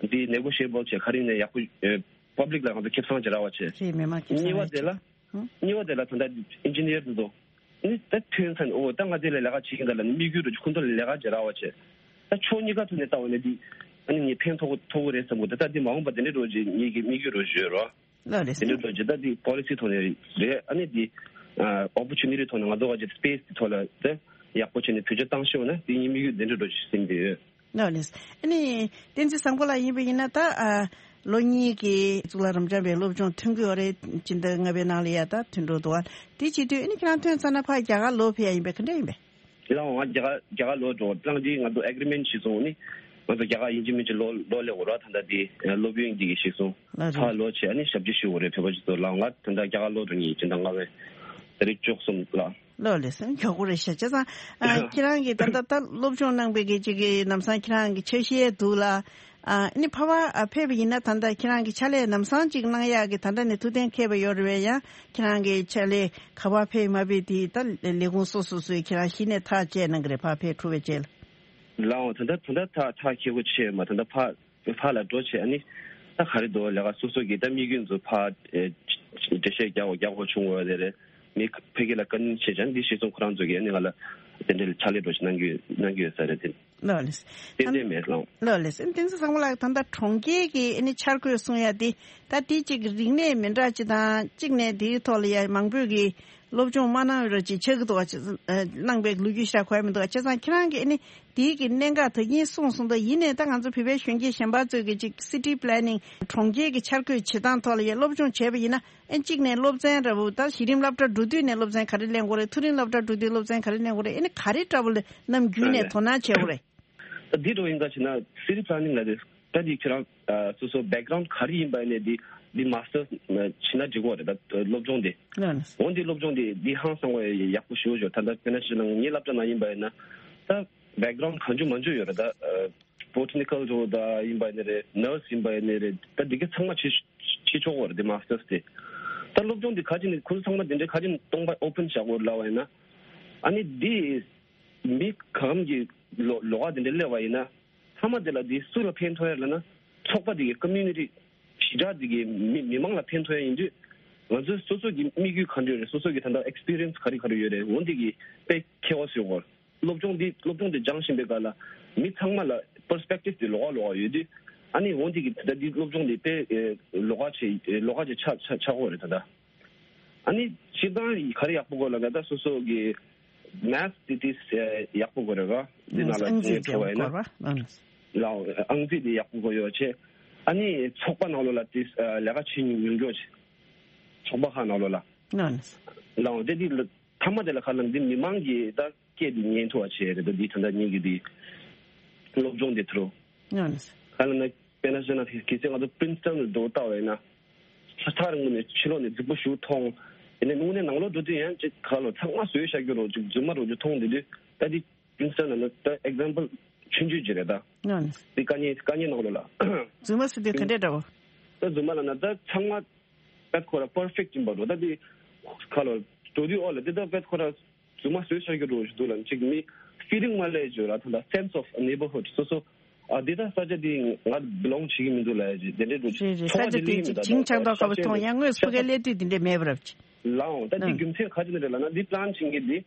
འདི་འདི་negotiable བྱས། ག་རེ་ཡིན་ནའི་ཡག་པོ་ཨ་public ལ་ང་ཚོ་ཁེ་བཟང་ཅིག་རག་པ་བྱས། རེད། མི་མང་ཁེ་བཟང་གཉིས་པ་རེད། དེ་ལ། ཧུམ། གཉིས་པ་དེ་ལ་ད་ལྟ་engineer འདི་ཚོ་ནི་ད་ཐོན་ཚར་ནས་ཨོ་ད་ང་དེ་ལ་ལས་ཀ་བྱེད་ཀྱི་འདུག་ལབ་ནས་དམིགས་ཡུལ་རོ་ཅིག་ཁོང་ཚོ་ལ་ལས་ཀ་ཅིག་རག་པ་བྱས། ད་ཕྱོགས་གཉིས་ཀ་ཐོག་ནས་བལྟས་པ་ན་འདི་ཨ་ནི་ངས་ཕན་ཐོགས་ཐོགས་ཀྱི་རེད་བསམ་གྱི་འདུག་ད་ད་འདི་མ་འོངས་པ་དེ་འདྲའི་རོ་ཅིག་ངེད་ཀྱི་དམིགས་ཡུལ་རོ་ཅིག་ཡོད་རོ། ལགས་རེད། དེ་འདྲའི་རོ་ཅིག་ད་འདི་policy ཐོག་ནས་རེད། ཨ་ནི་འདི་ཨ་opportunity ཐོག་ནས་ང་ཚོ་ག་ཅིག་space དེ་ཐོག་ལ་ད་ཡག་པོ་བྱས་ནས་བེད་སྤྱོད་བཏང་ཤེས་ན་འདི་ངའི་དམིགས་ཡུལ་དེ་འདྲའི་རོ་ཅིག་ཟིན་གྱི་ཡོད། ལགས་ལགས། ཨ་ནི་བསྟན་འཛིན་བཟང་པོ་ལགས་ཡིན་པ་ཡིན་ན་ད་ཨ་ལོ་གཉིས་ཀྱི་གཙུག་ལག་རབ་འབྱམས་པའི་སློབ་སྦྱོང་ཐོན་གྱི་ཡོད་རེད། སྤྱི་ཟླ་ལྔ་པའི་ནང་ལ་ཡ་ད་ཐོན་འགྲོ་འདུག་ཨ། དེ་བྱེད་དུས་ཨ་ནི་ཁྱེད་རང་ཐོན་ཚར་ན་ཕར་རྒྱ་གར་ལོག་ཕེབས་ཡ་ཡིན་པས། ག་འདྲ་ཡིན་པས། ལགས་འོང་། ང་རྒྱ་གར་རྒྱ་གར་ལོག་འགྲོ་བར་ལངས་དུས་ང་ཚོ་agreement བྱས་སོང་། ཨ་ནི་ང་ཚོ་རྒྱ་གར་ཡིན་གཅིག་མིན་གཅིག་ལོག་ལོག་སླེབས་དགོས་ར། ད་ལྟ་དེ་སློབ་ཡོན་འདི་གི་བྱས་སོང་། ལགས་རེད། ཕར་ལོག་བྱས་ཨ་ནི་ཞབས་ཕྱི་ཞུ་དགོས་རེད། བོད་པ་ཅིག་ཚོ་ལ། ང་ད་ལྟ་རྒྱ་གར་ལོག་འགྲོ་མཁན་ཡིན། སྤྱི་ཟླ་ལྔ་པའི་ཏ་རིག་བཅུ་གསུམ་ལ། ལགས་ལགས་སེ། མགྱོགས་པོ་རེད་ཤག་བྱས་ཙང་ཨ་ཁྱེད་རང་གིས་ད་ལྟ་ད་སློབ་སྦྱོང་གནང་པའི་གི་ཅིག་གི་ལམ་སང་ཁྱེད་རང་གི་ཆ་ཤས་འདུག་ལ། ཨ་ནི་ཕར་ཕར་ཨ་ཕེབས་པ་ཡིན་ན་ད་ལྟ་ཁྱེད་རང་གི་ཕྱག་ལས་ལམ་སང་ཅིག་གནང་ཡག་གི་ད་ལྟ་ནས་ཐུགས་གཏན་འཁེལ་བ་ཡོད་རེད་པས། ཡང་ཁྱེད་རང་གི་ཕྱག་ལས་ག་པར་ཕེབས་མ་ཕེབས་དེ་ད་ལས་ཁུངས་སོ་སོ་སོས་ཁྱེད་རང་གཞི་ནས་ཐག་བཅད་གནང་གི་རེད། ཕར་ཕེབས་ཐུབ་པའི་རྗེས་ལ། ལགས་འོང་། ད་ལྟ་ད་ལྟ་ཐག་ཐག་ཁེ་པོ་ཆེ་མ། ད་ལྟ་ཕར་ཕར་ལ་འགྲོ་བྱས་ཨ་ནི་ད་ག་རེ་འདུག་ལས་ཀ་སོ་སོ་གི་ད་དམིགས་ཡུལ་ཚོ་ཕར་ཨེ་འགྲེལ་བཤད་རྒྱག་དགོས་རྒྱག་དགོས་བྱུང་བ་དེ་རེད། མི་ཕ་གི་ལ་བཀའ་མོལ་བྱས་ཙང་འདི་ཤེས་སོང་། ཁོ་རང་ཚོ་གིས་ཨ་ནི་ང་ལ་དེ་འདྲའི་ཕྱག་ལས་འགྲོ་ཞིག་གནང་གི་གནང་གི་ཡོད་ས་རེད་དེ། ལགས་ལགས། ཏན་ཏན་མེད་ལགས། ལགས་ལགས། བསྟན་འཛིན་བཟང་པོ་ལགས་ད་ལྟ་གྲོང་ཁྱེར་གྱི་ཨ་ནི་འཆར་འགོད་གསུང་ཡ་དེ་ད་དེ་གཅིག་རིག་གནས་མི་འདྲ་ཅིག་དང་གཅིག་ནས་དེའི་ཐོག་ལ་ཡ་མང་པོས་ཀྱི་སློབ་སྦྱོང་མ་གནང་བའི་རོ་ཅིག་ཆགས་ཀྱི་འདུག་བ། ཅི་གནང་པའི་ལོ་རྒྱུས་ཤ་གོ་ཡ་མི་འདུག་བ། བྱས་ཙང་ཁྱེད་རང་གིས་ཨ་ནི་དེའི་གི་གནད་འགག་དེ་གཉིས་གསུངས་སོང་། ད་ཡིན་ནའི་ད་ང་ཚོ་བོད་པའི་གཞོན་སྐྱེས་གཞན་པ་ཚོས་ཀྱི་ཅིག་city planning གྲོང་ཁྱེར་གྱི་འཆར་འགོད་བྱེད་སྟངས་ཐོག་ལ་ཡ་སློབ་སྦྱོང་བྱས་པ་ཡིན་ན། ཨ་གཅིག་ནས་སློབ་ཚན་འདྲ་པོ་ད་གཞི་རིམ་སློབ་གྲྭ་འགྲོ་དུས་ནས་སློབ་ཚན་ག་རེ་ལེན་དགོས་རེད། མཐོ་རིམ་སློབ་གྲྭ་འགྲོ་དུས་སློབ་ཚན་ག་རེ་ལེན་དགོས་རེད། ཨ་ནི་ག་རེ་འདྲ་པོ་ལ་ནམ་རྒྱུན་ནས་དོ་སྣང་བྱེད་དགོས་རེད། ད་འདི་འདྲ་ཡིན་ད་བྱས་ན་city planning ལ་དེ་ད་འདི་ཁྱེད་རང་ཨ་སོ་སོ་background ག་རེ་ཡིན་པ་ནས་འདི་འདི་masters བྱས་ན་འགྲིག་གི་རེད། ད་སློབ་སྦྱོང་དེ། ལགས་ལགས། འོ་འདི་སློབ་སྦྱོང་དེ་འདི་ཧང་སང་བ་ཡག་པོ་ཞེ་པོ་ཅིག་ཡོད། ད་ད་དཔེར་ན་ཞུ་ན་ངའི་སློབ་གྲྭ་ནང་ཡིན་པ་ཡིན་ན་ད་background གང་བྱུང་མང་བྱུང་ཡོད་རེད། ད་ཨ་botanical འདྲ་པོ་ད་ཡིན་པ་ཡིན་ནའི་རེད། nurse ཡིན་པ་ཡིན་ནའི་རེད། ད་འདི་ག་ཚང་མ་བྱེད་བྱེད་ཆོག་གི་རེད། འདི་masters དེ། ད་སློབ་སྦྱོང་འདི་ག་ཅིག་ནས་ཁོ་ཚོ་ཚང་མ་འདི་འདྲའི་ག་ཅིག་ནས་སྟོང་པ་open བྱ་དགོས་ལབ་པ་ཡིན་ན། ཨ་ནི་འདི་མི་གང་གམ་གྱི་ལོ་ལོགས་ཀ་འདི་འདྲ་སླེབས་པ་ཡིན་ན། མཐའ་མ་དེ་ལ་འདི་སུ་ལ་ཕན་ཐོགས་ཡ་ལབ་ན། ཚོགས་པ་འདི་གི་community ཞི་དྲག་འདི་གི་མི་མི་མང་ལ་ཕན་ཐོགས་ཡ་ཡིན་དུས། ང་ཚོའི་སོ་སོ་གི་དམིགས་ཡུལ་ག་འདྲ་ཡོད་རེད། སོ་སོ་གི་ད་ལྟ་experience ག་རེ་ག་རེ་ཡོད་རེད། འོ་འདི་གི་དཔེ་ཁྱད་པར་ཡོད་གི་རེད། སློབ་སྦྱོང་འདི་སློབ་སྦྱོང་འདི་སྦྱང་བཞིན་པའི་སྐབས་ལ་མི་ཚང་མ་ལ་perspective དེ་ལོགས་ཀ་ལོགས་ཀ་ཡོད་དུས། ཨ་ནི་འོ་འདི་གི་ད་ལྟ་འདི་སློབ་སྦྱོང་འདི་དཔེ་ཨེ་ལོགས་ཀ་ཆེ་ཨེ་ལོགས་ཀ་ཆེ་ཆགས་ཆགས་ཆགས་ཀྱི་ཡོད་རེད་ད་ལྟ། ཨ་ནི་སྤྱིར་བཏང་ག་རེ་ཡག་པོ་དགོས་ལབ་ན་ད་སོ་སོ་གི་math དེ་དེ་ཨེ་ཡག་པོ་དགོས་རེད་ར། འདི་ནང་ལ་ཨང་རྩིས་འགྲོ་བ་ཡིན་ན། ལགས་ཨང་རྩིས་དེ་ཡག་པོ་དགོས་ཡོད་ཆེ། ཨ་ནི་ཚོགས་པ་ནང་ལོགས་ལ་དེ་ཨེ་ལས་ཀ་བྱེད་མྱོང་མྱོང་ཆེ། ཚོགས་པ་ཁག་ནང་ལོགས་ལ། ལགས། ལགས་དེ་དེ་ལ་མཐའ་མ་དེ་ལ་ག་ལབ་ན་འདི་མི་མང་གི་ད་སྐད་དེ་ཉན་ཐུབ་པ་བྱས་རེད། ད་འདི་ད་ལྟ་ངེད་ཀྱི་འདི་སློབ་སྦྱོང་དེ་ཐུ་རུ། ལགས། ག་ལབ་ན། ཨིན་ཊར་ནེ་ཤ་ནལ་གལ་སྲིད་ང་ཚོ་པྲིན་སི་ཊོན་ལ་འགྲོ་ལྟ་བས་ན། ས་ཐག་རིང་པོ་ནས་ཕྱི་ལོགས་ནས་རྫིག་པོ་ཞིག་མཐོང་། དེ་ནས་དངོས་གནས་ནང་ལོགས་འགྲོ་དུས་ཡང་ཅིག་ཁ་ལོ་ཚང་མ་བཟོས་བཞག་རྒྱུ་རོ་ཅིག་རྫུན་མ་རོ་ཅིག་མཐོང་། དེ་དུས་ད་དེ་པྲིན་སི་ཊོན་ལ་ན་ད་ཨེག་ཛམ་པལ་ཆུང་ཆུང་ཅིག་རེད་ད། ཨང་། དེ་དཀའ་ངལ་དཀའ་ངལ་ནང་ལོགས་ལ། རྫུན་མ་ཟེར་དུས་ག་འདྲས་འདྲ་བོ། ད་རྫུན་མ་ལ་ན་ད་ཚང་མ་ད་ཁོ་ར་པར་ཕེག་ཡིན་པ་རོ། ད་དེ་ཁ་ལོ་འགྲོ་དུས་ཨོ་ལ་དེ་ད་པད་ཁོ་ར་རྫུན་མ་བཟོས་བཞག་རྒྱུ་རོ་ཞིག་འདུག་ལ་ཅིག་མི་ཕི་ལིང་མ་སླེབས་བརྗོད་ལ་ད་ད་སེན་སི་ཨོཕ་ནེ་བར་ཧུཌ་སོ་སོ། ཨ་འདི་ད་ས་ཆ་འདི་ང་བི་ལོང་བྱེད་ཀྱི་མི་འདུག་ལ་ཡ་ཅིག་དེ་འདྲའི་འགྲོ་རེད་རེད། ས་ཆ་འདི་ཅིག་བྱིང་ཆགས་མདོག་ཁ་པོ་མཐོང་། ཡང་དངོས་སུ་ཕ་གིར་སླེབས་དུས་འདི་འདྲས་མེད་པ་རབ་ཅིག་ལའང་། ད་འདི་ཨང་། རྒྱུ་མཚན་ག་ཅི་ནས་རེད་ལབ་ན་འདི་པི་ལན་བྱེད་མཁན་འདི་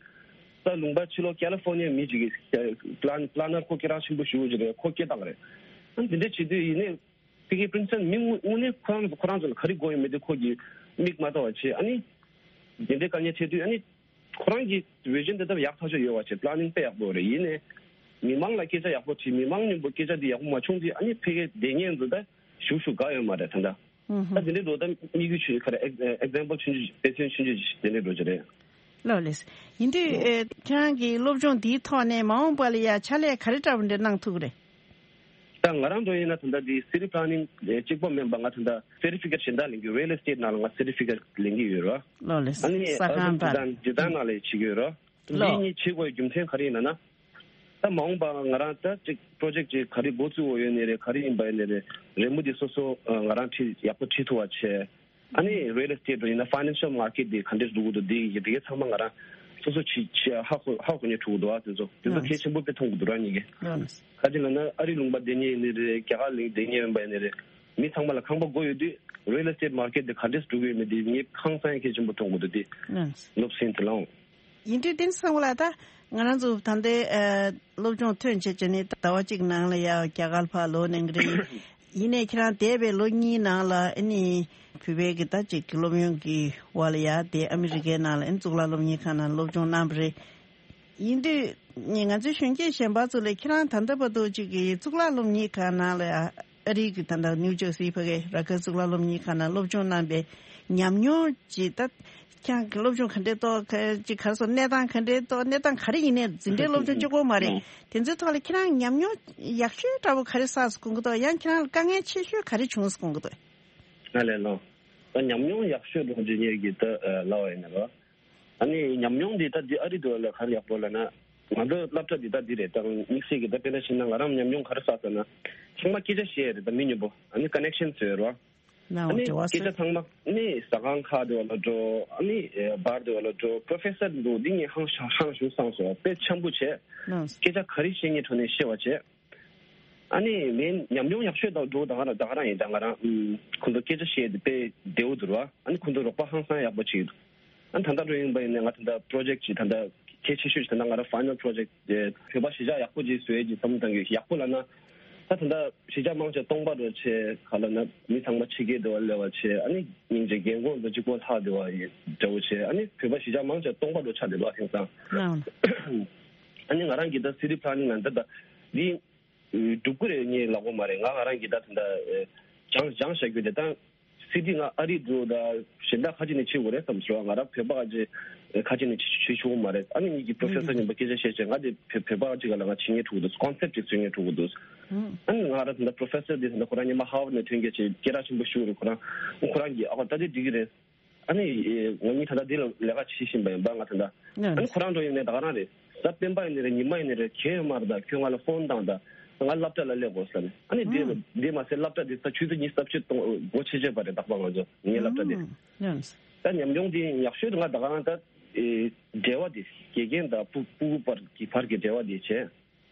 ད་ལུང་པ་ཕྱི་ལོགས་ཀ་ལི་ཧྥོར་ནི་ཡ་མི་ཅིག་གི་པི་ལན་པི་ལན་ནར་ཁོ་སྐད་གྲགས་ཆེན་པོ་ཞེ་པོ་ཅིག་རེད། ཁོ་སྐད་བཏང་རེད། ཨ་འདི་འདྲས་བྱེད་དུས་ཡིན་ནའི་ཕ་གིའི་པྲིན་སི་ཊོན་མི་དངོས་དངོས་གནས་ཁོ་རང་ཁོ་རང་ཚོ་ལ་ག་རེ་དགོས་ཡོད་མེད་དེ་ཁོ་གི་མིག་མ་གཏོགས་པ་བྱེད། ཨ་ནི་དེ་འདྲའི་དཀའ་ངལ་འཕྲད་དུས་ཨ་ནི་ཁོ་རང་གི་བི་ཞན་དེ་ལྟར་ཡག་ཐག་ཆོད་ཡོད་པ་བྱེད། པི་ལན་ནིང་དཔེ་ཡག་པོ་རེད། ཡིན་ནའི་མི་མང་ལ་སྐད་ཆ་ཡག་པོ་དྲིས། མི་མང་མཉམ་པོ་སྐད་ཆ་འདི་ཡག་པོ་མ་བྱུང་དུས་ཨ་ནི་ཕ་གིའི་སྡེ་ཉེན་ཚོ་ད་ཞུ་ཞུ་དགའ་ཡོད་མ་རེད་ད་ལྟ། ཨུ་ཧུ། ད་དེ་འདྲའི་འགྲོ་ད་དམིགས་ཡུལ་ཆུ་ཁ་རེ་ཨེག་ཨེག་ཛམ་པལ་ཆུང་ཆུང་དཔེ་མཚོན་ཆུང་ཆུང་ཞིག་དེ་འདྲའི་འགྲོ་རྒྱུ་རེད། ལགས་ལགས། ཡིན་དུས་ཨེ་ཁྱེད་རང་གི་སློབ་སྦྱོང་འདིའི་ཐོག་ནས་མ་འོངས་པ་ལ་ཡ་ཕྱག་ལས་ག་རེ་འདྲ་བོ་འདྲ་གནང་ཐུབ་ཀྱི་རེད། ད་ང་རང་འགྲོ་ཡིན་ན་ད་ལྟ་འདི་སི་ཊི་པི་ལན་ནིང་གཅིག་པོ་མིན་པ་ང་ད་ལྟ་སེར་ཊི་ཕི་ཀེཊ་གཞན་དག་ལེན་གྱི་རི་ཡལ་ཨེ་སི་ཊེཊ་ནང་ལ་ང་སེར་ཊི་ཕི་ཀེཊ་ལེན་གྱི་ཡོད་རོ། ལགས་ལགས། ཨ་ནི་ས་ཨ་ཁང་ཟུར་བར་འཇིག་རྟེན་འཇིག་རྟེན་ནང་ལ་བྱེད་ཀྱི་ཡོད་རོ། འདི་ལགས། གཉིས་བྱེད་དགོས་རྒྱུ་མཚན་ག་རེ་ཡིན་ན་ན། ད་མ་འོངས་པ་ང་རང་ད་ཅིག་པྲོ་ཇེག་ཅིག་ག་རེ་འགོ་བཙུགས་འོ་ཡོད་ནི་རེད། ག་རེ་ཡིན་པ་ཡིན་ནི་རེད། རེད་མོ་འདི་སོ་སོ་ང་རང་ཁྲིད་ཡག་པོ་ཁྲིད་ཐུབ་པ་བྱས། ཨ་ནི་རི་ཡལ་ཨེ་སི་ཊེཊ་འགྲོ་ཡིན་ན་ཕའི་ནན་ཤལ་མར་ཀེཊ་འདི་ག་འདྲས་འགྲོ་གི་འདུག་འདི་ཡི་འདི་གའི་ཚང་མ་ང་རང་སོ་སོ་ཁྲིད་ཁྲིད་ཧ་གོ་ཧ་གོ་ནས་འགྲོ་གི་འདུག་ཨ་དེ་ཚོ་དེ་ཚོ་གལ་ཆེན་པོ་དཔེ་མཐོང་གི་འདུག་རང་ཉིད་ཀྱིས། ལགས། ག་ཅི་ལབ་ན་ཨ་རི་ལུང་པ་སྡོད་མཁན་ཡིན་ནི་རེད། རྒྱ་གར་ལ་སྡོད་མཁན་ཡིན་པ་ཡིན་ནི་རེད། མི་ཚང་མ་ལ་ཁང་པ་དགོས་ཡོད་དུས་རི་ཡལ་ཨེ་སི་ཊེཊ་མར་ཀེཊ་འདི་ག་འདྲས་འགྲོ་གི་ཡོད་མེད་འདི་ངས་ཧང་སང་གལ་ཆེན་པོ་མཐོང་གི་འདུག་དེ་ལགས། སློབ་ཚན་དེ་ལའང་། ཡིན་དུས་དེ་ཚང་མ་ལ་ད་ང་རང་ཚོ་ད་ལྟའི་ཨ་སློབ་སྦྱོང་ཐོན་བྱས་བྱས་ནས་ཟླ་བ་གཅིག་ནང་ལ་ཡ་རྒྱ་གར་ཕར་ལོག་གནང་གི་རེད། ཡིན་ནའི་ཁྱེད་རང་འདས་པའི་ལོ་གཉིས་ནང་ལ་ཨ་ནི་བོད་པའི་གི་ད་ཅིག་གི་སློབ་ཡོན་གི་བར་ལ་ཡ་དེ་ཨ་མི་རི་ཀའི་ནང་ལ་ཨ་ནི་གཙུག་ལག་སློབ་གཉེར་ཁང་ནང་སློབ་སྦྱོང་གནང་བ་རེད། ཡིན་དུས་ང་ཚོའི་གཞོན་སྐྱེས་གཞན་པ་ཚོ་ལ་ཁྱེད་རང་ད་ལྟ་བར་དུ་ཅིག་གི་གཙུག་ལག་སློབ་གཉེར་ཁང་ནང་ལ་ཡ་ཨ་རི་གི་ད་ལྟ་ནིའུ་ཇར་སི་ཕ་གི་ར་ཁར་གཙུག་ལག་སློབ་གཉེར་ཁང་ནང་སློབ་སྦྱོང་གནང་པའི་ཉམས་མྱོང་ཅིག་ད་ཁྱེད་རང་གི་སློབ་སྦྱོང་ག་འདྲས་ཏོག་ག་ཅིག་ག་རེ་ཟེར་གནས་སྟངས་ག་འདྲས་ཏོག་གནས་སྟངས་ག་རེ་ཡིན་ནའི་འཛིན་གྲྭའི་སློབ་སྦྱོང་གཅིག་པོ་མ་རེད། དེ་ཚོའི་ཐོག་ལ་ཁྱེད་རང་ཉམས་མྱོང་ཡག་ཤོས་འདྲ་པོ་ག་རེ་བསགས་སོང་གི་འདུག་ཡང་ཁྱེད་རང་ལ་དཀའ་ངལ་ཆེ་ཤོས་ག་རེ་བྱུང་སོང་གི་འདུག་ང་ལས་ལོ། ད་ཉམས་མྱོང་ཡག་ཤོས་འགྲོ་རྒྱུ་ཉེར་གྱི་ད་ལབ་པ་ཡིན་ན་རོ། ཨ་ནི་ཉམས་མྱོང་འདི་ད་འདི་ཨ་རི་འདྲ་བོ་ལ་ག་རེ་ཡག་པོ་ལབ་ན། ང་ཚོ་སློབ་གྲྭ་འདི་ད་འདི་རེད། ད་དམིགས་བསལ་གྱི་ད་དཔེར་ན་བྱས་ན་ང་རང་ཉམས་མྱོང་ག་རེ་བསགས་ཟེར་ན། ཚང་མ་སྐད་ཆ་བཤད་ཡ་རེད། ད་མི་མཉམ་པོ་ཨ་ནི་ཀ་ནེག་ཤན་བཟོས་རོ། ཨ་ནའོ་ནི་འབྲེལ་བ་སྐད་ཆ་བཟོས། ཚང་མ་ནི་ཟ་ཁང་ཁག་འདྲ་བོ་ལ་འགྲོ། ཨ་ནི་ཨེ་བར་འདྲ་བོ་ལ་འགྲོ། པྲོ་ཕེ་སར་འདྲ་བོ་འདི་ངས་ཧང་ཧང་ཞུ་སང་སོང་། དཔེ་འཆམ་པོ་བྱས། ཨ་སྐད་ཆ་ག་རེ་བཤད་ངས་ཁྲོ་ནས་བཤད་པ་བྱས། ཨ་ནི་ངའི་ཉམས་མྱོང་ཡག་ཤོས་དང་འགྲོ་ད་ག་རང་ད་ག་རང་ཡིན། ད་ང་རང་ཁོང་ཚོ་སྐད་ཆ་བཤད་དེ་དཔེ་བདེ་བོ་འདུག་ར། ཨ་ནི་ཁོང་ཚོ་རོགས་པ་ཧང་སང་ཡག་པོ་བྱེད་ཀྱི་འདུག་ཨ་ནི་ད་ལྟ་འགྲོ་ཡིན་པ་ཡིན་ན་ང་ད་ལྟ་པྲོ་ཇེག་ཅིག་ད་ལྟ་གལ་ཆེ་ཤོས་ཅིག་ད་ལྟ་ང་རང་ཕའི་ནལ་པྲོ་ཇེག་བོད་པ་གཞིས་ཆགས་ཡག་པོ་ཅིག་བཟོ་ཡས་ཀྱི་བསམ་བློ་བཏང་གི་ཡོད། ཡག་པོ་ལབ་ན་ད་ད་ལྟ་གཞིས་ཆགས་མང་ཆེ་སྟོང་པ་འགྲོ་བྱས་ག་ལབ་ན་མི་ཚང་མ་ཕྱི་རྒྱལ་འགྲོ་བ་སླེབས་པ་བྱས། ཨ་ནི་སྙིང་རྗེ་རྒན་གོག་ཚོ་གཅིག་པོ་ལྷག་བསྡད་པ་ཡི་འདྲ་བོ་བྱས། ཨ་ནི་བོད་པ་གཞིས་ཆགས་མང་ཆེ་སྟོང་པ་འགྲོ་ཆགས་བསྡད་པ་དེང་སང་། ཨ་ནི་ང་རང་གི་ད་སི་ཊི་པི་ལན་ནིང་ལ་ད་ད་འདི་སྒྲུབ་ཀྱི་རེད་ངས་ལབ་དགོས་མ་རེད། ང་ང་རང་གིས་ད་ད་ལྟ་སྦྱངས་སྦྱངས་བཞག་རྒྱུ་དེ་ད་སི་ཊི་ང་ཨ་རི་འགྲོ་ད་གཞན་དག་ཁ་ཅིག་ནས་བྱེད་དགོས་རེད་བསམ་སོང་། ང་རང་བོད་པ་ཁ་ཅིག་ཁ་ཅིག་ནས་བྱེད་བྱེད་ཆོག་གི་མ་རེད། ཨ་ནི་ངེད་ཀྱི་པྲོ་ཕེ་སར་རྙིང་པ་སྐད་ཆ་བཤད་བྱས་ང་དེ་བོད་པ་ཁ་ཅིག་ག་ལ་ང་བྱེད་ངེས་ཐུག་འདུག་ཀོན་སེབ་ཅིག་བཟོ་ངེས་ཐུག་འདུག་ཨ་ནི་ང་རང་ད་ལྟ་པྲོ་ཕེ་སར་དེ་ད་ལྟ་ཁོ་རང་ཉི་མ་ཧར་ཝར་ནས་ཐོན་མཁན་ཅིག་སྐད་གྲགས་ཆེན་པོ་ཞིག་རེད། ཁོ་རང་ཁོ་རང་གིས་ཨ་ད་དེ་འགྲིག་གི་རེད། ཨ་ནི་ང་གཉིས་ད་ལྟ་འདི་ལ་ལས་ཀ་བྱེད་བཞིན་པ་ཡིན་པ་ང་ད་ལྟ། ཨ་ནི་ཁོ་རང་འགྲོ་ཡིན་ནས་ད་ག་རང་རེད། གཟའ་སྤེན་པ་ཡིན་ནི་རེད། ཉི་མ་ཡིན་ནི་རེད། གལ་ཡོད་མ་རེད། ད་ཁྱོད་ང་ལ་ཕོན་བཏང་ད། ང་སློབ་གྲྭ་ལ་སླེབས་དགོས་ཟེར་ནས། ཨ་ནི་འདི་འདི་མ་ཟད་སློབ་གྲྭ་འདི་ས་ཆུ་ཚོད་ཉི་ཤུ་རྩ་བཞི་གཏོང་སྒོ་ཕྱེ་བྱས་པ་རེད། རྟག་པར་ང་ཚོ་ངའི་སློབ་གྲྭ་འདི། ད་ཉམས་མྱོང་འདི་ཡག་ཤོས་ང་ད་ག་རང་ད་འབྲེལ་བ་འདི་དགེ་རྒན་དང་སྤུ་སྤུ་གུ་བར་གྱི་བར་གྱི་འབྲེལ་བ་འདི་བྱས།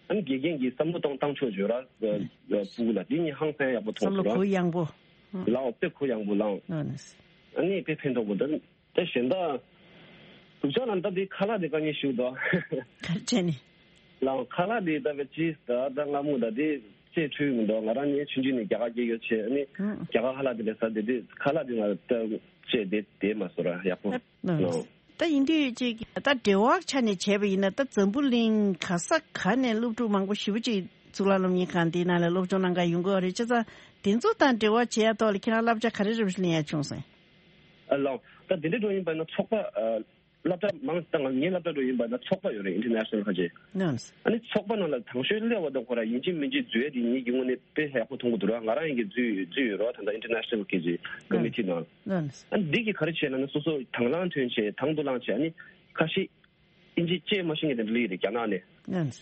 ཨ་ནི་དགེ་རྒན་གྱིས་བསམ་བློ་གཏོང་བཏང་ཆོག་བརྗོད་ར། སྤུ་གུ་ལ་འདི་ནི་ཧང་སང་ཡག་པོ་མཐོང་བསམ་བློ་སོང་ར། གུ་ཡངས་པོ། ལའོ་དཔེ་གུ་ཡངས་པོ་ལའོ། ཨ་ནི་དཔེ་ཕན་ཐོགས་པོ་ད། ད་གཞན་དག་སྡུག་ཅག་ལ་ད་འདི་ཁ་ལག་འདི་དཀའ་ངལ་ཞིག་འདུག་ག་རེ་བྱས་ནས། ལའོ་ཁ་ལག་འདི་ད་བས་ཅི་ད་ད་སྔ་མོ་ད་འདི་ཅེས་འཁྲུལ་མི་འདུག་ང་རང་ནི་ཆུང་ཆུང་ནས་རྒྱ་གར་སྐྱེས་ཡོད་བྱས་ཨ་ནི་རྒྱ་གར་ཁ་ལག་འདི་ལས་ཟ་འདི་འདི་ཁ་ལག་འདི་ང་ད་ཅེས་འདི་དེ་མ་བཟོ་ར་ཡག་པོ། ལའོ། ད་ཡིན་དུས་ཅིག་ད་འབྲེལ་བ་ཆ་ནས་བྱས་པ་ཡིན་ན་ད་འཛམ་བུ་གླིང་ག་ས་ག་ནས་སློབ་ཕྲུག་མང་པོ་ཞེ་པོ་ཅིག་གཙུག་ལག་སློབ་གཉེར་ཁང་འདིའི་ནང་ལ་སློབ་སྦྱོང་གནང་ག་ཡོང་གི་ཡོད་རེད། བྱས་ཙང་དེ་ཚོ་དང་འབྲེལ་བ་བྱེད་ཡ་ཐོག་ལ་ཁྱེད་རང་བསླབ་བྱ་ག་རེ་རེ་བ་ཞིག་ལེན་ཡ་བྱུང་སོང་། ཨ་ལའོ། ད་དེ་འདྲའི་འགྲོ་ཡིན་པ་ན་ཚོགས་པ་ཨ་ སློབ་གྲྭ་མང་ད་ང་ངའི་སློབ་གྲྭ་འགྲོ་ཡིན་པ་ན་ཚོགས་པ་ཡོད་རེད། International ཁ་ཆེ། ནམས། ཨ་ནི་ཚོགས་པ་ནང་ལ་དང་ཤོས་སླེབས་པ་དང་ཁོ་རང་ཡིན་གཅིག་མིན་གཅིག་འཛུལ་ཡ་དེ་ངེད་ཀྱི་ངོས་ནས་དཔེ་ཡག་པོ་མཐོང་གི་འདུག་ར། ང་རང་ཡིན་གྱི་འཛུལ་འཛུལ་ཡོད་ར། ད་ལྟ་International གི་ཅིག་ཀོ་མི་ཊི་ནང་། ནམས། ཨ་ནི་འདི་གི་ག་རེ་བྱས་ན་ན་སོ་སོ་དང་བླངས་ཐོན་བྱས་དང་དུ་བླངས་བྱས། ཨ་ནི་ཁ་ཤས་ཨིན་ཇི་བཅས་མ་ཤེས་མཁན་དེ་འདྲ་སླེབས་ཡོད་རེད་རྒྱ་ནག་ནས། ནམས།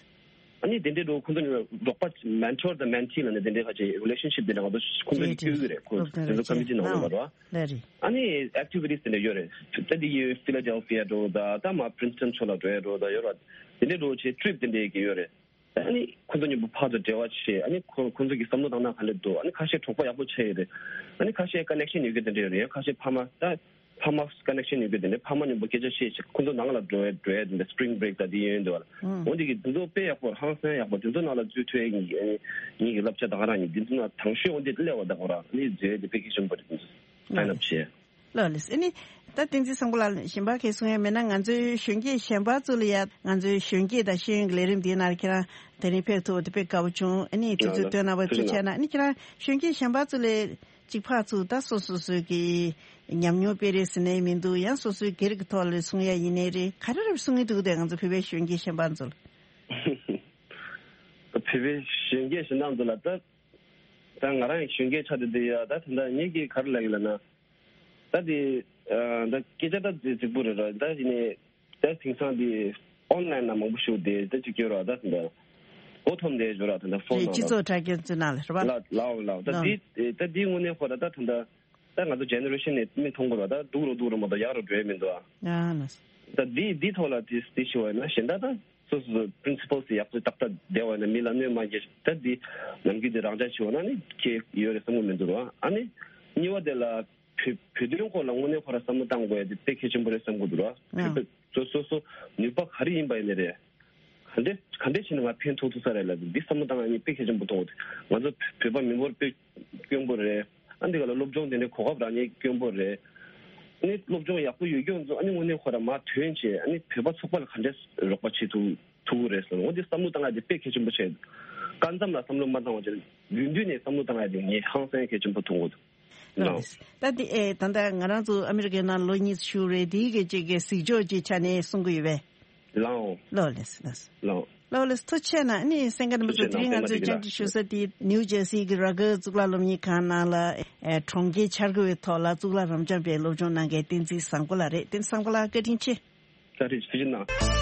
ཨ་ནི་དེ་འདྲའི་འགྲོ་ཁོང་ཚོ་ནི་རོགས་པ་mentor དང་mentee ལ་ནི་དེ་འདྲའི་ཁ་ཆེ་relationship དེ་འདྲ་ང་ཚོ་ཁོང་ཚོ་ནི་བསྐྱོད་ཀྱི་རེད། ཁོ་སློབ་སྟོན་དེ་ཚོ་རེད་ཀོ་མི་ཊི་ནང་ལ་མ་རོ། ལ་རེད། ཨ་ནི་activities དེ་འདྲ་ཡོད་རེད། ད་འདི་ཡི་Philadelphia འགྲོ་ད་ད་མ་Princeton ཕྱོགས་ལ་འགྲོ་ཡ་འགྲོ་ད་ཡོད་ར། དེ་འདྲའི་འགྲོ་ཆེ་trip དེ་འདྲའི་གི་ཡོད་རེད། ཨ་ནི་ཁོང་ཚོ་མཉམ་པོ་ཕར་ཚུར་འབྲེལ་བ་བྱེད། ཨ་ནི་ཁོ་ཁོང་ཚོ་གི་བསམ་བློ་བཏང་ན་ག་འདྲ་འདུག་ཨ་ནི་ཁ་ཤས་གྲོགས་པོ་ཡག་པོ་ཆགས་ཡོད་རེད། ཨ་ནི་ཁ་ཤས་connection ཡོད་གི་དེ་འདྲ་ཡོད་རེད། ཁ་ཤས་ཕ་མ་ད་ཕ་མ་connection ཡོད་གི་དེ་འདྲ་ཕ་མ་མཉམ་པོ་སྐད་ཆ་བཤད་བྱེད་ཁོང་ཚོ་ནང་ལ་འགྲོ་ཡ་འགྲོ་ཡ་དེ་འདྲ་spring break ད་དེ་ཡོད་འདུག་ཨ། ཨང་། འོ་འདི་གི་དེ་ཚོ་དཔེ་ཡག་པོ་ཧང་སང་ཡག་པོ་དེ་ཚོ་ནང་ལ་འཛུལ་ཐུབ་ཡ་ངེད་ཀྱི་སློབ་ཆ་ད་ག་རང་ཡིན། དེ་ཚོ་ནང་དང་ཤོས་འོ་འདི་སླེབས་པ་ད་ག་རང་ཨ་ནི་འཛུལ་ཡ་དེ་དཔེ་གལ་ཆེན་པོ་རེད། དེ་ཚོ་sign up བྱེད། ལགས་ལགས། ཨ་ནི་ད་བསྟན་འཛིན་བཟང་པོ་ལགས་གཞན་པ་གས་གསུང་ཡ་མེད་ན། ང་ཚོའི་གཞོན་སྐྱེས་གཞན་པ་ཚོ་ལ་ཡ་ང་ཚོའི་གཞོན་སྐྱེས་དང་ཤེས་ཡོན་གྱི་ལས་རིམ་འདིའི་ནང་ལ་ཁྱེད་རང་དེ་རིང་ཕེབས་ཐུབ་པ་དེ་དཔེ་དགའ་པོ་བྱུང་། ཨ་ནི་དུས་ཚོད་ལགས་ལགས། བཏོན་གནང་བ་ཐུགས་རྗེ་ཆེ་གནང་། ཨ་ནི་ཁྱེད་རང་གཞོན་སྐྱེས་གཞན་པ་ཚོ་ལ་གཅིག་ཕར་ཚུར་ད་སོ་སོ་སོའི་གི་ཉམས་མྱོང་སྤེལ་རེས་ཟེར་ནའི་མི་འདུག་ཡང་སོ་སོའི་སྒེར་གྱི་ཐོག་ལ་གསུང་ཡ་ཡིན་ནའི་རེད། ག་རེ་རེ་གསུང་གི་འདུག་དེ་ང་ཚོ་བོད་པའི་གཞོན་སྐྱེས་གཞན་པ་ཚོ་ལ། བོད་པའི་གཞོན་སྐྱེས་གཞན་དག་ཚོ་ལ་ད། ད་ང་རང་གཞོན་སྐྱེས་ཆགས་བསྡད་ཡ་ད་ད་ལྟ་ངེད་ཀྱིས་ག་རེ་ལབ་ཡིན་ལབ་ན། ད་དེ་ད་སྐད་ཆ་ད་རྫིག་པོ་རེད་ར། ད་ཡིན་ནའི་ད་དེང་སང་དེ་online ལ་མང་པོ་ཞུགས་དེ་ད་ཅིག་སྐྱོ་ར། ད་ད་འགོ་ཐོམ་དེ་འཇོ་ར་ད་ད་ཕོན་ནང་ལ་སྤྱི་ཚོགས་དྲ་རྒྱ་ཚོའི་ནང་ལ་རེད་པ། ལ་ལའོ་ལའོ་ད་དེ་ད་དེ་དངོས་གནས་ཁོ་ར་ད་ད་ད་ད་ང་ཚོ་generation ནས་མི་མཐོང་གི་ར། ད་སྡུག་རུ་སྡུག་རུ་མ་གཏོགས་ཡག་རུ་འགྲོ་ཡ་མི་འདུག་ཨ། ད་དེ་དེ་ཐོག་ལ་དེ་དེ་ཞུ་བ་ཡིན་ན་གཞན་ད་ད། སོ་སོ་principles ཡག་པོ་ཏག་ཏག་བསྡད་པ་ཡིན་ན་མི་ལ་གནོད་མ་སྐྱེལ། ད་འདི་ནམ་རྒྱུན་འདི་རང་འཇགས་བྱེད་འོ་ན་ནི་ཁྱེད་ཡོད་རེད་བསམ་གི་མི་འདུག་ར། ཨ་ནི་གཉིས་པ་དེ་ལ་བོད་བོད་དོན་སྐོར་ལ་དངོས་གནས་ཁོ་ར་བསམ་བློ་བཏང་དགོས་ཡ་དེ་དཔེ་གལ་ཆེན་པོ་རེད་བསམ་གི་འདུག་ར། ཨ། བོད་པའི་སོ་སོ་སོ་ནུས་པ་ག་རེ་ཡིན་པ་ཡིན་ནི་རེད། ག་འདྲས་ག་འདྲས་བྱས་ན་ང་ཕན་ཐོགས་ཐུབ་ས་རེད་ལབ་འདི་བསམ་བློ་བཏང་ཡ་ནི་དཔེ་གལ་ཆེན་པོ་མཐོང་གི་འདུག་ང་ཚོ་བོད་པ་མི་འབོར་དཔེ་དཀོན་པོ་རེད། ཨ་འདི་ག་ལ་སློབ་སྦྱོང་དེ་འདྲའི་གོ་སྐབས་རག་མཁན་དཀོན་པོ་རེད། ཨ་ནི་སློབ་སྦྱོང་ཡག་པོ་ཡོད་རྒྱུ་ཚོ་ཨ་ནི་དངོས་གནས་ཁོ་ར་མར་ཐོན་བྱས་ཨ་ནི་བོད་པ་ཚོགས་པ་ལ་ག་འདྲས་རོགས་པ་བྱེད་ཐུབ་ཐུབ་ཀྱི་རེད་ཟེར། འོ་འདི་བསམ་བློ་བཏང་ཡ་དེ་དཔེ་གལ་ཆེན་པོ་བྱས་འདུག་སྐབས་མཚམས་ལ་བསམ་བློ་མ་བཏང་བ་བྱས་རྒྱུན་དུ་ནས་བསམ་བློ་བཏང་ཡ་དེ་ངས་ཧང་སང་གལ་ཆེན་པོ་མཐོང་གི་འདུག་ལགས། ལགས། ད་འདི་ཨེ་ད་ལྟ་ང་རང་ཚོ་ཨ་མི་རི་ཀའི་ནང་ལོ་གཉིས་བཞུགས་རེད། དེའི་གི་ཅིག་གི་གཟིགས་ཕྱོགས་ཀྱི་ཆ་ནས་གསུང་གི་ཡོད་པས། ལའོ། ལོ་ལེས་ལེས། ལའོ། ལོ་ལེས་ཐུགས་རྗེ་ཆེ་གནང་། ཨ་ནི་གསན་མཁན་རྣམ་པ་ཚོ་ཐུགས་རྗེ་དེ་རིང་ང་ཚོའི་གནང་། བཅར་འདྲི་ཞུ་ས་དེ་ནིའུ་ཇར་སི་གི་ར་གར་གཙུག་ལག་སློབ་གཉེར་ཁང་ནང་ལ་ཨེ་གྲོང་ཁྱེར་འཆར་འགོད་པའི་ཐོག་ལ་གཙུག་ལག་རབ་འབྱམས་པའི་སློབ་སྦྱོང་གནང་མཁན་བསྟན་འཛིན་བཟང་པོ་ལགས་རེད། བསྟན་འཛིན་བཟང་པོ་ལགས་བཀའ་དྲིན་ཆེ། བཀའ་དྲིན་ཆེ། ཐུགས་རྗེ་གནང་།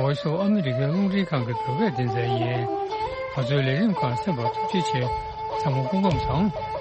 བོ་ཡིས་ཨོ་ཨ་མི་རི་ཀའི་རླུང་འཕྲིན་ཁང་གི་བོད་སྐད་སྡེ་ཚན་ཡིན། ང་ཚོའི་ལས་རིམ་ཁག་གསན་པར་ཐུགས་རྗེ་ཆེ། ཚང་མ་སྐུ་ཁམས་བཟང་།